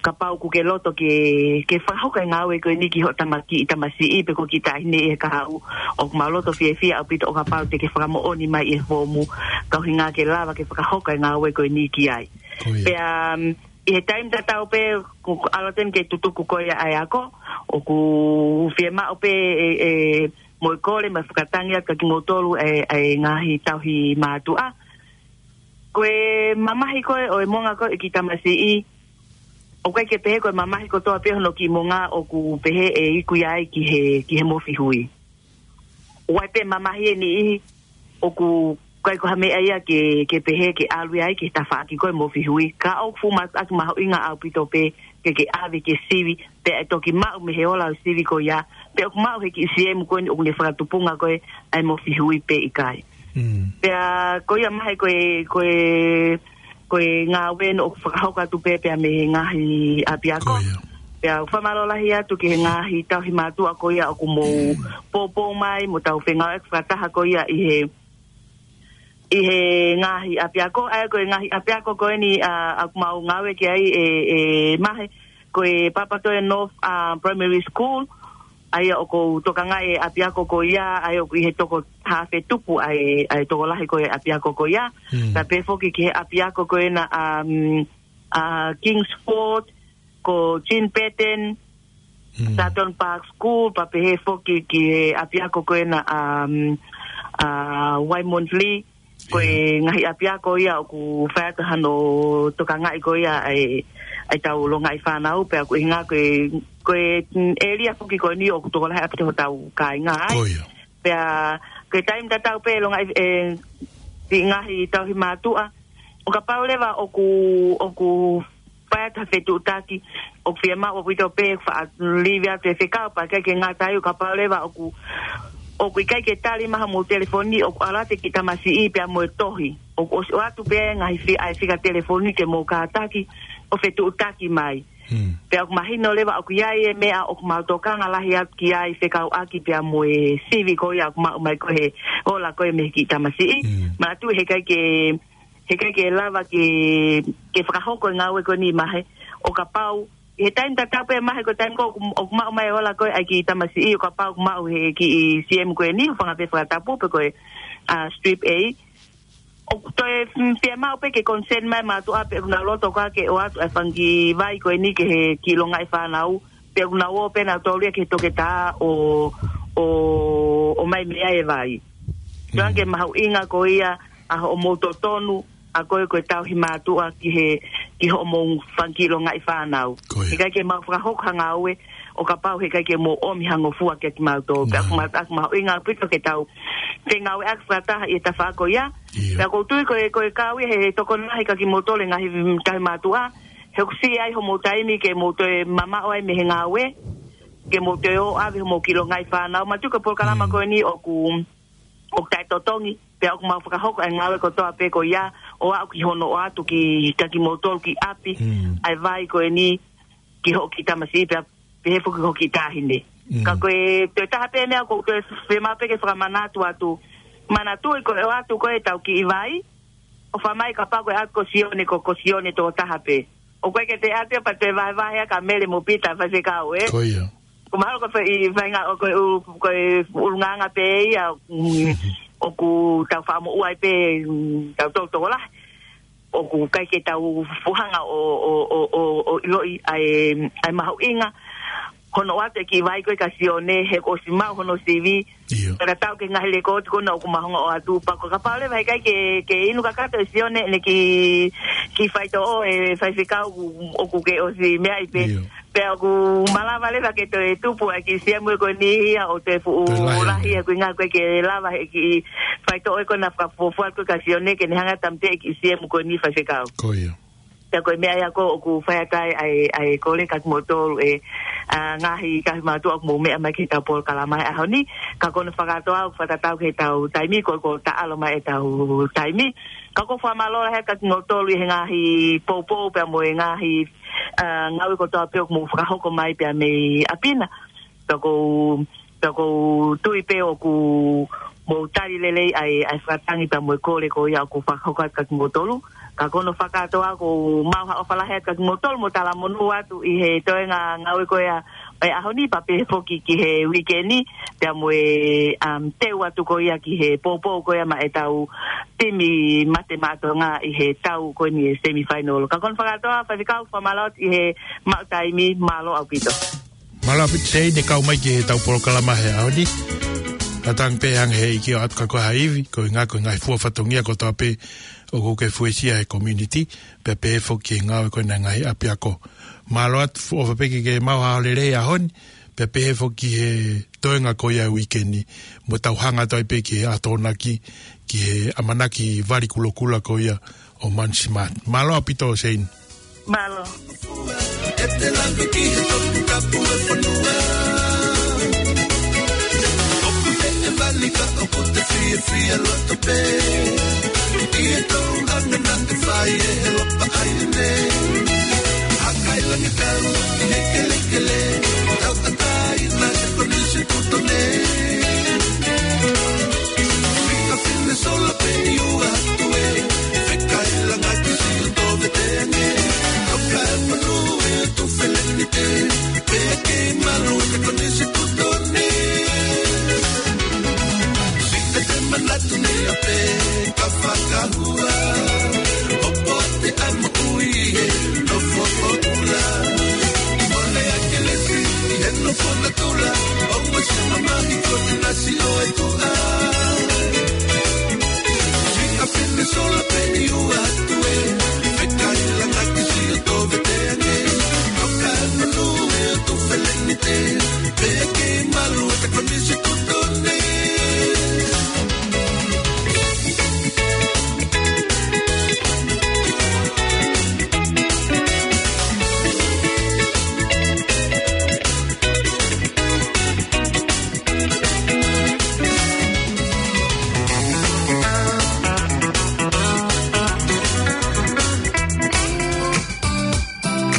kapau ʻoku ke loto ke, ke fakahoko e ngāue ko eni ki hoʻo tama kiʻi tamasiʻi pe ko e kiʻi taʻahine ʻi he kahaʻu, ʻoku mau loto fiefia ʻaupito ʻo kapau te ke fakamoʻoni mai ʻi he foomu, ka ʻuhinga ke lava ke fakahoko e ngāue ko eni ki ai. Ko ia. Pea, um, ʻi he taimi tatau pē, ko, ko ʻalu atu eni ke tutuku ko ia ʻa e ako, ʻoku fiemaʻu pē ʻe, ʻe, mo e kole mo e fakatangi atu kia kimoutolu e, e ngaahi tauhi mātuʻa. Ko e mamahi ko ē ʻo e moʻunga ko ē ʻo e kiʻi tamasiʻi, ʻoku ʻikai ke pehē ko e mamahi kotoa pē hono kiʻi moʻunga ʻoku pehē ʻe iku ia ai ki he, ki he mofihui. ʻOku ʻi ai pē mamahi ʻe niʻihi ʻoku ʻikai ko ha meʻa ia ke, ke pehē ke ʻalu ia ai ki he tafaʻaki ko ē mofihui. Ka ʻoku fuʻu matu atu mahuʻinga ʻaupito pē ke ke ʻave ke sivi, pea ʻe toki maʻu mei he ola ʻo e sivi ko ia, pea ʻoku maʻu he kiʻi siemu ko eni ʻoku ne fakatupunga ko ē ʻa e mofihui pe ʻikai. Mm. Pea ko ia mai ko e, ko e, ko e ngāue eni ʻoku fakahoko atu pē pea mei he ngaahi ʻapiako. Ko ia. Pea ʻoku fakamālō lahi atu ki he ngaahi tauhi mātuʻa ko ia ʻoku mou poupou mai, mo tau fengāueʻaki fakataha ko ia ʻi he, ʻi he ngaahi ʻapiako, ʻa ia ko e ngaahi ʻapiako ko eni, ʻa, ʻoku mau ngāue ki ai ʻe, ʻe Mahe, ko e Papatoetoe North, ʻa, Primary School, ʻa ia ʻoku ou tokangaʻi e ʻapiako ko ia, ʻa ia ʻoku ʻi he toko haafe tupu ʻa e, ʻa e tokolahi ko ē ʻapiako ko ia. Hmm. Pea pehē foki ki he ʻapiako ko ena, um, ʻa Kingsford, ko Jean Burton, Hmm. Sutton Park School, pea pehē foki ki he ʻapiako ko ena, um, ʻa Waimonsley, ko e Ia. ngaahi ʻapiako ia ʻoku fai atu hano tokangaʻi ko ia ʻa e, ʻa e tau longaʻi fānau, pea ʻoku ʻuhinga ko e, ko e, mm, ʻēlia foki ko eni ʻoku tokolahi ʻaupito hotau kāinga ai. Ko ia. Pea, ko e taimi tatau pē longaʻi, ʻe, siʻi ngaahi tauhi mātuʻa, ʻo kapau leva ʻoku, ʻoku fai atu ha fetuʻutaki, ʻoku fiemaʻu ʻaupito pē faʻa live atu e fekau pea ʻikai ke ngata ai ʻo kapau leva ʻoku, ʻoku ʻikai ke tali mai hoʻomou telefoni, ʻoku ʻalu atu e kiʻi tamasiʻi pea mo e tohi. ʻOku ʻosi ʻoatu pē ngaahi fi-, ʻa e fika telefoni ke mou kātaki ʻo fetuʻutaki mai. Hmm. Pea ʻoku mahino leva ʻoku ʻi ai e meʻa ʻoku mau tokanga lahi atu ki ai fekauʻaki pea mo e sivi ko ia ʻoku maʻu mai ko ē he ola ko ē mei he kiʻi tamasiʻi. Hmm. Manatuʻi heʻikai ke, heʻikai ke lava ke, ke fakahoko e ngāue ko eni Mahe, ʻo kapau, ʻi he taimi tatau pē Mahe ko e taimi ko ē ʻoku, ʻoku maʻu mai e ola ko ē ʻa e kiʻi tamasiʻi, ʻo kapau ʻoku maʻu he kiʻi siemu ko eni, ʻo fanga pē fakatapu pe ko e, ʻa, strip A. ʻOku toe, mm, fiemaʻu pē ke consent mai e mātuʻa pe ʻoku nau loto koā ke ʻoatu e fanga kiʻi vai ko eni ki he kiʻi longaʻi fānau, pe ʻoku nau ō pē nautolu ia ki he toketā ʻo, ʻo, ʻo ʻomai mei ai e vai. Mm. Tokanga ki he mahuʻinga ko ia ʻa hoʻomou totonu, ʻa ko ē ko e tauhi mātuʻa ki he, ki hoʻomou fanga kiʻi longaʻi fānau. Ko ia. Heʻikai ke mau fakahoko ha ngāue, ʻo kapau heʻikai ke mou ʻomi ha ngofua kia kimautolu. Pea ʻoku ma-, ʻoku mahuʻinga ʻaupito ke tau fengāueʻaki fakataha ʻi he tafaʻaki ko ia. Ia. Pea ʻoku ou tui ko e, ko e kau ia he tokoni lahi kia kimoutolu e ngaahi tauhi mātuʻa, he ʻoku siʻi ai hoʻomou taimi ke mou toe mamaʻo ai mei he ngāue, ke mou toe ō ʻo ʻave hoʻomou kiʻi longaʻi fānau. Manatuʻi ko e polokalama ko eni ʻoku, ʻoku taʻetotongi, pea ʻoku mau fakahoko e ngāue kotoa pē ko ia, ʻo aʻu ki hono ʻoatu ki, kia kimoutolu ki ʻapi, ʻa e vai ko eni, ki hoʻo kiʻi tamasiʻi pea pehē foki ki hoʻo kiʻi taʻahine. Ka ko e toe taha pē meʻa ʻoku ou toe fiemaʻu pē ke fakamanatu atu. Manatuʻi ko e ʻoatu ko ē ʻetau kiʻi vai, ʻo fai mai kapau ko e ʻoatu ko Sione ko, ko Sione toko taha pē. ʻOku ʻikai ke toe ʻoatu pea toe vahevahe ʻa Mele mo Pita faifekau, ē? Ko ia. Ko mahalo ko e fai, faʻahinga ʻo ko e ʻu-, ko e ʻulungaanga pē ia, mm, ʻoku tau faʻa moʻua ai pē, mm, tautolu tokolahi. ʻOku ʻikai ke tau fuʻu hanga ʻo, ʻo, ʻo, ʻo, ʻo ʻiloʻi ʻa e, ʻa e mahuʻinga hono ʻoatu e kiʻi vai ko ē kia Sione, he kuo ʻosi maʻu hono sivi. Ia. Pea tatau ki he ngaahi lēkooti ko ena ʻoku mau hanga ʻo ʻoatu, pea ko e kapau leva heʻikai ke, ke inu kakato ʻe Sione ʻene kiʻi, kiʻi faitoʻo, ʻe faifekau, ʻoku ke ʻosi meaʻi pē. Ia. Pea ʻoku malava leva ke toe tupu ʻa e kiʻi siemu ko eni ia ʻo toe fuʻu lahi, he ʻoku ʻikai ke lava he kiʻi faitoʻo ko ena fakafuofua ko ē kia Sione ke ne hanga ʻo tāmateʻi e kiʻi siemu ko eni faifekau. Ko ia. Pea ko e meʻa ia ko ē ʻoku fai atu ai ʻa e, ʻa e kole kiate kimoutolu ʻe, ʻa, ngaahi tauhi mātuʻa ʻoku mou meʻa mai ki heʻetau polokalama he ʻaho ni. Ka ko hono fakakātoa ʻoku fakatatau ki heʻetau taimi, ko e, ko e taʻalo mai ʻetau taimi. Ka ʻoku ou fakamālō lahi atu kiate kimoutolu ʻi he ngaahi poupou pea mo e ngaahi, ʻa, ngāue kotoa pē ʻoku mou fakahoko mai pea mei ʻapi na. Pea ʻoku ou, pea ʻoku ou tui pē ʻoku mou tali lelei ʻa e, ʻa e fakatangi pea mo e kole ko ia ʻoku fakahoko atu kiate kimoutolu. Ka ko hono fakakātoa ʻoku ou maʻu ha ʻofa lahi atu kiate kimoutolu mo talamonū atu ʻi he toenga ngāue ko ia ʻo e ʻaho ni pea pehē foki ki he uike ni, pea mo e, um, teu atu ko ia ki he poupou ko ia maʻa ʻetau timi Mate Maʻa Tonga ʻi he tau ko eni e semifinal. Ka ko hono fakakātoa, Faifekau, fakamālō atu ʻi he maʻu taimi, mālō ʻaupito. Mālō ʻaupito Seini e kau mai ki heʻetau polokalama he ʻaho ni. Ka tangi pē hangē he ʻikai ʻoatu kiate koe ha ivi, koeʻuhinga ko e ngaahi fua fatongia kotoa pē ʻoku ke fuesia he community, pea pehē foki ki he ngāue ko ena e ngaahi ʻapiako. Mālō atu, ʻofa pē ke ke maʻu ha ʻaho lelei he ʻaho ni, pea pehē foki ki he toenga ko ia e uike ni, mo tau hanga atu ai pē ki he ʻAtonaki, ki he ʻamanaki vali kulokula ko ia ʻo Money Smart. Mālō ʻaupito Seini. Mālō. ʻE te lave ki he toputapu e fonua. ʻOku meʻe vali ka ʻoku te fiefia loto pē. ʻI he tau anga naʻe fai ʻe he lopa ʻaile. Hakailangitau ki he kelekele. Tauʻatāina he konisi kutone. Fika fine sola pē ʻi ua atu ē. Fekailanga ki Siu Toveteange. Toka e manu e tu felenite. Pea kei malu e konisi kutone. Siʻi te manatu nei ʻa pē ka fakahua. ʻO poate ʻa e moʻui he nofo ʻo kula. Mole a kelesi ʻi he nofo natula. ʻO mo se mamahi ko te nasi ʻo e kuʻa. Siʻi ka fine sola pē ʻi ua atu ē. Fekailanga ki Siu Toveteange. Toka e manu e tu felenite. Pea kei malu e konisi kutone.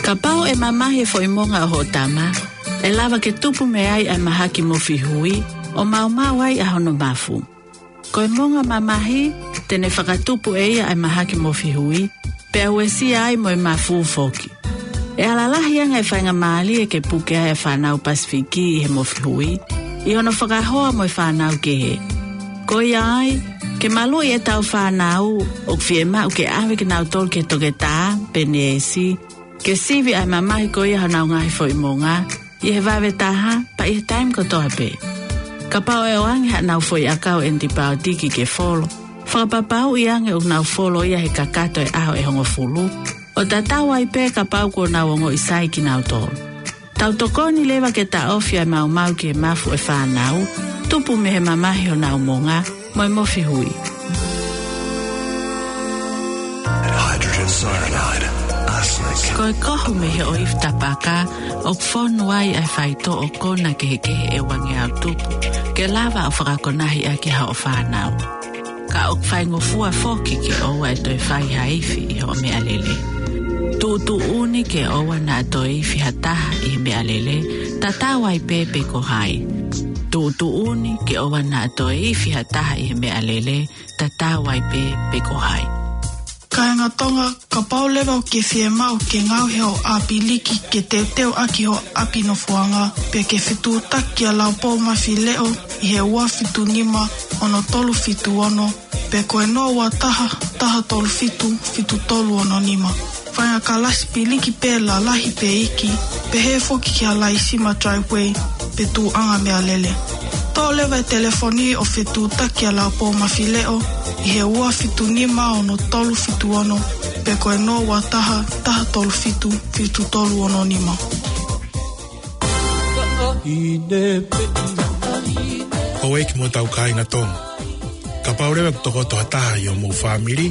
Kapau ʻe mamahi e foʻi monga ʻo hoʻo tama, ʻe lava ke tupu mei ai ʻa e mahaki mofihui, ʻo maumau ai ʻa hono mafu. Ko e monga mamahi, te ne fakatupu ʻe ia ʻa e mahaki mofihui, pea uesia ai mo e mafu foki. ʻE ala lahi ange e faingamālie ke puke ai ʻa e fānau Pasifiki ʻi he mofihui, ʻi hono fakahoa mo e fānau kehe. Ko ia ai, ke maluʻi ʻetau fānau, ʻoku fiemaʻu ke ʻave kinautolu ki he toketā, pe neesi, ke sivi ʻa e mamahi ko ia honau ngaahi foʻi monga, ʻi he vave taha, pea ʻi he taimi kotoa pē. Kapau ʻe ʻoange haʻanau foʻi ʻakau ʻenitipaotiki ke folo, fakapapauʻi ange ʻoku nau folo ia he kakato e ʻaho ʻe hongofulu, ʻo tatau ai pē kapau kuo nau ongoʻi sai kinautolu. Tau tokoni leva ke taʻofi ʻa e maumau ki he mafu ʻo e fānau, tupu mei he mamahi honau monga, mo e mofihui. Hydrogen cyanide, arsenic. Ko e kohu mei he ʻoifi tapaka, ʻoku fonu ai ʻa e faitoʻo ʻo e kona kehekehe ʻe uangeau tupu, ke lava ʻo fakakonahi ʻaki haʻo fānau. Ka ʻoku faingofua foki ke ʻoua ʻe toe fai ha ifi ʻi hoʻo meʻalele. Tuʻutuʻuni ke ʻoua naʻa toe ifi ha taha ʻi he meʻalele, tatau ai pē pe ko hai. Tuʻutuʻuni ke ʻoua naʻa toe ifi ha taha ʻi he meʻalele, tatau ai pē pe ko hai. Kāinga Tonga, kapau leva ʻoku ke fiemaʻu ke ngaohi hoʻo ʻapiliki ke teuteu ʻaki hoʻo ʻapi nofoʻanga, pea ke fetuʻutaki kia Laupou Mafileʻo ʻi he ua fitu nima ono tolu fitu ono, pe ko e noa ua taha, taha tolu fitu, fitu tolu ono nima. Fai ha kalasi piliki pē lalahi pe iiki, pehē foki kia Laisima Driveway, pe tuʻuʻanga meʻalele. Toʻo leva e telefoni ʻo fetuʻutaki kia Laupou Mafileʻo ʻi he ua fitu nima ono tolu fitu ono, pe ko e noa ua taha, taha tolu fitu, fitu tolu ono nima. Houʻeiki mo hotau kāinga Tonga. Kapau leva ʻoku tokoto ha taha ʻi hoʻomou fāmili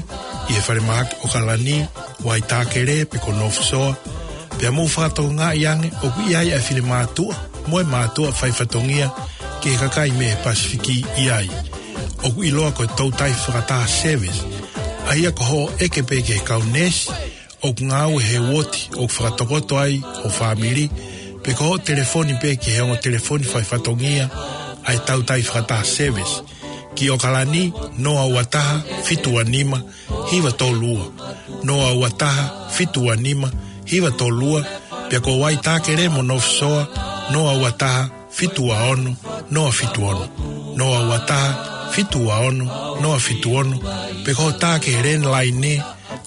ʻi he falemahaki ʻOkalani, Waitākele pe ko North Shore, pea mou fakatokangaʻi ange ʻoku ʻi ai ʻa e finemātuʻa mo e mātuʻa faifatongia ki he kakai mei he Pasifiki ʻi ai, ʻoku ʻiloa ko e toutai fakataha service, ʻa ia ko hoʻo ʻeke pē ki he kau neesi ʻoku ngāue he uooti ʻoku fakatokoto ai ho fāmili, pe ko hoʻo telefoni pē ki he ongo telefoni faifatongia ʻa e toutai fakataha service ki ʻOkalani, noa ua taha fitu ua nima hiva tolu ua, noa ua taha fitu ua nima hiva tolu ua, pea ko Waitākele mo North Shore, noa ua taha fitu ua ono noa fitu ono, noa ua taha fitu ua ono noa fitu ono, pe ko hoʻo tā ki he landline ʻe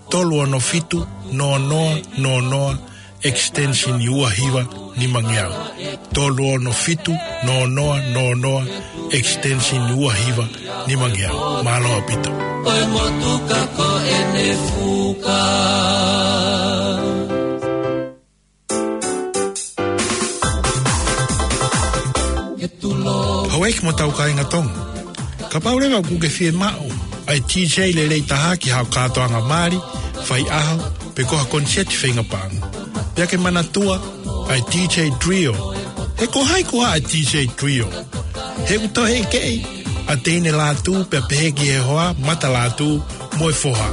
tolu ono fitu noa noa noa noa, extension ua hiva nimangeau. Tolu ono fitu noa noa noa noa, extension ua hiva nimangeau. Mālō ʻaupito. Ko e motuka ko ʻene fuka. Houʻeiki mo hotau kāinga Tonga, kapau leva ʻoku ke fiemaʻu ʻa e DJ lelei taha ki haʻo kātoanga mali, faiʻaho, pe ko ha koniseti feinga paʻanga, pea ke manatua ʻa e DJ Trio. He ko hai koā ʻa e DJ Trio? He ʻoku toe ʻekeʻi ʻa Teine Lātū pea pehē ki he hoa, Mata Lātū mo e foha.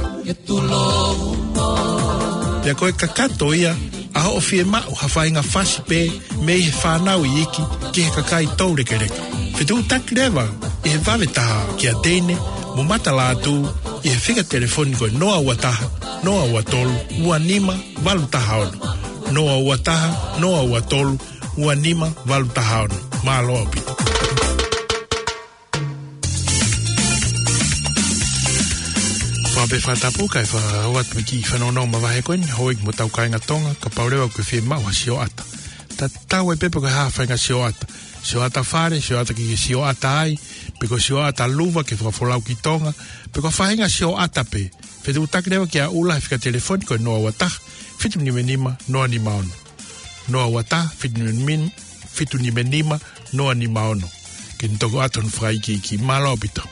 Pea ko e kakato ia ʻa hoʻo fiemaʻu ha faʻahinga fasi pē mei he fānau iiki ki he kakai toulekeleka. Fetuʻutaki leva ʻi he vave taha kia Teine mo Mata Lātū ʻi he fika telefoni ko e noa ua taha, noa ua tolu, ua nima valu taha ono. Noa ua taha, noa ua tolu, ua nima valu taha ono. Mālō ʻaupito. Fakapē fakatapu kae fakaʻoatu e kiʻi fanongonongo mavahe ko eni, houʻeiki mo hotau kāinga Tonga, kapau leva ʻoku ke fiemaʻu ha sioʻata. Tatau ai pē pe ko e hā ha faʻahinga sioʻata. Sioʻata fale, sioʻata ke ke sioʻata ai, pe ko e sioʻata luva ke fakafolau ki Tonga, pe ko ha faʻahinga sioʻata pē. Fetuʻutaki leva kia Ula he fika telefoni ko e noa ua taha, fitu nima nima, noa nima ono. Noa ua taha, fitu nima nima, fitu nima nima, noa nima ono. Ke ne toki ʻoatu hono fakaikiiki. Mālō ʻaupito.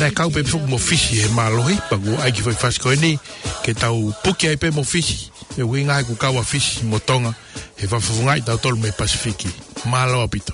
Naʻe kau pē foki mo Fisi he mālohi, pea kuo ʻai e kiʻi fasi ko eni ke tau puke ai pē mo Fisi. He ʻuhinga he ʻoku kau ʻa Fisi mo Tonga he fakafofongaʻi tautolu mei Pasifiki. Mālō ʻaupito.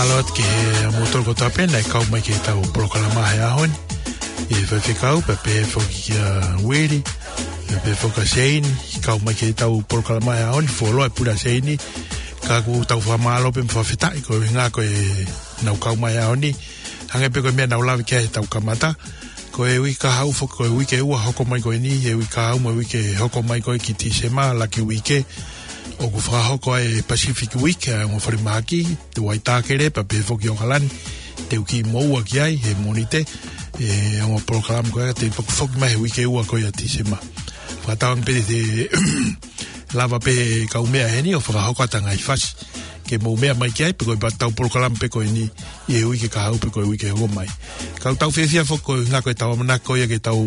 Mālō atu ki he moutolu kotoa pē naʻe kau mai ki heʻetau polokalama he ʻaho ni. ʻI he faifekau, pea pehē foki kia Uili, pea pehē foki kia Seini, kau mai ki heʻetau polokalama he ʻaho ni, fuoloa e pule ʻa Seini, ka ʻoku tau fakamālō pē mo fakafetaʻi koeʻuhinga ko ʻenau kau mai he ʻaho ni. Hangē pē ko e meʻa naʻá ku lave ki ai heʻetau kamata, ko e uike kahaʻu foki ko e uike ua hoko mai ko eni, he uike kahaʻu mo e uike hoko mai ko ē ki Tīsema, laki uike, ʻoku fakahoko ai e Pacific Week, ʻa e ongo falemahaki, te u ʻAitākele, pea pehē foki ʻAokalani, te u kiʻi moʻua ki ai, he Mōnite, e ongo polokalama ko ē, te u foki mai he uike ua ko ia Tīsema. Fakatauange pē te lava pē he kau meʻa heni ʻo fakahoko atu e ngaahi fasi ke mou meʻa mai ki ai, pe ko ʻetau polokalama pē ko eni ʻi he uike kahaʻu pe ko e uike hoko mai. Ka ʻoku tau fiefia foki koeʻuhinga ko ʻetau ʻamanaki ko ia ke tau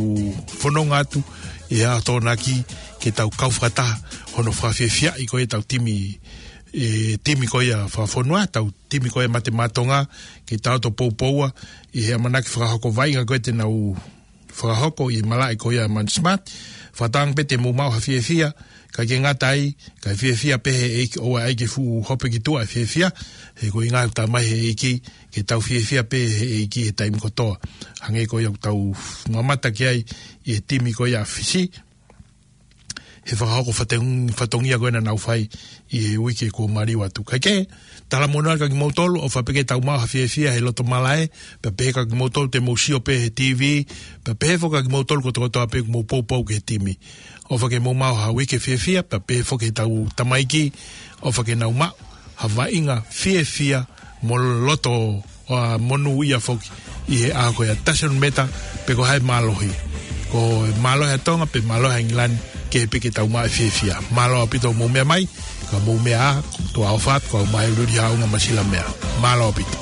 fononga atu ʻi he ʻaho Tokonaki, ke tau kau fakataha hono fakafiefiaʻi ko ia ʻetau timi, e timi ko ia fakafonua, ʻetau timi ko ia Mate Maʻa Tonga, ke tau toe poupouʻi ʻi he ʻamanaki fakahoko vaʻinga ko ia te nau fakahoko ʻi he malaʻe ko ia Money Smart. Fakatauange pē te mou maʻu ha fiefia, kae ʻikai ke ngata ai, kae fiefia pē he ʻEiki, ʻoua ʻe ʻai ke fuʻu hopo ki tuʻa e fiefia, he ko e ʻuhinga ʻoku talamai he ʻEiki, ke tau fiefia pē he ʻEiki he taimi kotoa. Hangē ko ia ʻoku tau mamata ki ai ʻi he timi ko ia Fisi, he fakahoko fatongi-, fatongia ko ē naʻa nau fai ʻi he uike kuo maliu atu. Kae kehe, talamonū atu kia kimoutolu, ʻofa pē ke tau maʻu ha fiefia he loto malaʻe, pea pehē kia kimoutolu te mou sio pē he T V, pea pehē foki kia kimoutolu kotokotoa pē ʻoku mou poupou ki he timi. ʻOfa ke mou maʻu ha uike fiefia, pea pehē foki heʻetau tamaiki, ʻofa ke nau maʻu ha vaʻinga fiefia mo loto ʻo monūʻia foki ʻi he ʻaho ko ia. Doesn't matter pe ko e hā e mālohi, ko e mālohi ʻa Tonga pe mālohi ʻa ʻIngilani, kehe pē ke tau maʻu e fiefia. Mālō ʻaupito hoʻomou meʻa mai, ka mou meʻa ā, tuʻa ʻofa atu, kau mai luli haunga masila meʻa. Mālō ʻaupito.